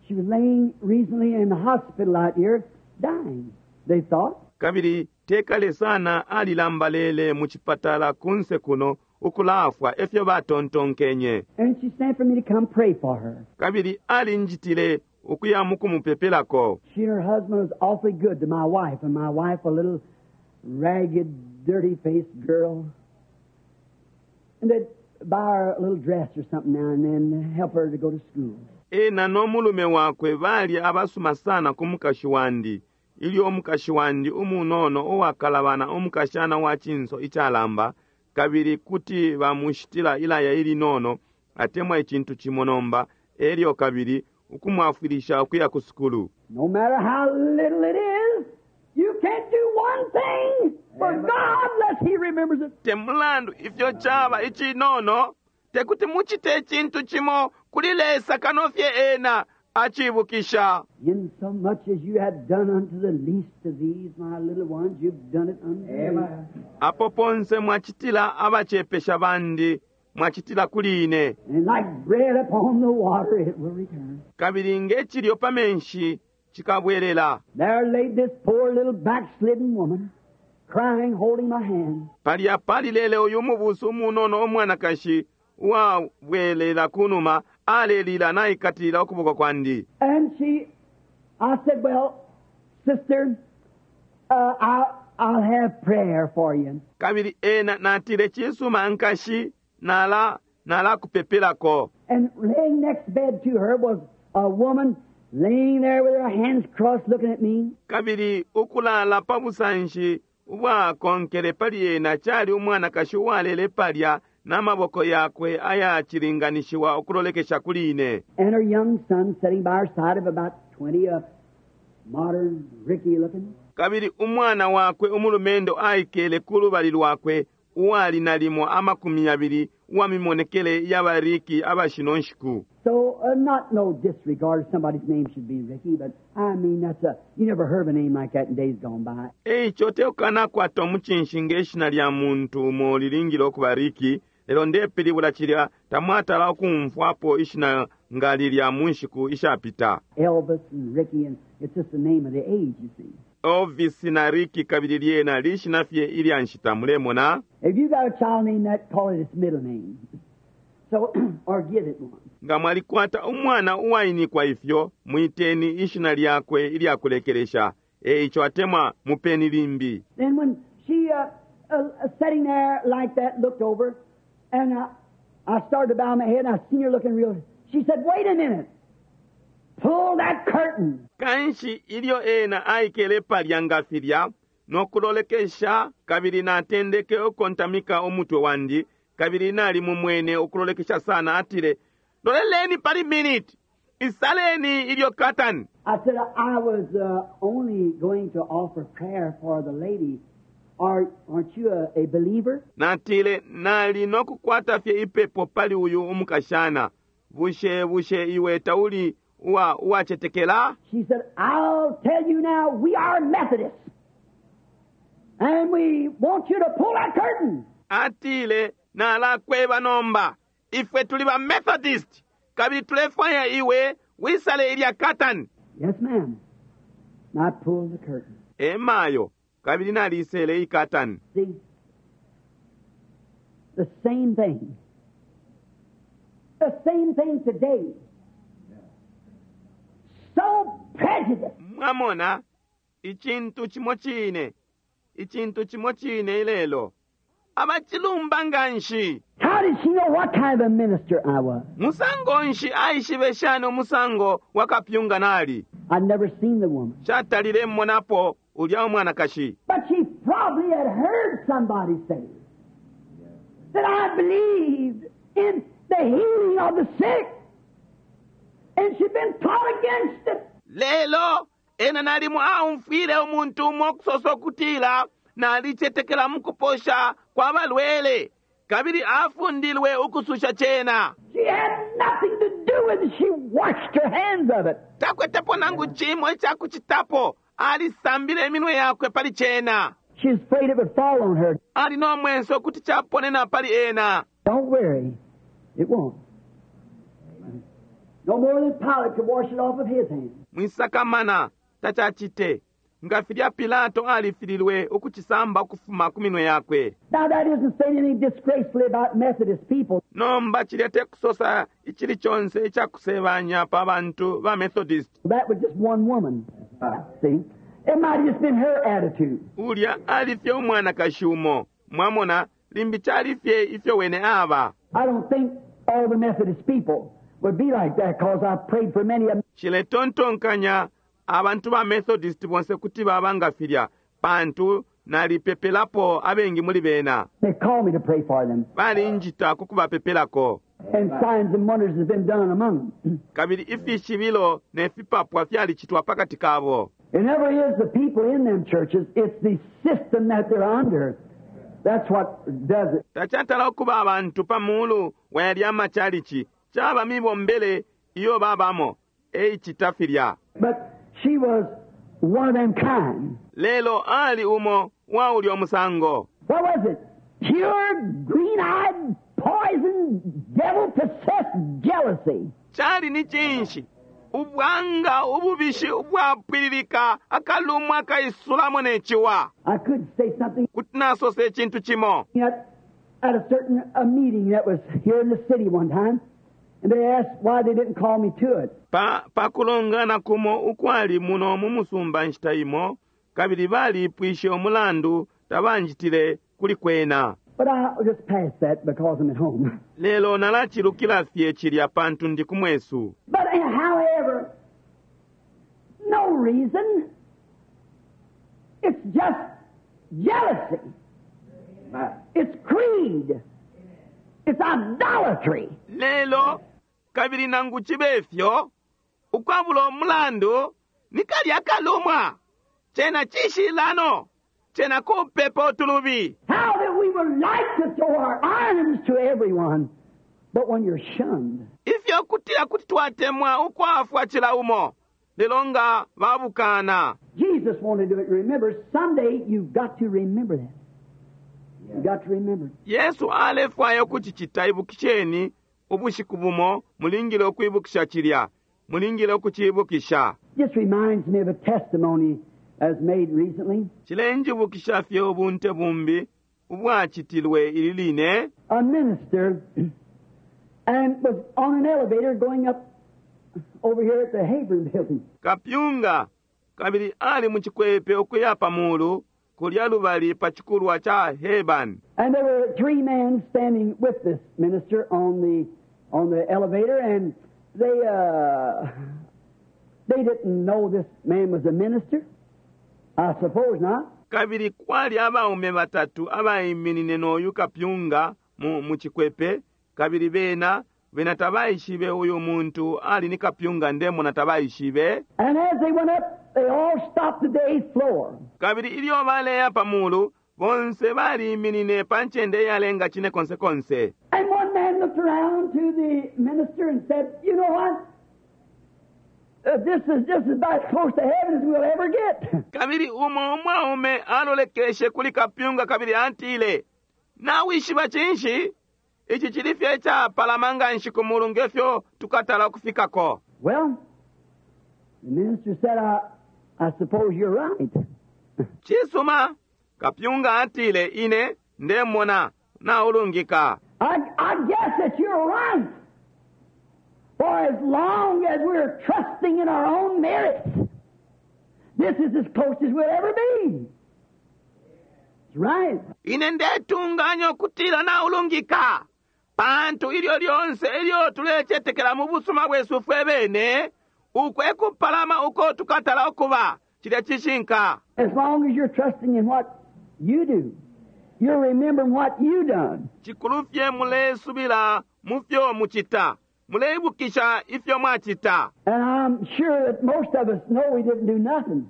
B: she was laying recently in the hospital out here, dying, they thought.
A: Kabili tekale sana alilambalele mu chipatala kunse kuno ukulafwa efyo batontonkenye.
B: And she sent for me to come pray for her.
A: Kabili alinjitile ukuya mukumupepelako.
B: She and her husband was awfully good to my wife, and my wife, a little ragged, dirty-faced girl. And they'd buy her a little dress or something now and then to help her to go to school.
A: Ena n'omulume wakwe bali abasuma sana ku mukashi wandi. Ilyo omukashi wandi umunono uwakalabana omukashana wa chinso ichalamba, kabili kuti bamushitila ilaya ilinono atemwa icintu cimo nomba, elyo kabili ukumwafwilisha ukuya ku sukulu.
B: No matter how little it is, you can't do one thing for God unless He remembers it.
A: Te mulandu ifyo chaba ichinono, tekuti muchite icintu cimo kuli Lesa kano fye ena achibukisha.
B: In so much as you have done unto the least of these, my little ones, you've done it unto me.
C: Amen.
A: Apo ponse mwachitila abachepesha bandi, mwachitila kuli ine.
B: And like bread upon the water, it will return.
A: Kabili ngechilyo pa menshi chikabwelela.
B: There laid this poor little backslidden woman, crying, holding my hand.
A: Palya palilele uyu mubusu umunono omwanakashi uwabwelela kunuma alelila naikatilila ukuboko kwandi.
B: And she, I said, well, sister, uh, I, I'll have prayer for you.
A: Kabili ena natile chisuma nkashi nala nala kupepelako.
B: And laying next bed to her was a woman laying there with her hands crossed looking at me.
A: Kabili ukulala pa busanshi ubwakonkele pali ena chali umwanakashi uwalele palya n'amaboko yakwe ayachilinganishiwa ukulolekesha kuli ine.
B: And her young son sitting by her side of about twenty, a modern Ricky looking.
A: Kabili umwana wakwe umulumendo aikele ku lubali lwakwe uwali nalimo amakumi yabili uwamimonekele y'abariki abashino nshiku.
B: So, uh, not no disregard if somebody's name should be Ricky, but I mean, that's a, you never heard of a name like that in days gone by.
A: Eicho tekukanakwata omuchinshi ng'eshina lya muntu umo lilingile okuba Ricky, lelo ndepilibula chilya tamwatala okumfwapo ishina nga lilya mu nshiku ishapita.
B: Elvis and Ricky, and it's just the name of the age, you see.
A: Elvis na Ricky kabili lyena lishina fye ilya nshita mulemona.
B: If you got a child named that, call it its middle name. So, or give it one.
A: Nga mwalikwata umwana uwainikwa ifyo, mwiteni ishina lyakwe ilyakulekelesha. Eicho atemwa mupeni limbi.
B: Then when she, uh, uh, sitting there like that, looked over, and uh, I started to bow my head, and I seen her looking real. She said, wait a minute. Pull that curtain.
A: Kanshi ilyo ena aikele palya nga filya, nokulolekesha, kabili natendeke ukontamika umutwe wandi, kabili nali mumwene ukulolekesha sana atile, loleleni pali minute, isaleni ilyo curtain.
B: I said, I was uh, only going to offer prayer for the lady. Are, aren't you a, a believer?
A: Natile, nali nokukwata fye ipepo pali uyu umukashana. Bushe, bushe iwe tauli uwa, uwachetekela?
B: She said, I'll tell you now, we are Methodists. And we want you to pull that curtain.
A: Atile, nalakweba nomba. Ifwe tuli ba Methodist. Kabili tulefwaya iwe wisale ilya curtain.
B: Yes, ma'am. And I pulled the curtain.
A: Emayo, kabili nalisele ikatani.
B: See? The same thing. The same thing today. So prejudiced.
A: Mwamona, ichintu chimo chine. Ichintu chimo chine ilelo. Abachilumba nganshi.
B: How did she know what kind of a minister I was?
A: Musango nshi aishibe shani umusango wakapyunga nali.
B: I'd never seen the woman.
A: Chatalile mmonapo ulya umwanakashi.
B: But she probably had heard somebody say that I believed in the healing of the sick. And she'd been taught against it.
A: Lelo, ena nalimu aumfwile umuntu umo okusosa okutila nalichetekela mukuposha kwa balwele. Kabili afundilwe ukususha chena.
B: She had nothing to do with it. She washed her hands of it.
A: Takwetepo nangu chimo echakuchitapo. Alisambile iminwe yakwe pali cena.
B: She was afraid it would fall on her.
A: Ali no mwenso kuti chaponena pali ena.
B: Don't worry, it won't. No more than Pilate could wash it off of his hands.
A: Mwisakamana tachachite nga filya Pilato alifililwe ukuchisamba ukufuma ku minwe yakwe.
B: Now that isn't saying anything disgracefully about Methodist people.
A: Nomba chilya tekusosa ichili chonse ichakusebanya pa bantu ba Methodist.
B: That was just one woman. See? It might have just been her attitude.
A: Ulya alifye umwanakashi umo. Mwamona limbi chalifye ifyo wene aba.
B: I don't think all the Methodist people would be like that because I've prayed for many of them.
A: Chiletontonkanya abantu ba Methodist bonse kuti baba nga filya pantu nalipepelapo abengi muli bena.
B: They call me to pray for them.
A: Balinjita ku kubapepelako.
B: And signs and wonders have been done among them.
A: Kabili ifishibilo ne fipapwa fyalicitwa pakati kabo.
B: It never is the people in them churches, it's the system that they're under. That's what does it.
A: Tachatala okuba abantu pa mulu wa yalya amachalichi chaba mibombele iyo babamo eichita filya.
B: But she was one of them kind.
A: Lelo ali umo wa ulya omusango.
B: What was it? Pure, green-eyed, poison, devil-possessed jealousy.
A: Chali ni chinshi ubwanga ububishi ubwapwililika akalumwa akaisulamo nechiwa.
B: I could say something
A: Kuti nasosa echintu chimo.
B: at, at a certain a meeting that was here in the city one time, and they asked why they didn't call me to it.
A: Pa pakulongana kumo ukwali muno mu musumba nshita imo kabili balipwishe umulandu tabanjitile kuli kwena.
B: But I'll just pass that because I'm at home.
A: Lelo nalachilukila fye chilya pantu ndi kumwesu.
B: But uh, however, no reason. It's just jealousy. It's creed. It's idolatry.
A: Lelo kabili nangu chibe fyo ukwabula umulandu ni kalya kalumwa chena chishilano chena kupepa utulubi.
B: How that we would like to throw our arms to everyone, but when you're shunned,
A: Ifyo kutila kuti twatemwa ukwafwa chila umo lelo nga babukana.
B: Jesus wanted to do it. Remember, someday you've got to remember that. You've got to remember it.
A: Yesu alefwaya ukuchichita ibukisheni ubushiku bumo mulingile ukwibukisha chilya mulingile ukuchibukisha.
B: Just reminds me of a testimony as made recently.
A: Chilenjibukisha fye ubunte bumbi ubwachitilwe ili line.
B: A minister and was on an elevator going up over here at the Hebron building.
A: Kapyunga kabili ali muchikwepe ukuya pamulu kulya lubali pa chikulwa cha Heban.
B: And there were three men standing with this minister on the on the elevator, and they uh, they didn't know this man was a minister. I suppose not.
A: Kabili kwali abaume batatu abaiminine n'oyu kapyunga mu, mu chikwepe kabili bena bena tabaishibe uyu muntu ali ni kapyunga ndemona tabaishibe.
B: And as they went up, they all stopped at the eighth floor.
A: Kabili ilyo baleya pamulu bonse baliminine pa ncende iyalenga chine konse konse.
B: And one man looked around to the minister and said, "You know what? Uh, this is just about as close to heaven as we'll ever get."
A: Kabili umo umwaume alolekeshe kuli kapyunga kabili atile, nawishiba chinshi ichi chili fye chapalama nga nshi ku mulu ngefyo tukatala ukufikako.
B: Well, the minister said, I, I suppose you're right.
A: Chisuma kapyunga atile ine ndemona naulungika.
B: I, I guess that you're right. For as long as we're trusting in our own merits, this is as close as we'll ever be. It's right.
A: Ine ndetunganya okutila naulungika pantu ilyo lyonse ilyo tulechetekela mu busuma bwesu fwe bene ukwekupalama uko tukatala okuba chilya chishinka.
B: As long as you're trusting in what you do, you're remembering what you done.
A: Chikulu fye mulesubila mu fyo muchita muleibukisha ifyo mwachita.
B: And I'm sure that most of us know we didn't do nothing.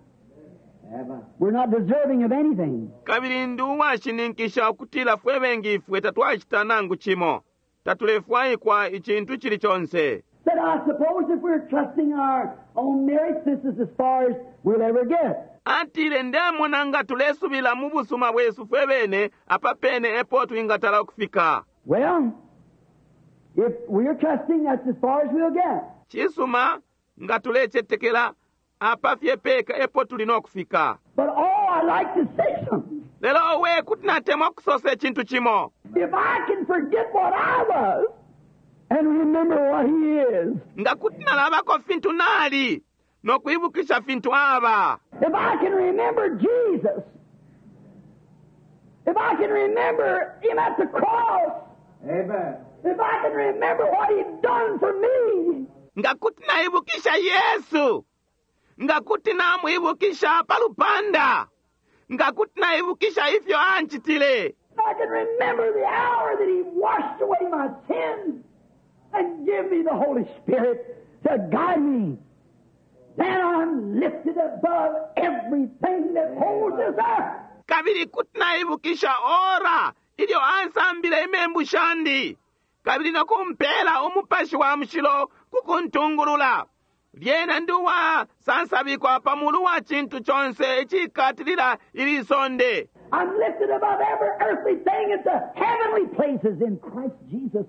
B: We're not deserving of anything.
A: Kabili ndi uwashininkisha ukutila fwe bengi ifwe tatwachita nangu chimo tatulefwaikwa ichintu chili chonse.
B: Said, I suppose if we're trusting our own merits, this is as far as we'll ever get.
A: Atile ndemona nga tulesubila mu busuma bwesu fwe bene apa pene epo twingatala ukufika.
B: Well, if we're trusting, that's as far as we'll get.
A: Cisuma nga tulecetekela apa fye peka epo tuli nokufika.
B: But oh, I'd like to say something.
A: Lelo owe kuti natemwa kusosa icintu cimo.
B: If I can forget what I was and remember what He is,
A: Nga kuti nalabako fintu nali nokwibukisha fintu aba.
B: if I can remember Jesus, if I can remember Him at the cross,
C: Amen.
B: if I can remember what He's done for me,
A: Nga kuti naibukisha Yesu. Nga kuti namwibukisha pa lupanda. Nga kuti naibukisha ifyo anchitile.
B: if I can remember the hour that He washed away my sins and give me the Holy Spirit to guide me, then I'm lifted above everything that holds this earth.
A: Kabili kuti naibukisha ora ilyo ansambile imembu shandi kabili nokumpela umupashi wa mushilo kukuntungulula. Lyena ndi uwasansabikwa pa mulu wa cintu conse icikatilila ili sonde.
B: I'm lifted above every earthly thing into heavenly places in Christ Jesus,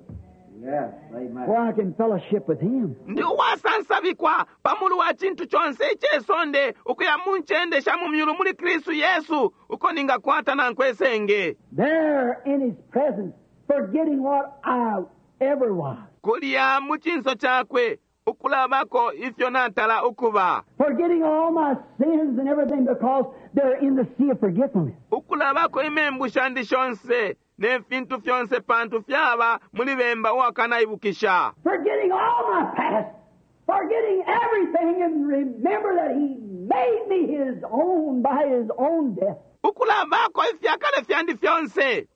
C: Yes. Amen.
B: where I can fellowship with Him.
A: Ndi uwasansabikwa pa mulu wa cintu conse icesonde ukuya mu ncende sha mu myulu muli Kristu Yesu uko ningakwata nankwe senge.
B: There in His presence, forgetting what I ever was,
A: Kulya mu cinso cakwe ukulabako ifyo natala ukuba.
B: forgetting all my sins and everything because they're in the sea of forgetfulness.
A: Ukulabako imembu shandi shonse ne fintu fyonse pantu fyaba muli bemba uwakanaibukisha.
B: Forgetting all my past, forgetting everything, and remember that He made me His own by His own death.
A: Ukulabako ifyakale fyandi fyonse.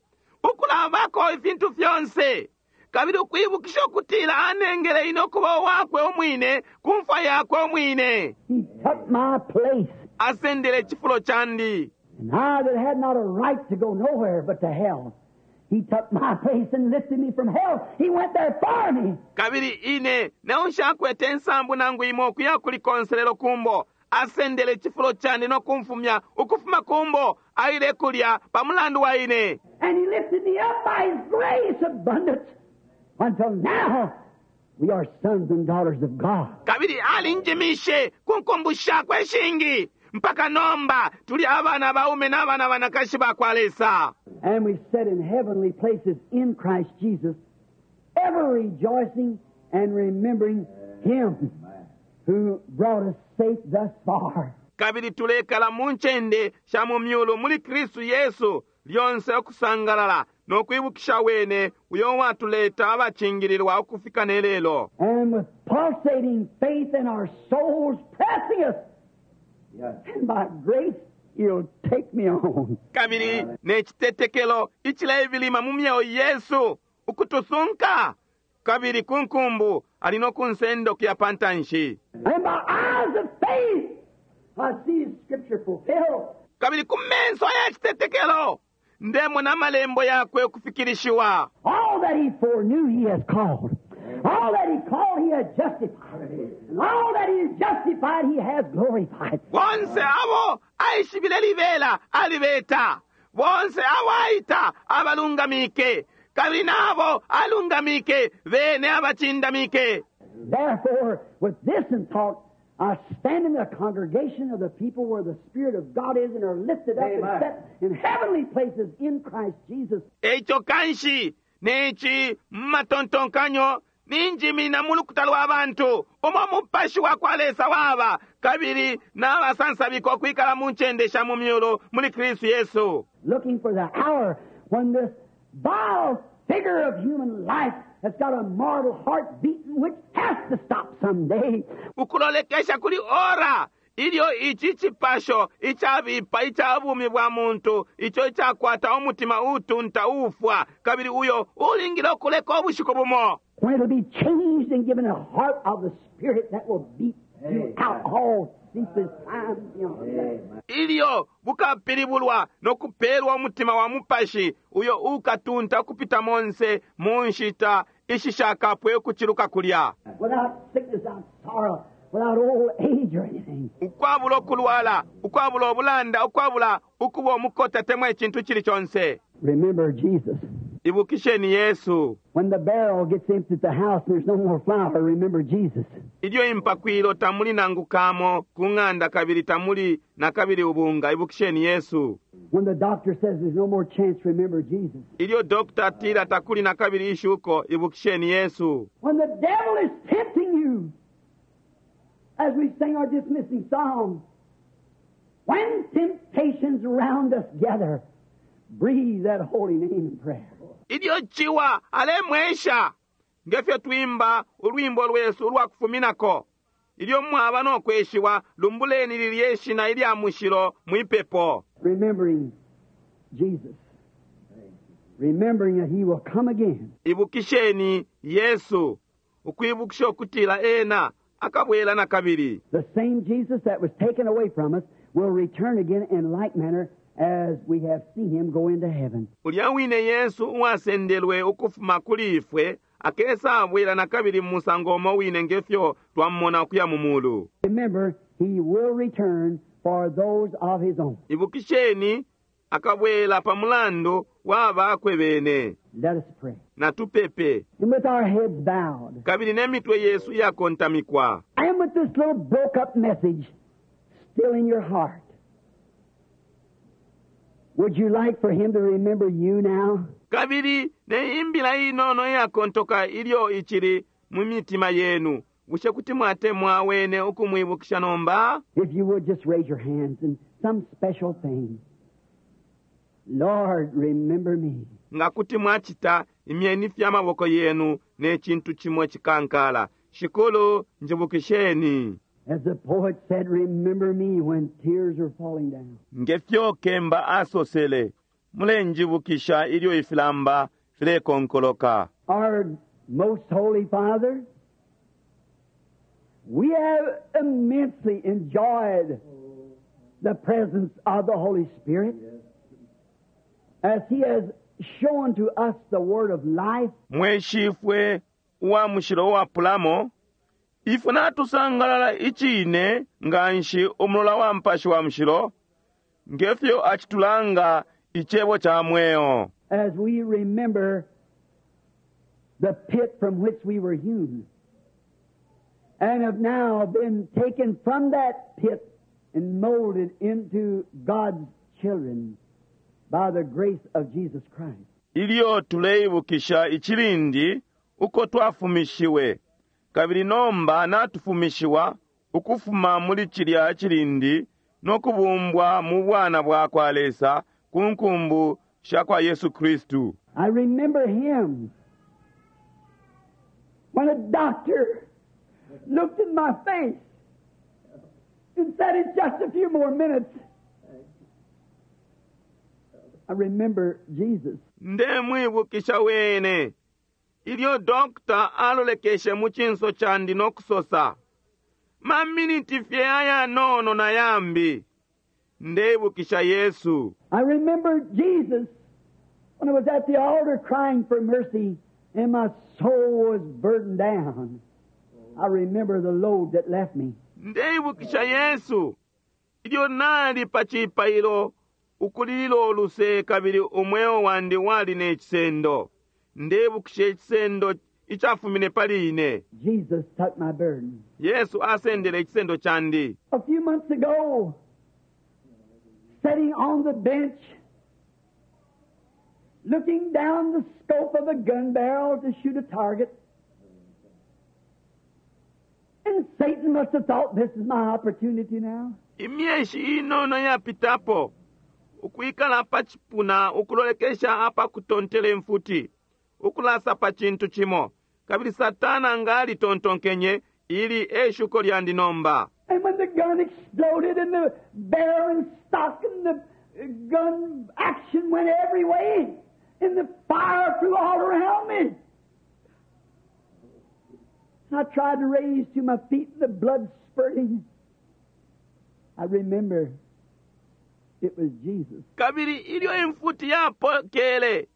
A: Ukulabako ifintu fyonse. Kabili ukwibukisha ukutila anengele ine ukuba uwakwe umwine ku mfwa yakwe umwine.
B: He took my place.
A: Asendele icifulo candi.
B: And I that had not a right to go nowhere but to hell, He took my place and lifted me from hell. He went there for me.
A: Kabili ine neushakwete insambu nangu imo ukuya kuli konselelo kumbo. Asendele icifulo candi nokumfumya ukufuma kumbo aile kulya pa mulandu wa ine.
B: And He lifted me up by His grace abundance until now we are sons and daughters of God.
A: Kabili alinjimishe ku nkumbu shakwe ishingi mpaka nomba tuli abana baume n'abana banakashi ba kwa Lesa.
B: And we sit in heavenly places in Christ Jesus, ever rejoicing and remembering Him who brought us safe thus far.
A: Kabili tulekala mu ncende sha mu myulu muli Kristu Yesu lyonse okusangalala n'okwibukisha wene uyo watuleta abacingililwa ukufika ne lelo.
B: And with pulsating faith in our souls pressing us,
C: Yes.
B: and by grace, He'll take me on.
A: Kabili n'ekitetekelo ikilebilima mu myeo Yesu ukutusunka kabili ku nkumbu alina okunsenda okuya pa ntanshi.
B: And by eyes of faith, I see Scripture fulfilled.
A: Kabili ku menso ay'ekitetekelo ndemona amalembo yakwe okufikirishiwa.
B: All that He foreknew, He has called. All that He called, He has justified. And all that He has justified, He has glorified.
A: Bonse abo aishibile libela alibeta. Bonse abo aita abalungamike. Kabili n'abo alungamike bene abacindamike.
B: Therefore, with this in thought, I stand in the congregation of the people where the Spirit of God is and are lifted up and
C: Amen.
B: set in heavenly places in Christ Jesus.
A: Eico kanshi neci mu matontonkanyo ninjimina mu lukuta lwa bantu umo mupashi wa kwa Lesa waba kabili n'abasansabika okwikala mu ncende sha mu myulu muli Kristu Yesu.
B: Looking for the hour when this vile figure of human life that's got a mortal heart beating, which has to stop someday,
A: Ukulolekesha kuli ora ilyo ici cipasho icabipa ica bumi bwa muntu ico icakwata umutima utunta ufwa kabili uyo ulingile okuleka obushiku bumo.
B: When it'll be changed and given a heart of the Spirit that will beat throughout all ceaseless time beyond that.
A: Ilyo bukapilibulwa nokupelwa umutima wa mupashi uyo ukatunta ukupita monse mu nshita ishishakapwe ukuciluka kulya.
B: Without sickness, without sorrow, without old age or anything.
A: Ukwabula ukulwala, ukwabula ubulanda, ukwabula ukuba umukota temwa icintu cili conse.
B: Remember Jesus.
A: Ibukisheni Yesu.
B: When the barrel gets empty at the house and there's no more flour, remember Jesus.
A: Ilyo impakwilo tamuli nangu kamo ku ng'anda kabili tamuli na kabili ubunga, ibukisheni Yesu.
B: When the doctor says there's no more chance, remember Jesus.
A: Ilyo dokta atila takuli na kabili ishuko, ibukisheni Yesu.
B: When the devil is tempting you, as we sing our dismissing song, when temptations round us gather, breathe that holy name in prayer.
A: Ilyo ciwa alemwesha, ngefyo twimba ulwimbo lwesu ulwa kufuminako. Ilyo mwaba no kweshiwa, lumbuleni lilye shina ilya mushilo mwipepo.
B: Remembering Jesus. Remembering that He will come again.
A: Ibukisheni Yesu, ukwibukisha ukutila ena akabwela na kabili.
B: The same Jesus that was taken away from us will return again in like manner as we have seen Him go into heaven.
A: Ulya wine Yesu uwasendelwe ukufuma kuli ifwe akesa abwela na kabili mu musango umo wine ngefyo twamumona ukuya mu mulu.
B: Remember, He will return for those of His own.
A: Ibukisheni akabwela pa mulandu wa bakwe bene.
B: Let us pray.
A: Natupepe.
B: And with our heads bowed,
A: Kabili n'emitwe yesu iyakontamikwa.
B: and with this little broke up message still in your heart, would you like for Him to remember you now?
A: Kabili ne imbila inono iyakontoka ilyo ichili mu mitima yenu, bushe kuti mwatemwa wene ukumwibukisha nomba?
B: If you would, just raise your hands in some special thing. Lord, remember me.
A: Nga kuti mwachita, imyeni fye amaboko yenu ne cintu cimo cikankala. Shikulu, njibukisheni.
B: As the poet said, remember me when tears are falling down.
A: Ngefyo kemba asosele, mulenjibukisha ilyo ifilamba filekonkoloka.
B: Our most holy Father, we have immensely enjoyed the presence of the Holy Spirit as He has shown to us the Word of life.
A: Mweshifwe uwa mushilo uwapulamo, ifwe natusangalala icine nga nshi umulola wa mpashi wa mushilo, ngefyo acitulanga icebo ca mweo.
B: As we remember the pit from which we were hewn, and have now been taken from that pit and molded into God's children by the grace of Jesus Christ.
A: Ilyo tuleibukisha icilindi uko twafumishiwe, kabili nomba natufumishiwa ukufuma muli cilya cilindi no kubumbwa mu bwana bwa kwa Lesa ku nkumbu sha kwa Yesu Kristu.
B: I remember him when a doctor looked in my face and said, it's just a few more minutes. I remember Jesus.
A: Ndemwibukisha wene ilyo dokta alolekeshe mu cinso candi no kusosa, maminiti fye ayanono na yambi. Ndeibukisha Yesu.
B: I remember Jesus when I was at the altar crying for mercy and my soul was burdened down. I remember the load that left me.
A: Ndeibukisha Yesu ilyo nali pa cipailo ukulilila uluse kabili umweo wandi wali ne cisendo. Ndeibukisha icisendo icafumine pali ine.
B: Jesus took my burden.
A: Yesu asendele icisendo candi.
B: A few months ago, sitting on the bench, looking down the scope of a gun barrel to shoot a target, and Satan must have thought, this is my opportunity now.
A: Imyeshi inono yapitapo, ukwikala pa cipuna ukulolekesha apa kutontela imfuti, ukulasa pa cintu cimo, kabili Satana nga alitontonkenye ili eshuko lyandi nomba.
B: And when the gun exploded and the barrel and stock and the gun action went every way, and the fire flew all around me, I tried to raise to my feet and the blood spurting. I remember it was Jesus.
A: Kabili ilyo imfuti yapokele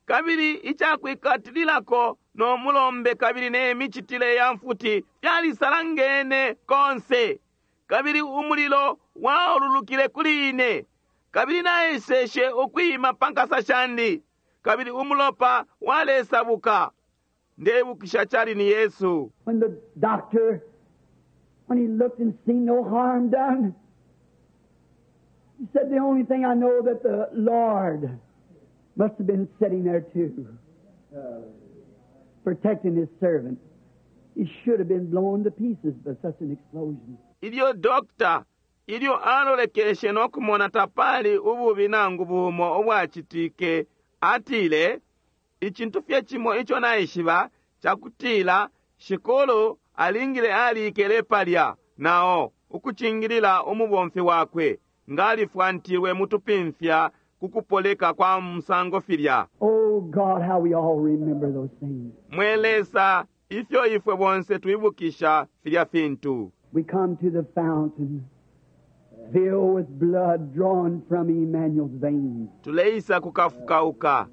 A: Kabili icakwikatililako no mulombe kabili ne micitile ya mfuti fyalisalangene konse. Kabili umulilo waululukile kuli ine. Kabili naeseshe ukwima pa nkasa shandi. Kabili umulopa walesabuka. Ndebukisha cali ni Yesu.
B: When the doctor, when he looked and seen no harm done, he said, the only thing I know that the Lord must have been sitting there too, protecting his servant. He should have been blown to pieces by such an explosion.
A: Ilyo doctor ilyo alolekeshe no kumona tapali ububi nangu bumo ubwacitike, atile icintu fye cimo ico naishiba cakutila Shikulu alingile alikele palya nao ukucingilila umubomfi wakwe ngalifwantilwe mutupimfya kukupoleka kwa musango filya.
B: Oh God, how we all remember those things.
A: Mwe Lesa, ifyo ifwe bonse twibukisha filya fintu.
B: We come to the fountain filled with blood drawn from Emmanuel's veins.
A: Tuleisa kukafukauka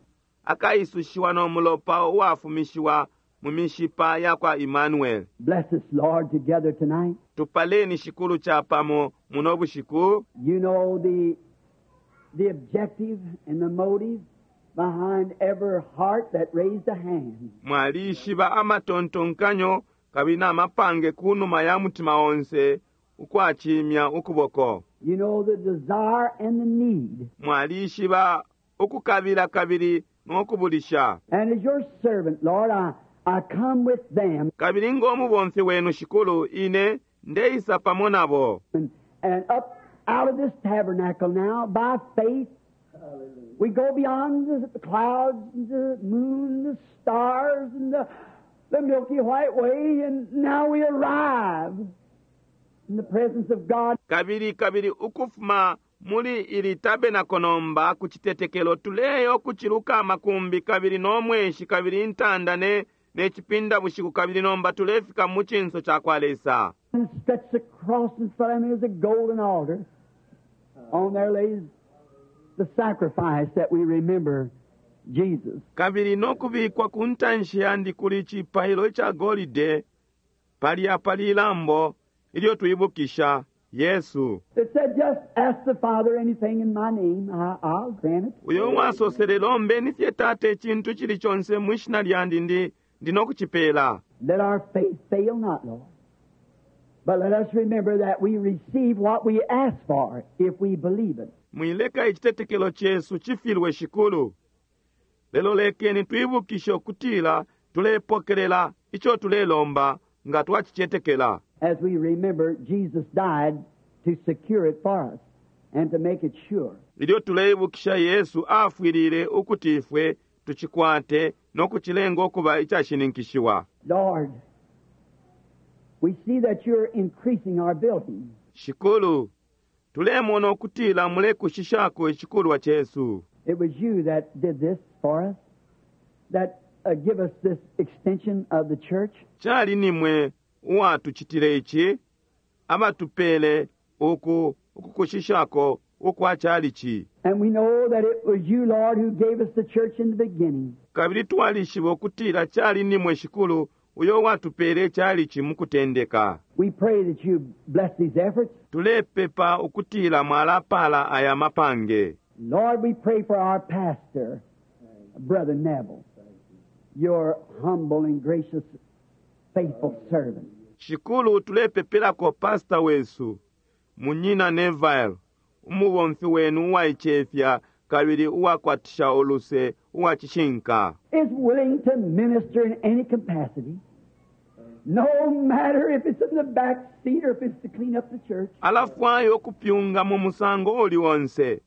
A: akaisushiwa no mulopa uwafumishiwa mu mishipa ya kwa Emmanuel.
B: Bless us, Lord, together tonight.
A: Tupaleni Shikulu chapamo muno bushiku.
B: You know the, the objective and the motive behind every heart that raised a hand.
A: Mwalishiba amatontonkanyo kabili n'amapange kunuma ya mutima onse ukwachimya ukuboko.
B: You know the desire and the need.
A: Mwalishiba ukukabila kabili n'okubulisha.
B: And as your servant, Lord, I, I come with them.
A: Kabili ng'omubomfi wenu Shikulu, ine ndeisa pamo nabo.
B: And, and up out of this tabernacle now, by faith, we go beyond the clouds and the moon, the stars, and the, the milky white way, and now we arrive in the presence of God.
A: Kabili kabili ukufuma muli ili tabernacle nomba ku citetekelo tuleyo kuciluka amakumbi kabili n'omweshi kabili intanda ne, ne cipinda bushiku kabili nomba tulefika mu cinso ca kwa Lesa.
B: And stretched across in front of me is a golden altar. On there lays the sacrifice that we remember Jesus.
A: Kabili n'okubikwa ku ntanshi yandi kuli cipailo ca golide palya pali ilambo ilyo twibukisha Yesu.
B: It said, just ask the Father anything in my name, I, I'll grant it.
A: Uyo wasosele lombeni fye Tate icintu cili conse mwishina lyandi ndi, ndi nokucipela.
B: Let our faith fail not, Lord. But let us remember that we receive what we ask for if we believe it.
A: Mwileka icitetekelo cesu cifilwe Shikulu. Lelo lekeni twibukishe ukutila tulepokelela ico tulelomba nga twacicetekela.
B: As we remember, Jesus died to secure it for us and to make it sure.
A: Ilyo tuleibukisha Yesu afwilile ukuti ifwe tucikwate no kucilenga ukuba icashininkishiwa.
B: Lord, we see that you're increasing our building.
A: Shikulu, tulemona ukutila mulekushishako icikulwa cesu.
B: It was you that did this for us, that, uh, give us this extension of the church.
A: Cali nimwe uwatucitile ici, abatupele uku ukukushishako ukwa calici.
B: And we know that it was you, Lord, who gave us the church in the beginning.
A: Kabili twalishiba ukutila cali nimwe Shikulu uyo watupele calici mu kutendeka.
B: We pray that you bless these efforts.
A: Tulepepa ukutila mwalapala aya mapange.
B: Lord, we pray for our pastor, Brother Neville, your humble and gracious, faithful servant.
A: Shikulu tulepepelako pastor wesu, Munyina Neville, umubomfi wenu uwaicefya kabili uwakwatisha uluse uwacishinka.
B: Is willing to minister in any capacity, no matter if it's in the back seat or if it's to clean up the church.
A: Alafwayo kupyunga mu musango uli onse.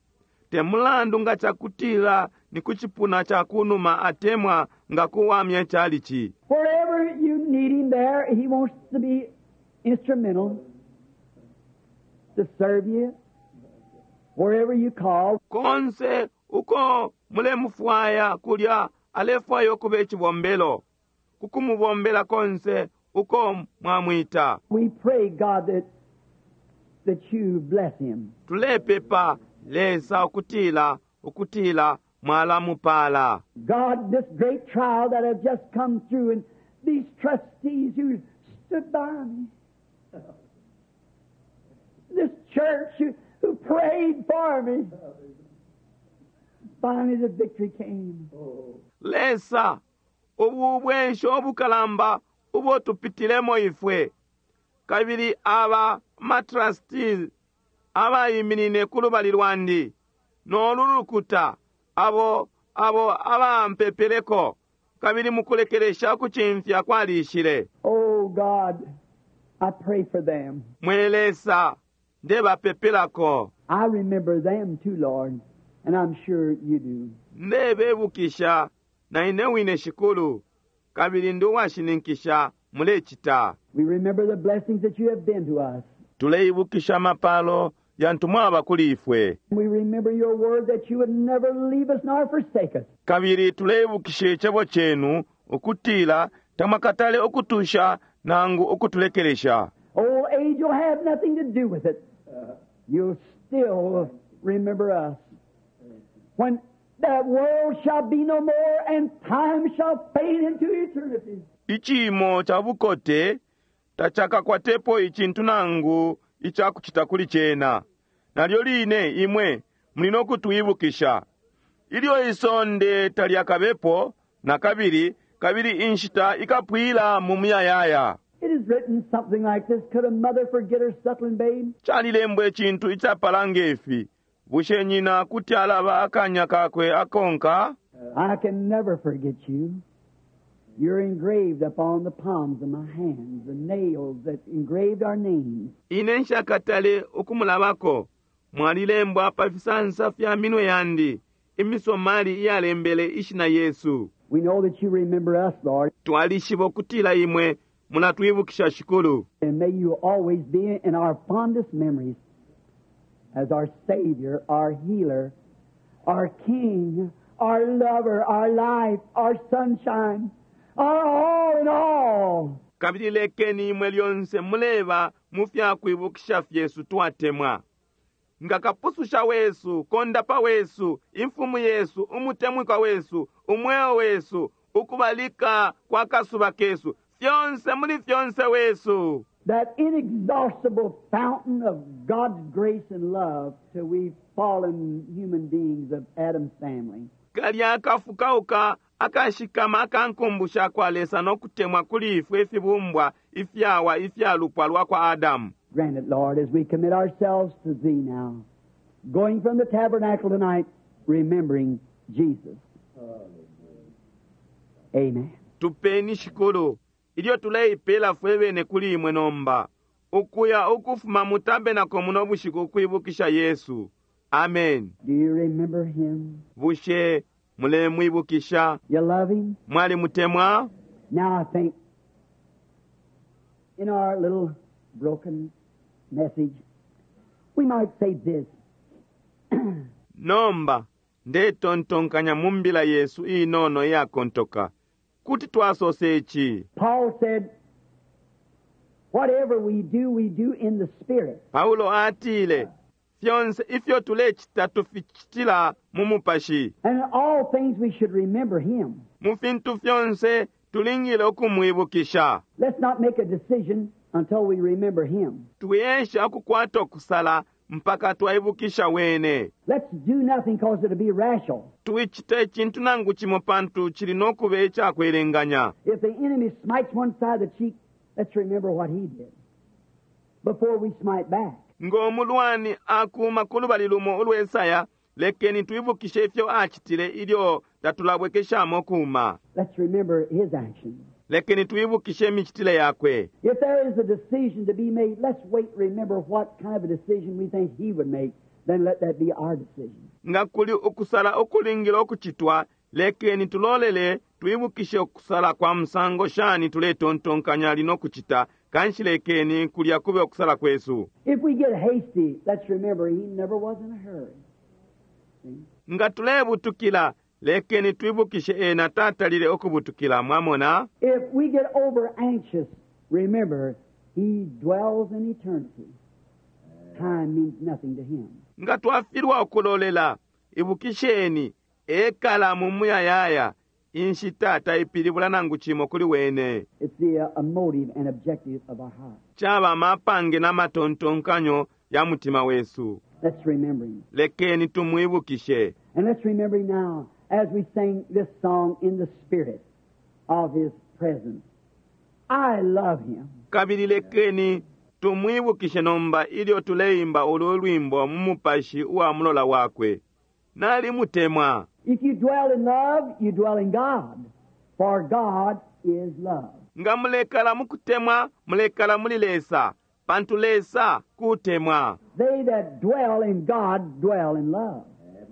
A: Te mulandu nga cakutila ni ku cipuna ca kunuma atemwa nga kuwamya calici.
B: Wherever you need him there, he wants to be instrumental to serve you. Wherever you call.
A: Konse uko mulemufwaya kulya alefwaya ukuba icibombelo. Kukumubombela konse uko mwamwita.
B: We pray, God, that, that you bless him.
A: Tulepepa Lesa ukutila, ukutila Mwalamupala.
B: God, this great trial that I've just come through, and these trustees who stood by me, this church who, who prayed for me. Finally, the victory came.
A: Lesa, ubu bwensho obukalamba ubo tupitilemo ifwe, kabili aba matrustees abayiminine ku lubali lwandi nolu lukuta abo abo abampepeleko, kabili mukulekelesha ukucimfya kwalishile.
B: Oh, God, I pray for them.
A: Mwe Lesa, ndebapepelako.
B: I remember them too, Lord, and I'm sure you do.
A: Ndebebukisha na ine wine Shikulu, kabili ndi uwashininkisha mulecita.
B: We remember the blessings that you have been to us.
A: Tuleibukisha amapalo yantu mwaba kuli ifwe.
B: We remember your word that you would never leave us nor forsake us.
A: Kabili tuleibukisha icebo cenu ukutila tamwakatale ukutusha nangu ukutulekelesha.
B: Old age will have nothing to do with it. You'll still remember us. When that world shall be no more and time shall fade into eternity.
A: Icimo ca bukote tacakakwatepo icintu nangu icakucita kuli cena. Nalyo line imwe muli no kutwibukisha. Ilyo isonde talyakabepo na kabili, kabili inshita ikapwila mu muyayaya.
B: It is written something like this. Could a mother forget her suckling babe?
A: Calilembwa icintu icapala ngefi. Bushe nyina kuti alaba akanya kakwe akonka?
B: I can never forget you. You're engraved upon the palms of my hands, the nails that engraved our names.
A: Ine nshakatale ukumulabako. Mwalilembwa pa fisansa fya minwe yandi, imisomali iyalembele ishina Yesu.
B: We know that you remember us, Lord,
A: Twalishiba ukutila imwe mulatwibukisha Shikulu.
B: and may you always be in our fondest memories as our Savior, our healer, our King, our lover, our life, our sunshine, our all in all.
A: Kabili lekeni imwe lyonse muleba mu fyakwibukisha fyesu twatemwa. Nga kapususha wesu, kondapa wesu, imfumu yesu, umutemwikwa wesu, umweo wesu, ukubalika kwa kasuba kesu, fyonse muli fyonse wesu.
B: That inexhaustible fountain of God's grace and love to we fallen human beings of Adam's family.
A: Kalya akafukauka akashikama akankumbusha kwa Lesa no kutemwa kuli ifwe ifibumbwa ifyawa ifyalupwa lwa kwa Adamu.
B: Grant it, Lord, as we commit ourselves to Thee now, going from the tabernacle tonight, remembering Jesus. Amen.
A: Tupeni Shikulu, ilyo tuleipela fwe bene kuli imwe nomba, ukuya ukufuma mu tabernacle muno bushiku ukwibukisha Yesu. Amen.
B: Do you remember Him?
A: Bushe mulemwibukisha?
B: You love Him?
A: Mwalimutemwa?
B: Now I think in our little broken message, we might say this.
A: Nomba ndetontonkanya mu mbila yesu inono iyakontoka kuti twasose ici.
B: Paul said, whatever we do, we do in the Spirit.
A: Paulo atile fyonse ifyo tulecita tuficitila mu mupashi.
B: And in all things we should remember Him.
A: Mu fintu fyonse tulingile ukumwibukisha.
B: Let's not make a decision until we remember Him.
A: Tuyesha ukukwata ukusala mpaka twaibukisha wene.
B: Let's do nothing because it'll be rational.
A: Tuicita icintu nangu cimo pantu cili nokuba icakwelenganya.
B: If the enemy smites one side of the cheek, let's remember what he did before we smite back.
A: Ng'omulwani akuma ku lubali lumo ulwesaya, lekeni twibukishe ifyo acitile ilyo tatulabwekeshamo kuma.
B: Let's remember his actions.
A: Lekeni twibukishe imicitile yakwe.
B: If there is a decision to be made, let's wait and remember what kind of a decision we think he would make. Then let that be our decision.
A: Nga kuli ukusala ukulingile ukucitwa, lekeni tulolele twibukishe ukusala kwa musango shani tuletontonkanya lino kucita, kanshi lekeni kulya kube ukusala kwesu.
B: If we get hasty, let's remember he never was in a hurry. See?
A: Nga tulebutukila, lekeni twibukishe ena tatalile ukubutukila, mwamona?
B: If we get over anxious, remember he dwells in eternity. Time means nothing to him.
A: Nga twafilwa ukulolela, ibukisheni Ekala mu muyayaya inshita taipilibula nangu cimo kuli wene.
B: It's the uh, motive and objective of our heart.
A: Caba mapange n'amatontonkanyo ya mutima wesu.
B: Let's remember him.
A: Lekeni tumwibukishe.
B: And let's remember him now as we sing this song in the spirit of his presence. I love him.
A: Kabili lekeni tumwibukishe nomba ilyo tuleimba ulu lwimbo mu mupashi uwa mulola wakwe. Nalimutemwa.
B: If you dwell in love, you dwell in God, for God is love.
A: Nga mulekala mu kutemwa, mulekala muli Lesa, pantu Lesa kutemwa.
B: They that dwell in God dwell in love.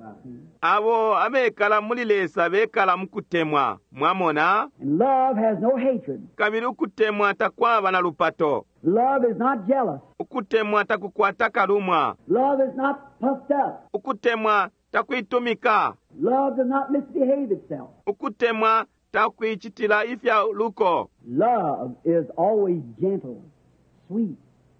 C: Amen.
A: Abo abekala muli Lesa bekala mu kutemwa, mwamona?
B: And love has no hatred.
A: Kabili ukutemwa takwaba na lupato.
B: Love is not jealous.
A: Ukutemwa takukwata kalumwa.
B: Love is not puffed up.
A: Ukutemwa takuitumika.
B: Love does not misbehave itself.
A: Ukutemwa takuichitila ifya luko.
B: Love is always gentle, sweet,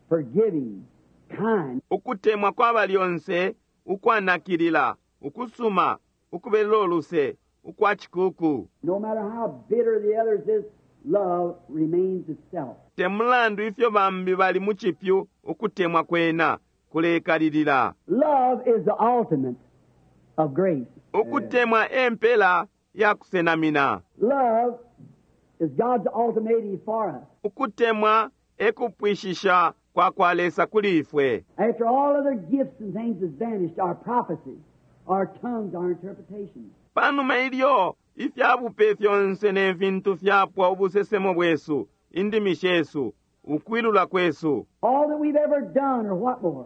B: forgiving, kind.
A: Ukutemwa kwaba lyonse ukwanakilila, ukusuma, ukubelela uluse, ukwa chikuku.
B: No matter how bitter the others is, love remains itself.
A: Te mulandu ifyo bambi bali mu chipyu, ukutemwa kwena kulekalilila.
B: Love is the ultimate of grace.
A: Ukutemwa empela ya kusenamina.
B: Love is God's ultimatum for us.
A: Ukutemwa ekupwishisha kwa kwa Lesa kuli ifwe.
B: After all other gifts and things has vanished, our prophecies, our tongues, our interpretations.
A: Panuma ilyo ifyabupe fyonse ne fintu fyapwa ubusesemo bwesu, indimi shesu, ukwilula kwesu,
B: All that we've ever done or what more,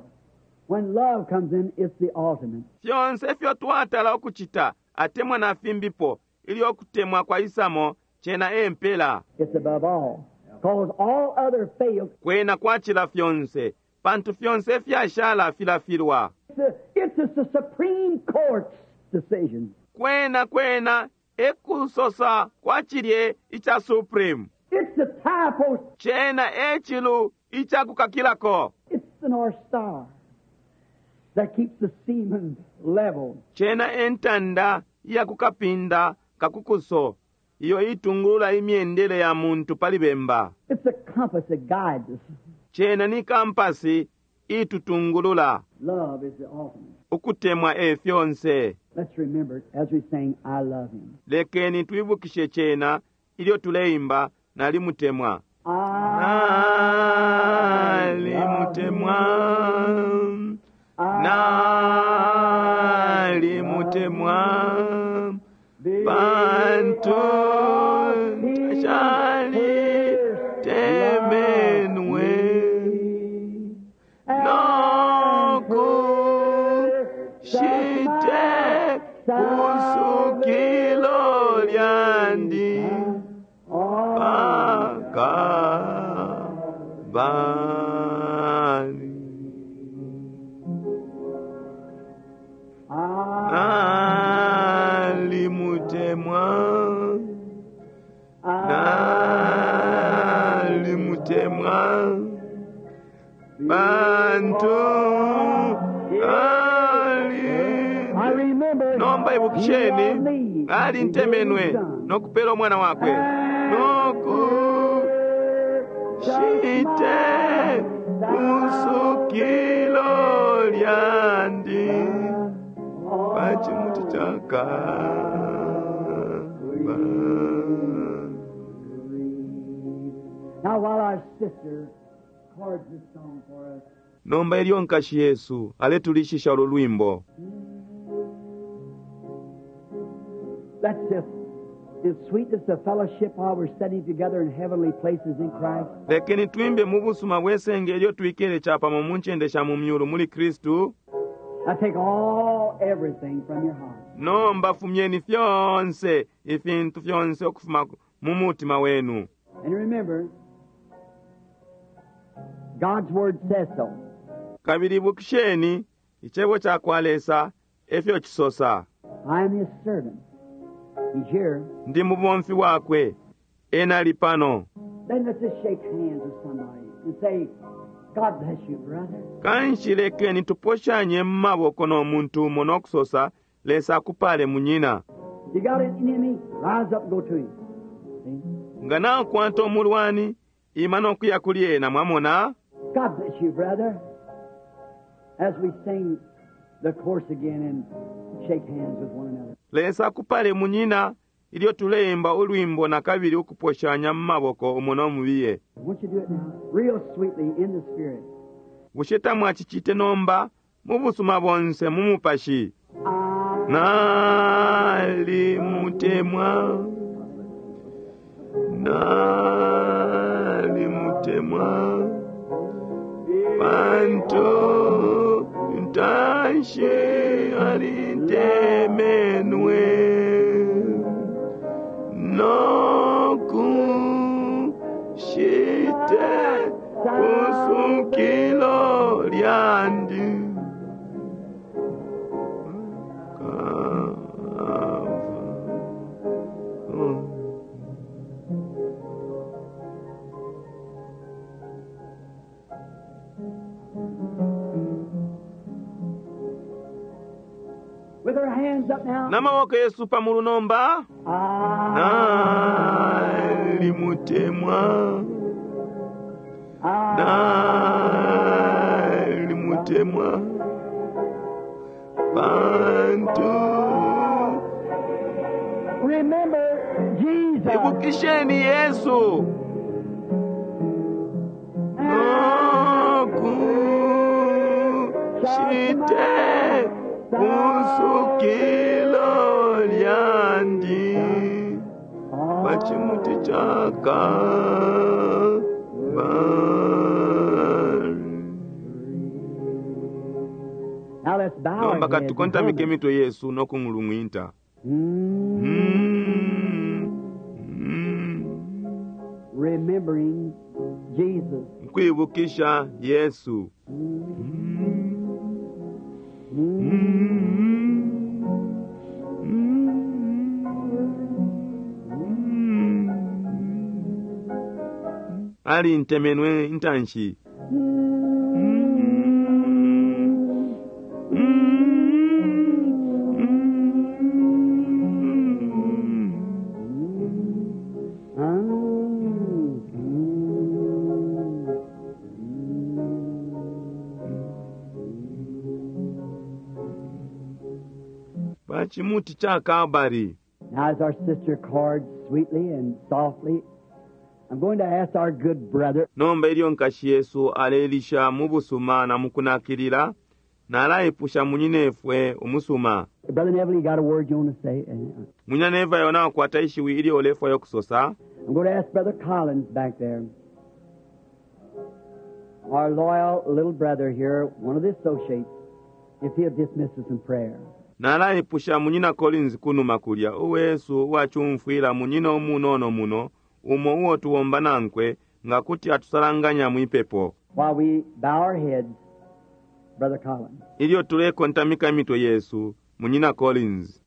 B: when love comes in, it's the ultimate.
A: fyonse ifyo twatala ukuchita atemwa na fimbipo ilyo kutemwa kwa isamo chena empela.
B: It's above all. Because all other fails.
A: Kwena kwachila fyonse, pantu fyonse fyashala filafilwa.
B: It's the, it's the Supreme Court's decision.
A: Kwena kwena ekusosa kwachilye icha Supreme.
B: It's the tie post.
A: Chena echilu icha kukakilako.
B: It's the North Star that keeps the seamen level.
A: Chena entanda iya kukapinda kakukuso iyo itungulula imyendele ya muntu pali bemba.
B: It's the compass that guides us.
A: Chena ni kampasi itutungulula.
B: Love is the ultimate.
A: Ukutemwa e fyonse.
B: Let's remember it as we sing, I love him.
A: Lekeni twibukishe chena ilyo tuleimba nalimutemwa.
B: I
A: Nalimutemwa. Nalimutemwa. Pantu shali temenwe noku shite kusukilo lyandi pakabani. Nalimutemwa, nalimutemwa, bantu ali.
B: I remember
A: Nomba ibukisheni
B: he loved me.
A: alintemenwe
B: He gave his son.
A: nokupela omwana wakwe noku shite kusukilo lyandi pachimuti chakaba.
B: Now while our sister chords this song for us,
A: Nomba ilyo nkashi Yesu aletulishisha ulu lwimbo,
B: let's just, in sweetness of fellowship while we're sitting together in heavenly places in Christ,
A: lekeni twimbe mu busuma bwesenge ilyo twikele chapamo mu ncende sha mu myulu muli Kristu.
B: I take all everything from your heart.
A: Nomba fumyeni fyonse ifintu fyonse okufuma mu mutima wenu.
B: And remember, God's word says so.
A: Kabili ibukisheni icebo cha kwa Lesa efyo chisosa.
B: I am his servant. He's here.
A: Ndi mubomfi wakwe, ena ali pano.
B: Then let's just shake hands with somebody and say, God bless you, brother.
A: Kanshi lekeni tuposhanye mu maboko no muntu umo nokusosa Lesa akupale munyina.
B: You got an enemy, rise up and go to him. See?
A: Nga nakwata umulwani, ima nokuya kuli ena, mwamona?
B: God bless you, brother. As we sing the chorus again and shake hands with one another.
A: Lesa akupale munyina, ilyo tuleimba ulwimbo na kabili ukuposhanya mu maboko umo nomubiye.
B: Won't you do it now? Real sweetly in the Spirit.
A: Bushe tamwacicite nomba mu busuma bonse mu mupashi?
B: I
A: Nalimutemwa, nalimutemwa, pantu ntanshi alintemenwe nokushite pusukilo lyandi.
B: With our hands up now.
A: N'amaboko yesu pamulu nomba.
B: I,
A: Nalimutemwa,
B: I,
A: nalimutemwa, pantu
B: remember Jesus.
A: ibukisheni Yesu nokushite pusukilo lyandi pachimuti cha Kalvari.
B: Now let's bow our
A: Nomba
B: heads and
A: katukontamike
B: hum it.
A: emitwe yesu n'okung'ulung'winta.
B: Mm,
A: Mm, mm.
B: Remembering Jesus.
A: Nkwibukisha Yesu.
B: Mm,
A: Ali ntemenwe intanshi.
B: Mm, mm,
A: Pachimuti cha Kalvari.
B: Now, as our sister chords sweetly and softly, I'm going to ask our good brother
A: Nomba ilyo nkashi Yesu alelisha mu busuma na mukunakilila, nalaipusha munyinefwe umusuma.
B: Brother Neville, you got a word you want to say? Uh,
A: Munyina Neville nakwata ishiwi ilyo ulefwayo okusosa.
B: I'm going to ask Brother Collins back there, our loyal little brother here, one of the associates, if he'll dismiss us in prayer.
A: Nalaipusha munyina Collins kunuma kulya uwesu uwachumfwila munyina umunono muno umo uwo tuwomba nankwe nga kuti atusalanganya mwipepo.
B: While we bow our heads, Brother Collins.
A: Ilyo tulekontamika emitwe yesu, munyina Collins.